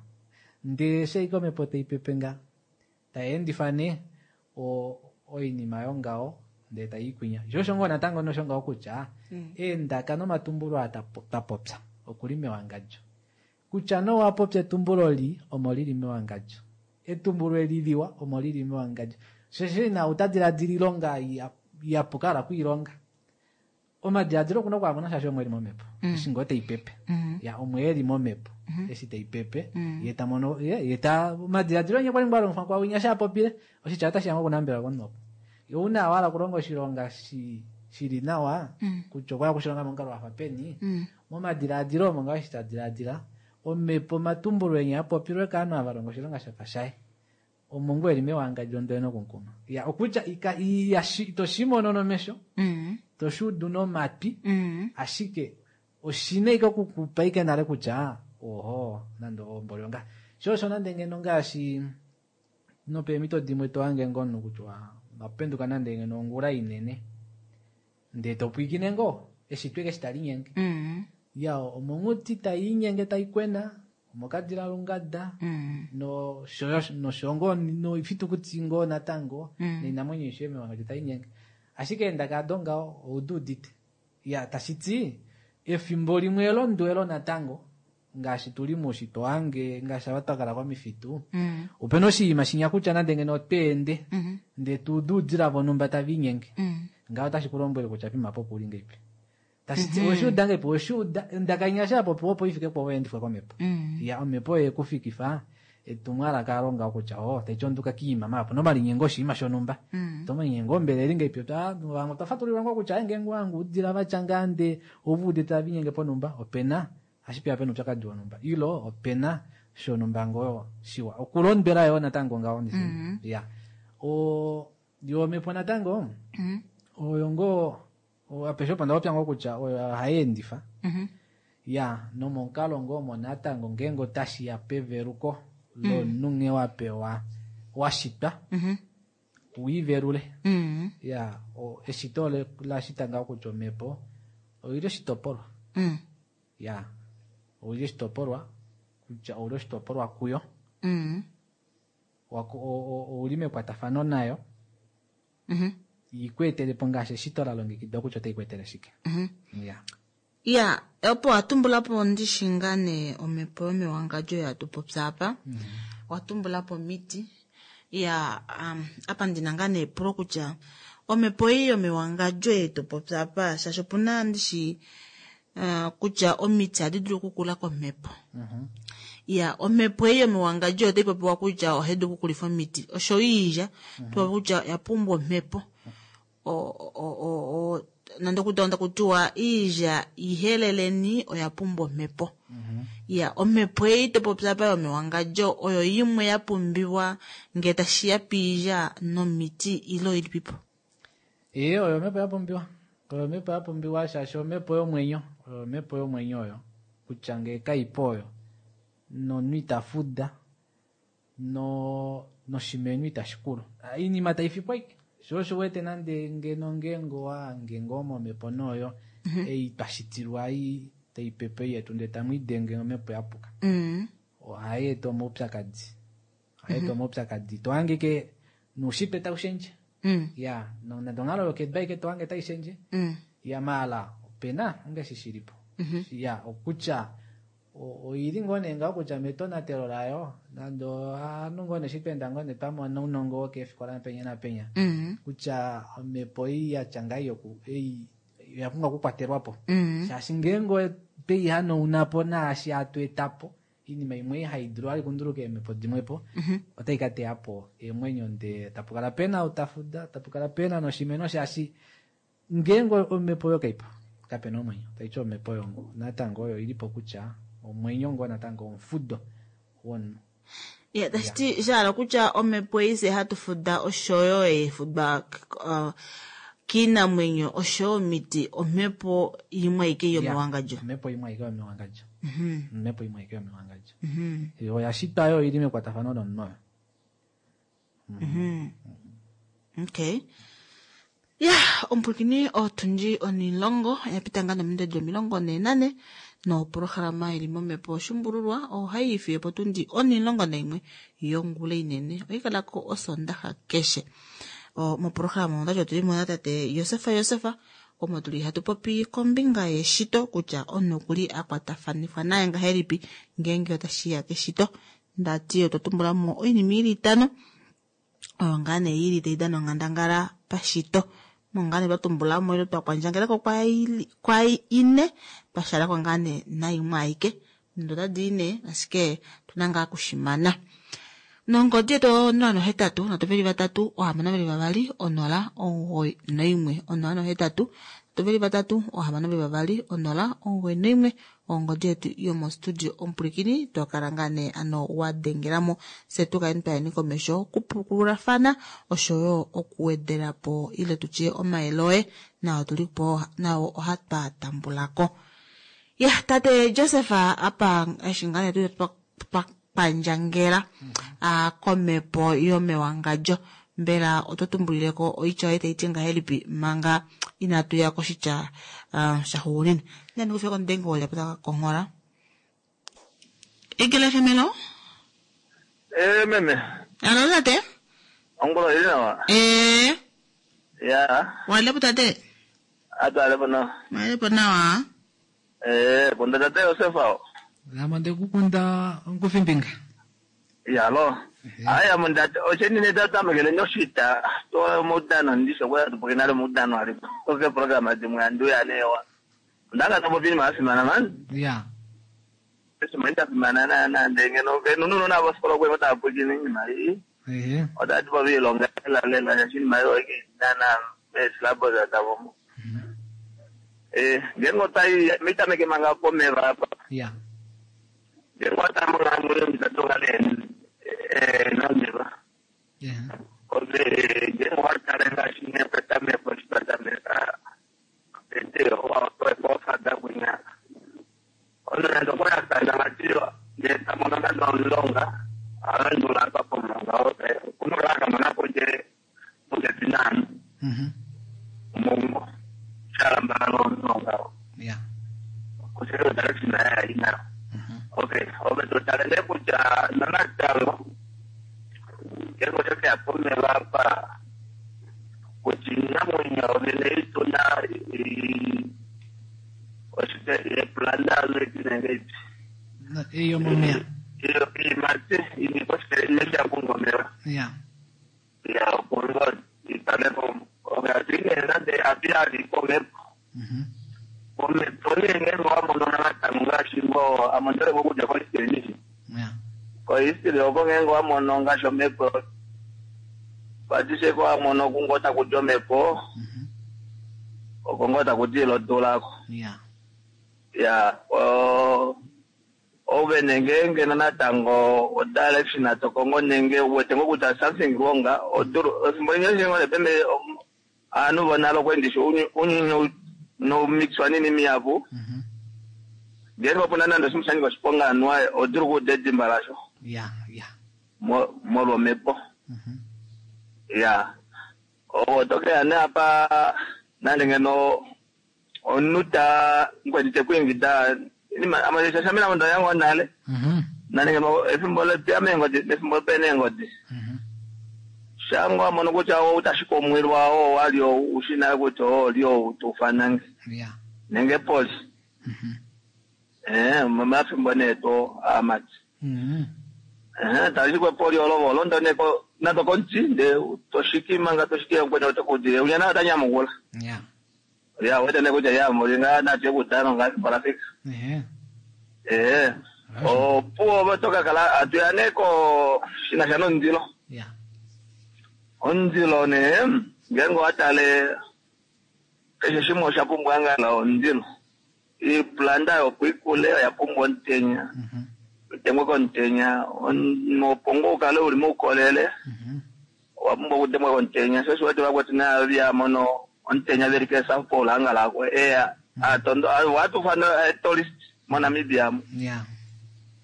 Ndee eshi omhepo tai pepe nga tai endifa nee oinima yongaho ndee tai ikwinya. Sho osho ngoo natango nosho ngaho kutya eendaka nomatumbulo aa twapopya okuli mewangadjo. Kutya nowa popya etumbulo li omo lili mewangadjo. Etumbulo eli liwa omo lili mewangadjo. Shosho ina utadiladila ilonga yapuka ala kuilonga. Omadiladilo okuna okwaamona shaashi omwe eli momhepo. Eshi ngoo tai pepe. Ya omwe eli momhepo. Eshi tai pepe ye ta mono ye ta omadiladilo nye kwali ngoo alongifwa kwa winya shapopile oshitya otashi ya ngoo okunambela komunhu. Ye una wala okulonga oshilonga shili nawa kutya okwa okushilonga momukalo wafa peni momadiladilo omo ngaashi ta diladila omhepo omatumbulo enya apopilwe kaanhu ava longa oshilonga shafa shaye omo ngoo eli mewangadjo ndele nokunkuma. Ya okutya toshimono nomesho toshuudu nomatwi ashike oshina ike okukupa ike nale kutya oho nande omboli onga sho osho nande ngeno ngaashi nopeemhito dimwe tohange ngoo omunhu kutya wapenduka nande ngeno ongula inene ndee topwiikine ngoo eshitwe ike eshi tali nyenge. Ya omonghuti tai inyenge tai kwena omokadila lungada nosho ngoo noifitukuti ngoo natango noinamwenyo isho mewangadjo tai nyenge. Ashike eendaka ado ngaho oudu udite. Ya tashiti efimbo limwe elondwelo natango ngaashi tuli muushitwe wange ngaashi ava twakala komifitu opena oshinima shinya kutya nande ngeno otweende ndee tuudu oudila vonhumba tava inyenge ngaho otashi ku lombwele kutya pima po puli ngeipi. Tashiti oweshiuda ngeipi oweshiuda ondaka inya sha popiwa opo ifike po oyeendifwa komhepo. Ya omhepo oye kufikifa Etumwalaka longa kutya oh taiti onduka kiima mapo nomalinyengo oshinima shonhumba. Tomalinyengo mbela eli ngeipi vamwe otwa fatulilwa ngoo kutya ngeenge wangu udila vatya ngaa nde ovuudite tava linyenge ponhumba opena ashike pena oupyakadi wonhumba ilo opena shonhumba ngoo shiwa okulondwela yoo natango ngaho ya o yo omhepo natango oyo ngoo apeshe opo ndapopya ngoo kutya oyo ohai endifa ya nomomukalo ngoo omo natango ngeenge otashiya peveluko lomunhu nghee wapewa washitwa wiivelule ya eshito lashita ngaho kutya omhepo oili oshitopolwa ya oili oshitopolwa kutya ouli oshitopolwa kuyo ouli mekwatafano nayo ikweetelepo ngaashi eshito la longekidwa kutya otai kweetele shike. Ya Ya, opo watumbulapo ndishi ngaa nee omhepo yomewangadjo yatupopya apa. Watumbulapo omiti. Ya, apa ndina ngaa nee epulo kutya omhepo ei yomewangadjo yetupopya apa shaashi opuna ndishi kutya omiti ohadi dulu okukula komhepo. Ya, omhepo ei yomewangadjo otai popiwa kutya ohai dulu okukulifa omiti. Osho iilya, topopi kutya oya pumbwa omhepo. Nande okudonda kutiwa iilya iheleleni oya pumbwa omhepo. Ya, omhepo ei topopya apa yomewangadjo oyo imwe ya pumbiwa ngee tashiya piilya nomiti ile oilipipo. Ee, oyo omhepo ya pumbiwa. Oyo omhepo ya pumbiwa shaashi omhepo yomwenyo. Oyo omhepo yomwenyo oyo. Kutya ngee kaipo oyo. Nomunhu ita fuda. Noshimeno itashi kulu. Iinima taifikwa ike. Sho osho wete nande ngeno ngeenge owahange ngoo momhepo nooyo ei twashitilwa ei taipepe yetu ndee tamwiidenge omhepo yapuka. Ohai eta omaupyakadi. Ohai eta omaupyakadi. Tohange ike noushitwe taushendje. Ya, nande onghalo yokedu aike tohange taishendje. Ya maala opena ongeshi shilipo. Ya, okutya oili ngoo nee ngaho kutya metonatelo layo nande ovanhu ngoo nee shitweenda ngoo nee twamona ounongo wokeefikola napenya napenya kutya omhepo ei yatya ngaa ei oya pumbwa okukwatelwapo shaashi ngeenge tweihanauna naashi hatu etapo oinima imwe hai dulu vali kunduluka eemhepo dimwepo otai ka teyapo eemwenyo ndee tapukala pena utafuda tapukala pena noshimeno shaashi ngeenge omhepo oyo kaipo kapena omwenyo taiti omhepo oyo natango oyo ilipo kutya omwenyo ngoo natango omufudo womunhu. Ya, tashiti shahala kutya omhepo ei fye hatu fuda oshoyo eefudwa kiinamwenyo oshoyo omiti omhepo imwe aike yomewangadjo. Omhepo imwe aike yomewangadjo. Omhepo imwe aike yomewangadjo. Oya shitwa yo ili mekwatafano nomunhu oyo. Okay. Ya, omupulakeni otundji onilongo yapita ngaa nominute 44 noprograma ili momhepo oshumbululwa ohai ifiye potundi 11 yongula inene oikalako osondaxa keshe. Moprograma ondati otuli mo natate Josefa Josefa omo tuli hatu popi kombinga yeshito kutya omunhu okuli akwatafanifwa naye ngahelipi ngeenge otashiya keshito. Ndati otwa tumbula mo oinima ili itano oyo ngaa nee ili tai dana onghandangala pashito. Mongaa nee twa tumbula mo ile twa kwandjangelako kwa ine twashalako ngaa nee naimwe aike. Otadi ine ashike tuna ngaa kushimana. Nongodi yetu 083 3 6 2 0 91 083 3 6 2 0 91 ongodi yetu yomostudio omupulikini twakala ngaa nee ano wadengelamo fye tukaleni twayeni komesho okupukululafana oshoyo okuwedelapo ile tutye omayele oye nao tulipo nao ohatwa tambulako. Ya, tate Joseph apa eshi ngaa nee twapandjangela komhepo yomewangadjo mbela oto tumbulileko oitya oye taiti ngahelipi manga inatu ya koshitya shaxuuninwa. Nani kufika komudengi wolya pota konghola. Egele femelo? Meme. Alo tate? Ongolo ili nawa? Ya. Walepo tate? Atu alepo nawa. Walepo nawa? Kunda tate Josefa. Lama ndekukunda nkufimbinga. Yalo. Aya mundate osheni netata mekele nyoshita to mudano ndisho kwa tupokena le mudano alipo. Toke program dimwe andu ya newa. Ndanga topo pini masimana man. Ya. Oshinima sha fimana naana ndee ngeno ngeno nounona vofikola okwe otava pwilikine oinima ei otati po viilonga lela lela shaashi iinima ei oike naana meesilabos davo mo. Ngeenge otwai mitameke manga pomeva apa. Ngeenge watala monghalamwenyo mitatu nga nee nomeva. Ove ngeenge owatale ngaashi nee petameko eshi twa tameka tete ofada kwinya omunhu nande okwali akana vati ndee tamono nande omulonga alandula apa pomulonga okuna okukala akamona pondje popepi naanhu omaumbo shalambala omulonga oo kusele direction yaye ali nayo. Okay, ove totale nee kutya nonatango ngeenge oshekeya pomeva apa kutya oinamwenyo vene ituna oshike eepulanda nenge ei yomomeya iimati inipo ineshi yapumbwa omeva ya opo italepo atuine nande atu komhepo komhepo nee ngeenge wamono natango ngaashi ngoo ame ondoleko okudja kohistory ndishi kohistory oko ngeenge wamono ngaashi omhepo patisheko wamono kungo takuti omhepo oko ngoo takuti ilodula ako ya ove ngeenge natango odirection tokongo nenge uwete ngoo kutya something wrong odulu efimbo limwe ngoo pembe aanhu vonale okwendisha unyuni nomixwa nini miyapu ngeenge opuna nande oshinima sha nyika oshiponga anuwa odulu okuuda edimba lasho molwa omhepo ya otokeya nee apa nande ngeno omunhu ta mukweni tekwiingida shashamina mondo yango nale nande ngeno efimbo letuya meengodi efimbo pena eengodi shango wamono kutya outashika omwilwa oo wali ushi nale kutya oo oli ou tuufanange nenge poli momafimbo nee to aamati tashikwe poli olo olondo nee nando komuti ndee toshiki manga toshiki mukweni otokuudile unya naye otanyamukula ya wete nee kutya ya muli ngaa natu ekudano ngaa efimbo lafika opuwo ove tokakala atuya nee ko shinasha nomundilo omundilo nee ngeenge owatale keshe shimwe osha pumbwa ngala omundilo iplanda yopo ikule oya pumbwa omutenya utengwe komutenya opo ngoo ukale uli moukolele owa pumbwa okutengwa komutenya sho oshiwete vakwetu nayo vyamono omutenya veli ke South Pole hangalako eya atondo watufana tourist moNamibia mu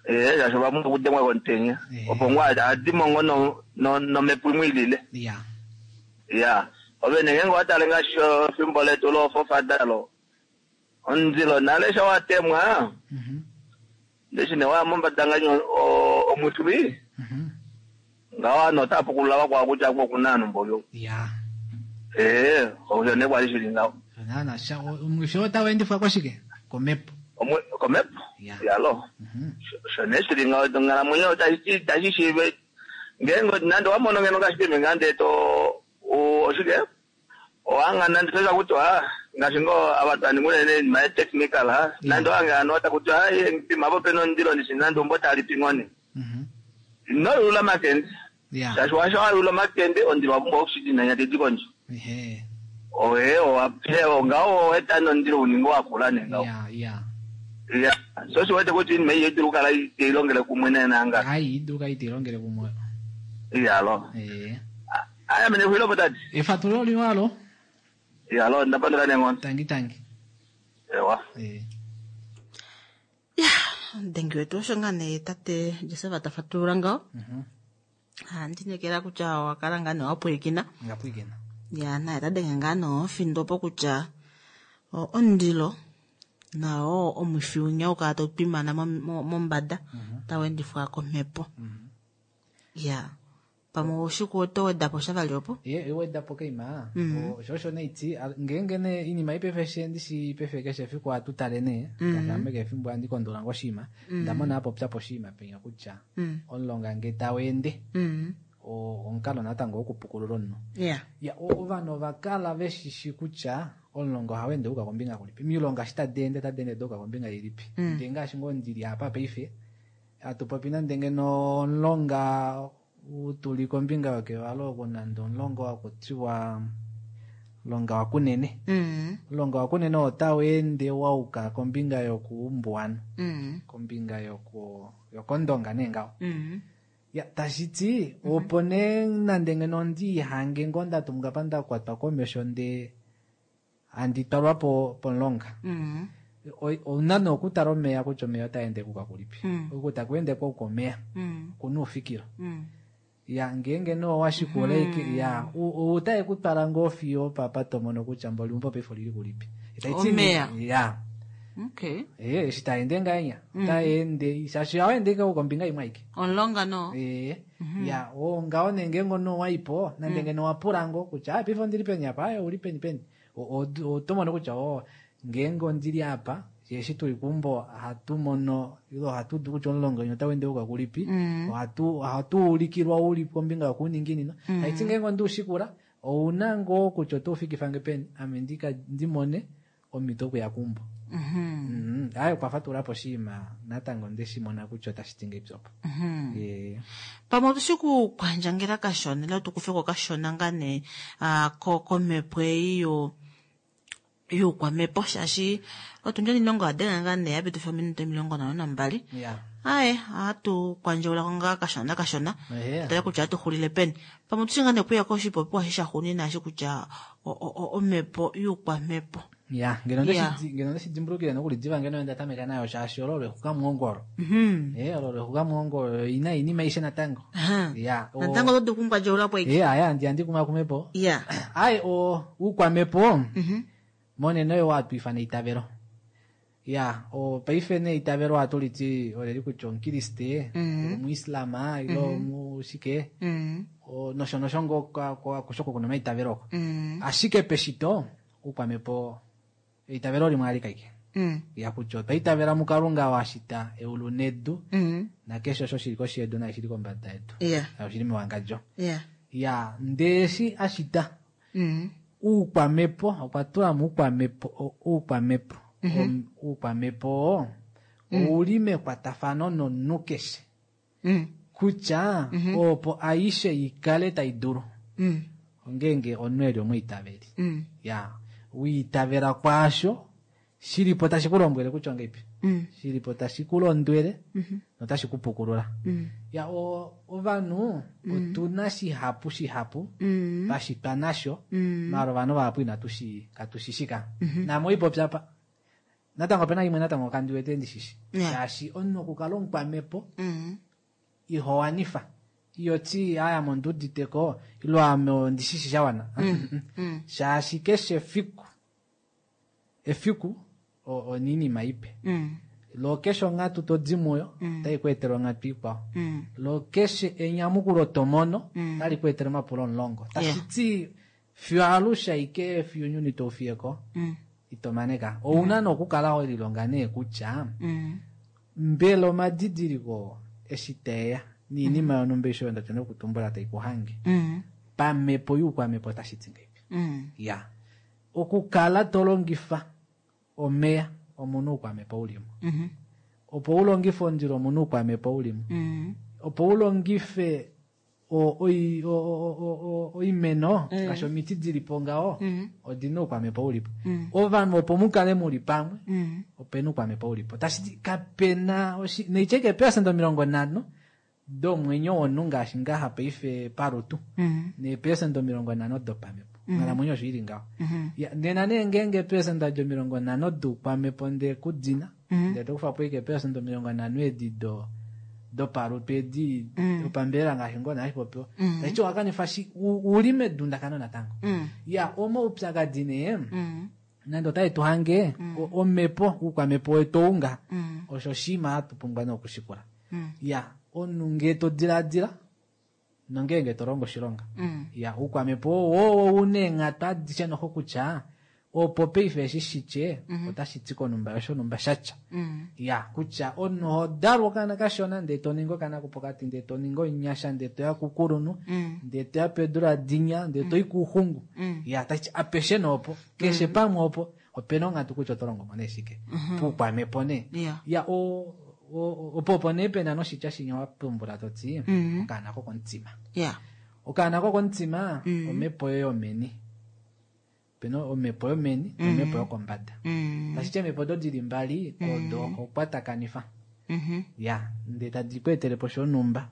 shaashi ovapumbwa okutengwa komutenya opo ngoo adimo ngoo nomhepo imwe ilile ya ove nee ngeenge owatale ngaashi efimbo letu loofofadalo omundilo nale sho watemwa ndeshi nee waya mombada ngaashi omwifwi ngaho ovanhu otava pukulula vakwao kutya oko okuna ovanhu mboli oku osho nee kwali shili ngaho naana omwifi otau endifwa koshike komhepo komhepo yalo osho nee shili ngaho onghalamwenyo itashi shiiva ngeenge nande owamono ngeno ngaashi peme ngaa ndee to oshike owanga nande toza kutya ngaashi ngoo ava twaninga unene oinima yetechnical nande owange hano otakutya pima po pena omundilo ndishi nande umbo talipi ngoo ino yulula omakende shaashi washa wayula omakende omundilo wapumbwa oxygen tedi kondje oye ngaho oweta nomundilo uninge wakula nee ngaho ya so oshiwete kutya oinima ei idulu okukala iteilongele kumwe neenanga ai idulu kala iteilongele kumwe iyalo aya mene xwilopo tati efatululo limwe alo iyalo ndapandula neenghono tangi tangi ewa ya omudengi wetu osho ngaa nee tate Joseph ta fatulula ngaho handinekela kutya owakala ngaa nee wapwilikina ngapwilikina ya naye tadenge ngaa nee ofindo po kutya omundilo nao omwifi winya ukala tau twimana mombada tau endifwa komhepo ya pamwe oshiku oto wedapo sha vali opo ye wedapo keima osho osho neiti ngeenge nee iinima ipefe ndishi pefe keshe efiku ohatu tale nee ngaashi ame keshe efimbo handi kondola ngoshiima ndamona apopya poshiima penya kutya omulonga nge tau ende omukalo natango wokupukulula omunhu ya ovanhu ovakala veshishi kutya Omulonga ohau ende uka kombinga kulipi, omilonga eshi tadi ende otadi ende duuka kombinga ilipi. Ndee ngaashi ngoo ndili apa paife hatu popi nande ngeno omulonga tuli kombinga yokevalo oku, nande omulonga wakutiwa omulonga waKunene. Omulonga waKunene otau ende wauka kombinga yokuumbuwanhu, kombinga yokOndonga nee ngaho. Ya, tashiti opo nee nande ngeno ndihange ngoo ndatumbuka pa ndakwatwa komesho ndee handi twalwa pomulonga. Ouna nee okutala omeya kutya omeya otaa ende kuka kulipi. Oku taku ende kwauka omeya, okuna oufikilo. Ya, ngeenge nee owashikula eke, ya, otae ku twala ngoo fiyo opapa to mono kutya mboli umbo paife olili kulipi. Omeya. Ya. Okay. Eshi taende ngahenya, otaende, shaashi ohaende ike kombinga imwe aike. Omulonga no. Ya, ngaho nee ngeenge omunhu owaipo, nande ngeno owapula ngoo kutya, paife ondili peni apa, ouli peni peni. Oto mono kutya, ngeenge ondili apa, eshi tuli keumbo ohatu mono, ile ohatu udu kutya omulonga wenyu otau ende uka kulipi, ohatu ulikilwa uli kombinga yokuuninginino. Taiti ngeenge ondiushikula, ouna ngoo kutya oto ufikifa nge peni, ame ndimone omhito okuya keumbo. Aye, okwa fatula po oshinima natango ndeshimona kutya otashi ti ngeipi opo. Pamwe otushi kukwandjangela kashona, ile tukufeko kashona ngaa nee, komhepo ei youkwamhepo, shaashi otundi omilongo adenga ngaa nee yapitifa ominute 52. Aye, ohatu kwandjaulako ngaa kashona kashona. Tale kutya ohatu xulile peni. Pamwe otushi ngaa nee okuya koshipopiwa eshi shaxuuninwa eshi kutya omhepo youkwamhepo. Ya, ngeno ndeshi dimbulukile nokulidiva ngeno nda tameka nayo shaashi olo lwexukamwoongolo. Olo lwexukamwoongolo ina inima aishe natango. Ya, Natango oto dulu okungwadjaula po aike. Aya, ndi kumakumepo. Aye, oukwamhepo, monena oyo hatu ifana eitavelo. Ya, paife nee eitavelo ohatu liti oleli kutya omukriste, omuislama, ile omushike, nosho nosho ngoo akushe oko kuna omaitavelo oko. Ashike peshito, oukwamhepo eitavelo limwe alike aike. Ya kutya otwa itavela muKalunga oo a shita eulu nedu, nakeshe osho shili koshi yedu naye shili kombada yedu. Oshili mewangadjo. Ya, ndee eshi a shita, oukwamhepo, okwa tula mo oukwamhepo, oukwamhepo. Oukwamhepo oo, ouli mekwatafano nomunhu keshe. Kutya, opo aishe ikale tai dulu. Ongeenge omunhu eli omwiitaveli. Ya, wiitavela kwaasho, shilipo tashi ku lombwele kutya ongeipi. Shilipo tashi ku londwele, notashi ku pukulula. Ya, ovanhu, otuna shihapu shihapu, pashitwa nasho, maala ovanhu vahapu inatu shi, katu shi shika. Namo ipopya pa. Natango opena imwe natango kandi wete ndi shishi. Shaashi omunhu okukala omukwamhepo, iho wanifa. Iyo ti, aya monduditeko, ilo ame ondi shishi sha wana. Shaashi keshe efiku, efiku, oninima ipe. Lo keshe onghatu to di muyo, otai ku etele onghatu ikwao. Lo keshe enyamukulo to mono, otali ku etele omapulo omulongo. Tashi ti, fiyo alushe aike fiyo ounyuni tau fiye ko, ito maneka. Ouna nokukala ho lilonga nee kutya, mbela omadidiliko eshi teya, niinima yonhumba eshi oyo nda nokutumbula tai ku hange. Pamhepo youkwamhepo otashi ti ngeipi? Ya. Okukala to longifa omeya omunhu oukwamhepo ulimo. Opo u longife omundilo omunhu oukwamhepo ulimo. Opo u longife oimeno, ngaashi omiti dili po ngaho, odina oukwamhepo ulipo. Ovanhu opo mukale muli pamwe, opena oukwamhepo ulipo. Tashi ti kapena neicheke eepelesenda 50 domwenyo womunhu ngaashi ngaha paife palutu, neepelesenda 50 dopamhepo. Onghalamwenyo osho ili ngaho. Ya, nena nee ngeenge eepelesenda 50 doukwamhepo nde kudina, ndele to kufa po ike eepelesenda 50 edi dopalutu edi dopambelela ngaashi ngoo naashi popiwa. Tashi ti owakanifa uli medundakano natango. Ya, omaupyakadi nee, nande otae tu hange, omhepo, oukwamhepo wetu ounga, osho oshinima hatu pumbwa nokushikula. Ya, omunhu ngee to diladila, nongeenge to longo oshilonga. Ya, oukwamhepo oo owo una eenghatu adishe noho kutya, Opo paife eshi shitye otashi ti konumba yoshonumba shatya. Ya kutya omunhu oho dalwa okaana kashona ndee to ningi okaana kopokati ndee to ningi omunyasha ndee toya kukulunhu ndee toya pedula dinya ndee toi kuuxungu. Ya tashi ti apeshe noopo keshe pamwe opo opena onghatu kutya oto longo mo nee shike puukwamepo nee. Ya opo opo nee pena noshitya shinya wa tumbula to ti okaana kokomutima. Okaana kokomutima omhepo yoye yomeni. Opena omhepo yomeni nomhepo yokombada. Tashi ti eemhepo odo dili mbali odo ho kwatakanifa. Ya, ndee tadi ku etele po shonhumba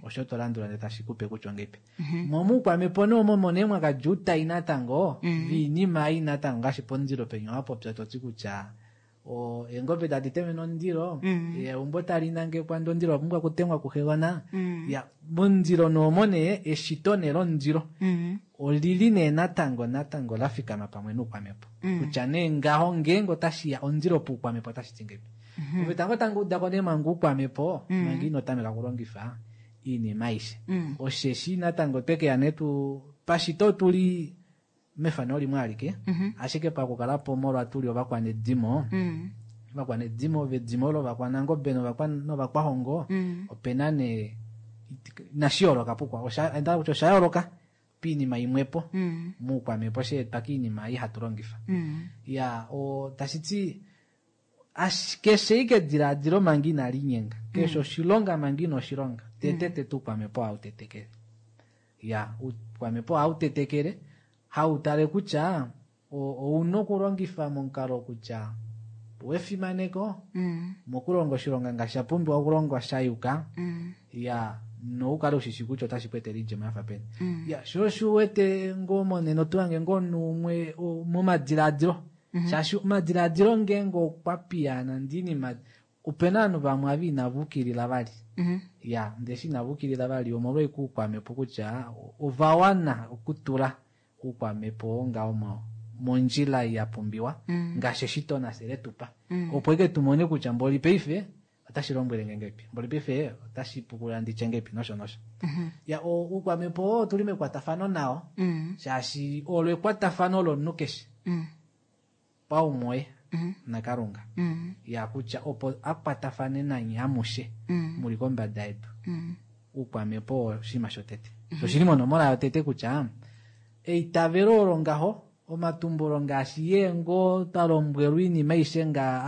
osho to landula ndee tashi kupe kutya ongeipi. Mo muukwamhepo nee omo nee mwa kadja outai natango viinima ei natango ngaashi pomundilo penya wa popya to ti kutya eengobe tadi temene omundilo, eumbo tali nangekwa ndee omundilo owa pumbwa okutemwa kuxegona. Ya, momundilo nee omo nee eshito nee lomundilo olili nee natango natango la fikama pamwe noukwamhepo. Kutya nee ngaho ngeenge otashi ya omundilo poukwamhepo otashi ti ngeipi. Ove tango tango udako nee manga oukwamhepo manga ino tameka okulongifa iinima aishe. Osheshi natango twekeya nee tu pashito otuli mefano limwe alike, ashike pakukala po molwa tuli ovakwanedimo, ovakwanedimo vedimo lovakwanangobe novakwahongo, opena nee inashi yooloka pukwa, osha kutya osha yooloka piinima imwepo muukwamhepo sheetwa kiinima ei hatu longifa. Ya, tashi ti keshe ike edilaadilo manga inali nyenga, keshe oshilonga manga ino oshilonga, tete tete uukwamhepo ohau tetekele. Ya, uukwamhepo ohau tetekele, hau tale kutya ouna okulongifa momukalo kutya wefimaneko, mokulonga oshilonga ngaashi sha pumbiwa okulongwa sha yuka, ya, noukale ushishi kutya otashi ku etele oidjemo yafa peni. Ya, sho osho uwete ngoo monena oto hange ngoo omunhu umwe momadilaadilo. Shaashi omadilaadilo ngeenge okwa piyaana ndee inima, opena ovanhu vamwe ava inava ukilila vali. Ya, ndee eshi inava ukilila vali omolwa ashike oukwamhepo kutya ova wana okutula oukwamhepo oo ngaho mondjila ya pumbiwa ngaashi eshito nafye letupa. Opo eke tumone kutya mboli paife otashi lombwele nge ngeipi, mboli paife otashi pukulula nditye ngeipi nosho nosho. Ya, oukwamhepo oo otuli mekwatafano nao, shaashi olo ekwatafano lomunhu keshe paumwe naKalunga. Ya kutya opo akwatafane nanye amushe muli kombada yedu. Oukwamhepo oshinima shotete. Sho oshili monomola yotete kutya eitavelo olo ngaho omatumbulo ngaashi yee ngoo twa lombwelwa oinima aishe nga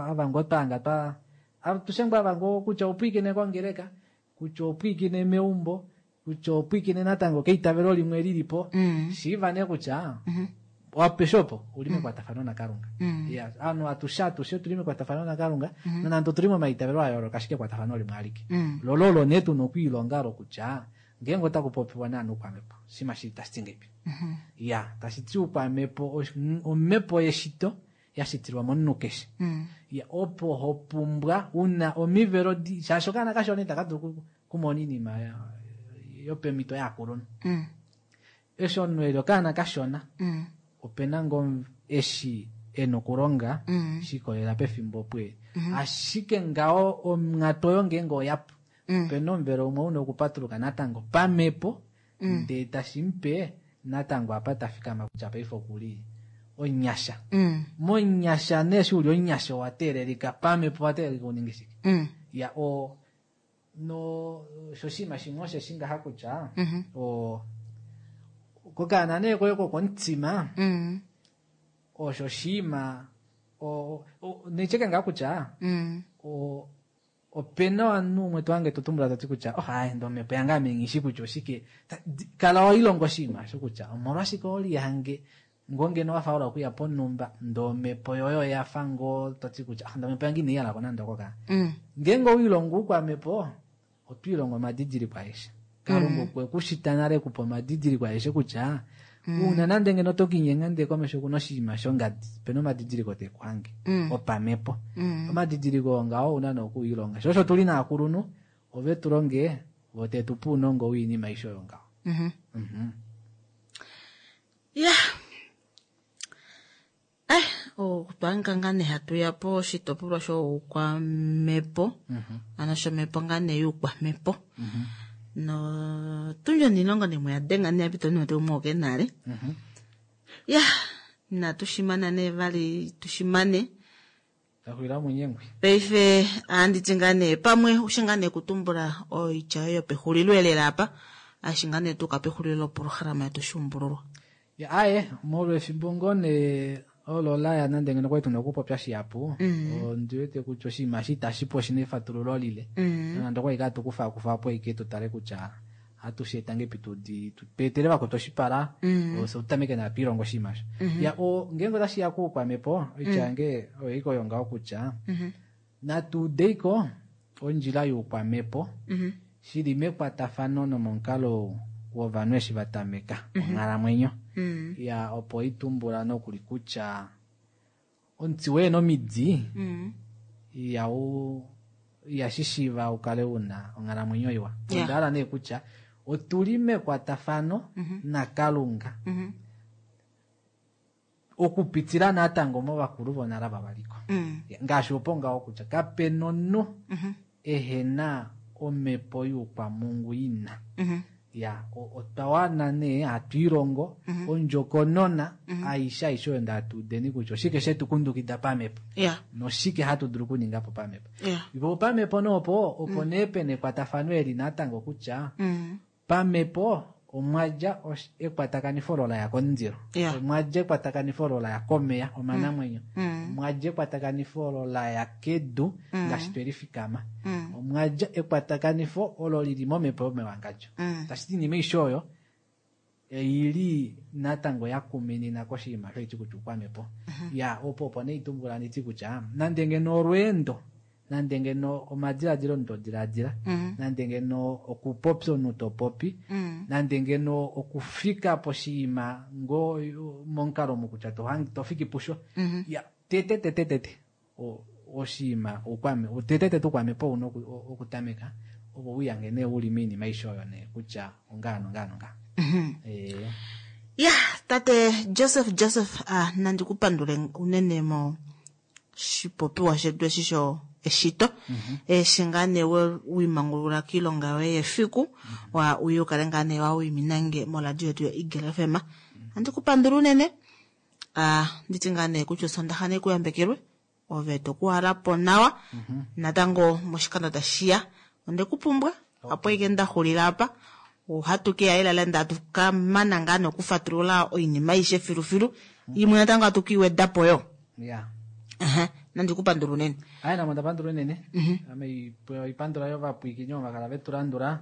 ava ngoo twahanga twa atushe ngoo ava ngoo kutya opwiikine kongeleka, kutya opwiikine meumbo, kutya opwiikine natango keitavelo limwe lilipo, shiiva nee kutya apeshe opo uli mekwatafano naKalunga. Ya, ovanhu atushe atushe otuli mekwatafano naKalunga, nonande otuli momaitavelo a yooloka, ashike ekwatafano limwe alike. Lolo olo nee tuna okwiilonga olo kutya ngeenge otaku popiwa naana oukwamhepo, oshinima shili tashi ti ngeipi. Ya, tashi ti oukwamhepo omhepo yeshito ya shitilwa momunhu keshe. Ya, opo ho pumbwa una omivelo di, shaashi okaana kashona itaka dulu kumona oinima yopemhito yaakulunhu. Eshi omunhu eli okaana kashona, opena ngoo eshi ena okulonga shikolela pefimbo opo eli. Ashike ngaho onghatu oyo ngeenge oyapu, opena omuvelo umwe una okupatuluka natango pamhepo, ndee tashi mupe natango apa ta fikama kutya paife okuli onyasha. Monyasha nee eshi uli onyasha owa teelelika pamhepo, owa teelelika uninge shike? Ya, no sho oshinima shimwe osheshi ngaha kutya kokaana nee koye kokomutima, osho oshinima neityeke ngaa kutya opena ovanhu umwe to hange to tumbula to ti kutya, oh, ai, ndo omhepo yange ame nghi shi kutya oshike. Kala wa ilonga oshinima osho kutya omolwashike olihange ngoo ngeno wa fa ola okuya ponhumba, ndo omhepo yoye oya fa ngoo to ti kutya, ah, ndo omhepo yange inai yalako nande oko kaa. Ngeenge owiilongo oukwamhepo, oto ilongo omadidiliko aeshe. Kalunga okwe ku shita nale kupa omadidiliko aeshe kutya, uuna nande ngeno to kinyenga ndee komesho kuna oshinima shongadi, opena omadidiliko te ku hange, opamhepo. Omadidiliko oo ngaho ouna nee okuilonga. Sho osho tuli naakulunhu, ove tu longe, vo te tu pe ounongo woinima aishe oyo ngaho. Ya. Otwa nga nee hatu ya po oshitopolwa shoukwamhepo, ano shomhepo ngaa nee youkwamhepo. No tundjo niilongo nee mweya denga nee apita omunhu umwe oke nale. Ya, Inatu shimana nee vali tushimane. Taxwila munyengwi. Paife ohandi ti ngaa nee pamwe ushi ngaa nee kutumbula oitya yoye yopexulilo elela apa ashi ngaa nee tuuka pexulilo loprograma yetu Oshuumbululwa. Ya aye molwa efimbo ngoo nee olo laya nande ngeno kwali tuna okupopya shihapu ondi wete kutya oshinima eshi itashi pu oshina efatululo lile nonande okwali kaa tukufakufa po ashike tu tale kutya ohatu shi eta ngepi tudi tu etele vakwetu oshipala ofye tutameke nawa twiilonga oshinima osho. Ya ngeenge otashi ya kuukwamhepo oitya yange oyo ike oyo ngaho kutya natu udeiko ondjila youkwamhepo shili mekwatafano nomomukalo wovanhu eshi va tameka onghalamwenyo. Ya opo itumbula nokuli kutya omuti woye nomidi ihashi shiiva u kale una onghalamwenyo iwa. Onda hala nee kutya otuli mekwatafano naKalunga okupitila natango movakulu vonale ava valiko. Ngaashi opo ngaho kutya kapena omunhu ehena omhepo youkwamungu ina. Ya otwa wana nee hatu ilongo ondjokonona aishe aishe oyo ndatu udeni kutya oshike shetu kundukida pamhepo noshike hatu dulu okuninga po pamhepo. Po pamhepo noopo opo nee pena ekwatafano eli natango kutya pamhepo omwa dja ekwatakanifo olo la ya komundilo, omwa dja ekwatakanifo olo la ya komeya omanamwenyo, omwa dja ekwatakanifo olo la ya kedu ngaashi twe lifikama, omwa dja ekwatakanifo olo lili momhepo yomewangadjo. Tashi ti inima aishe oyo oili natango ya kuminina koshinima shoiti kutya oukwamhepo. Ya opo opo nee itumbula nditi kutya nande ngeno olweendo nande ngeno omadiladilo omunhu to diladila, nande ngeno okupopya omunhu to popi, nande ngeno okufika poshinima ngoo momukalo omu kutya to fiki pusho. Ya tete tete tete oshinima oukwame tete tete oukwamhepo ouna okutameka opo uyange nee uli moinima aishe oyo nee kutya ongaa nongaa nongaa. Ya tate Joseph Joseph nandi kupandule unene mo shipopiwa shetu eshi sho eshito eshi ngaa nee wimangulula kiilonga yoye yefiku wa uye ukale ngaa nee wa wiminange moradio yetu yo Eagle FM. Andi kupandula unene nditi ngaa nee kutya osondaxa ne kuyambekelwe ove tokuhalapo nawa natango moshikando tashiya onde kupumbwa apo ike ndaxulila apa ohatu keya elala ndatu kamana ngaa nokufatulula oinima aishe filufilu imwe natango atu kiiwedapo yo. Nandi kupandula unene. Aye namo ndapandula unene. Ame oipandula yo vapwiikini ovo vakala vetu landula.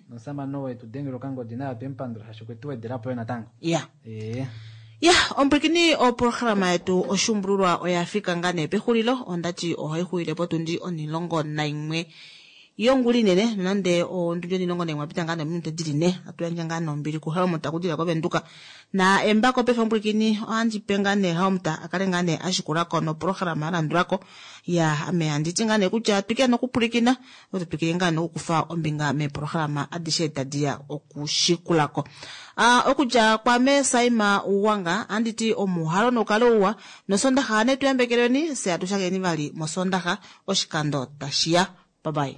Nomusamane oo wetu dengela okangodi naye otwe mupandula shaashi okwe tu wedelapo yo natango. Ya, ompwikini oprograma yetu Oshuumbululwa oya fika ngaa nee pexulilo. Ondati ohai xulile potundi 11 yongula inene, nonande ondundi 11 apita ngaa nominute dili ne. Atu yandje ngaa nombili kuHelmut akudila koVenduka. Na embako paife ompwikini ohandi pe ngaa nee Helmut akale ngaa nee ashikulako noprograma alandulako. Ya, ame handi ti ngaa nee kutya twikile nokupwilikina, oto twikile ngaa nokukufa ombinga meeprograma adishe tadi ya okushikulako. Okudja kwame Saima Uwanga, handi ti omuhalo nokale uwa, nosondaxa ne tuyambekelweni, se atushakeni vali mosondaxa oshikando tashiya. Bye bye.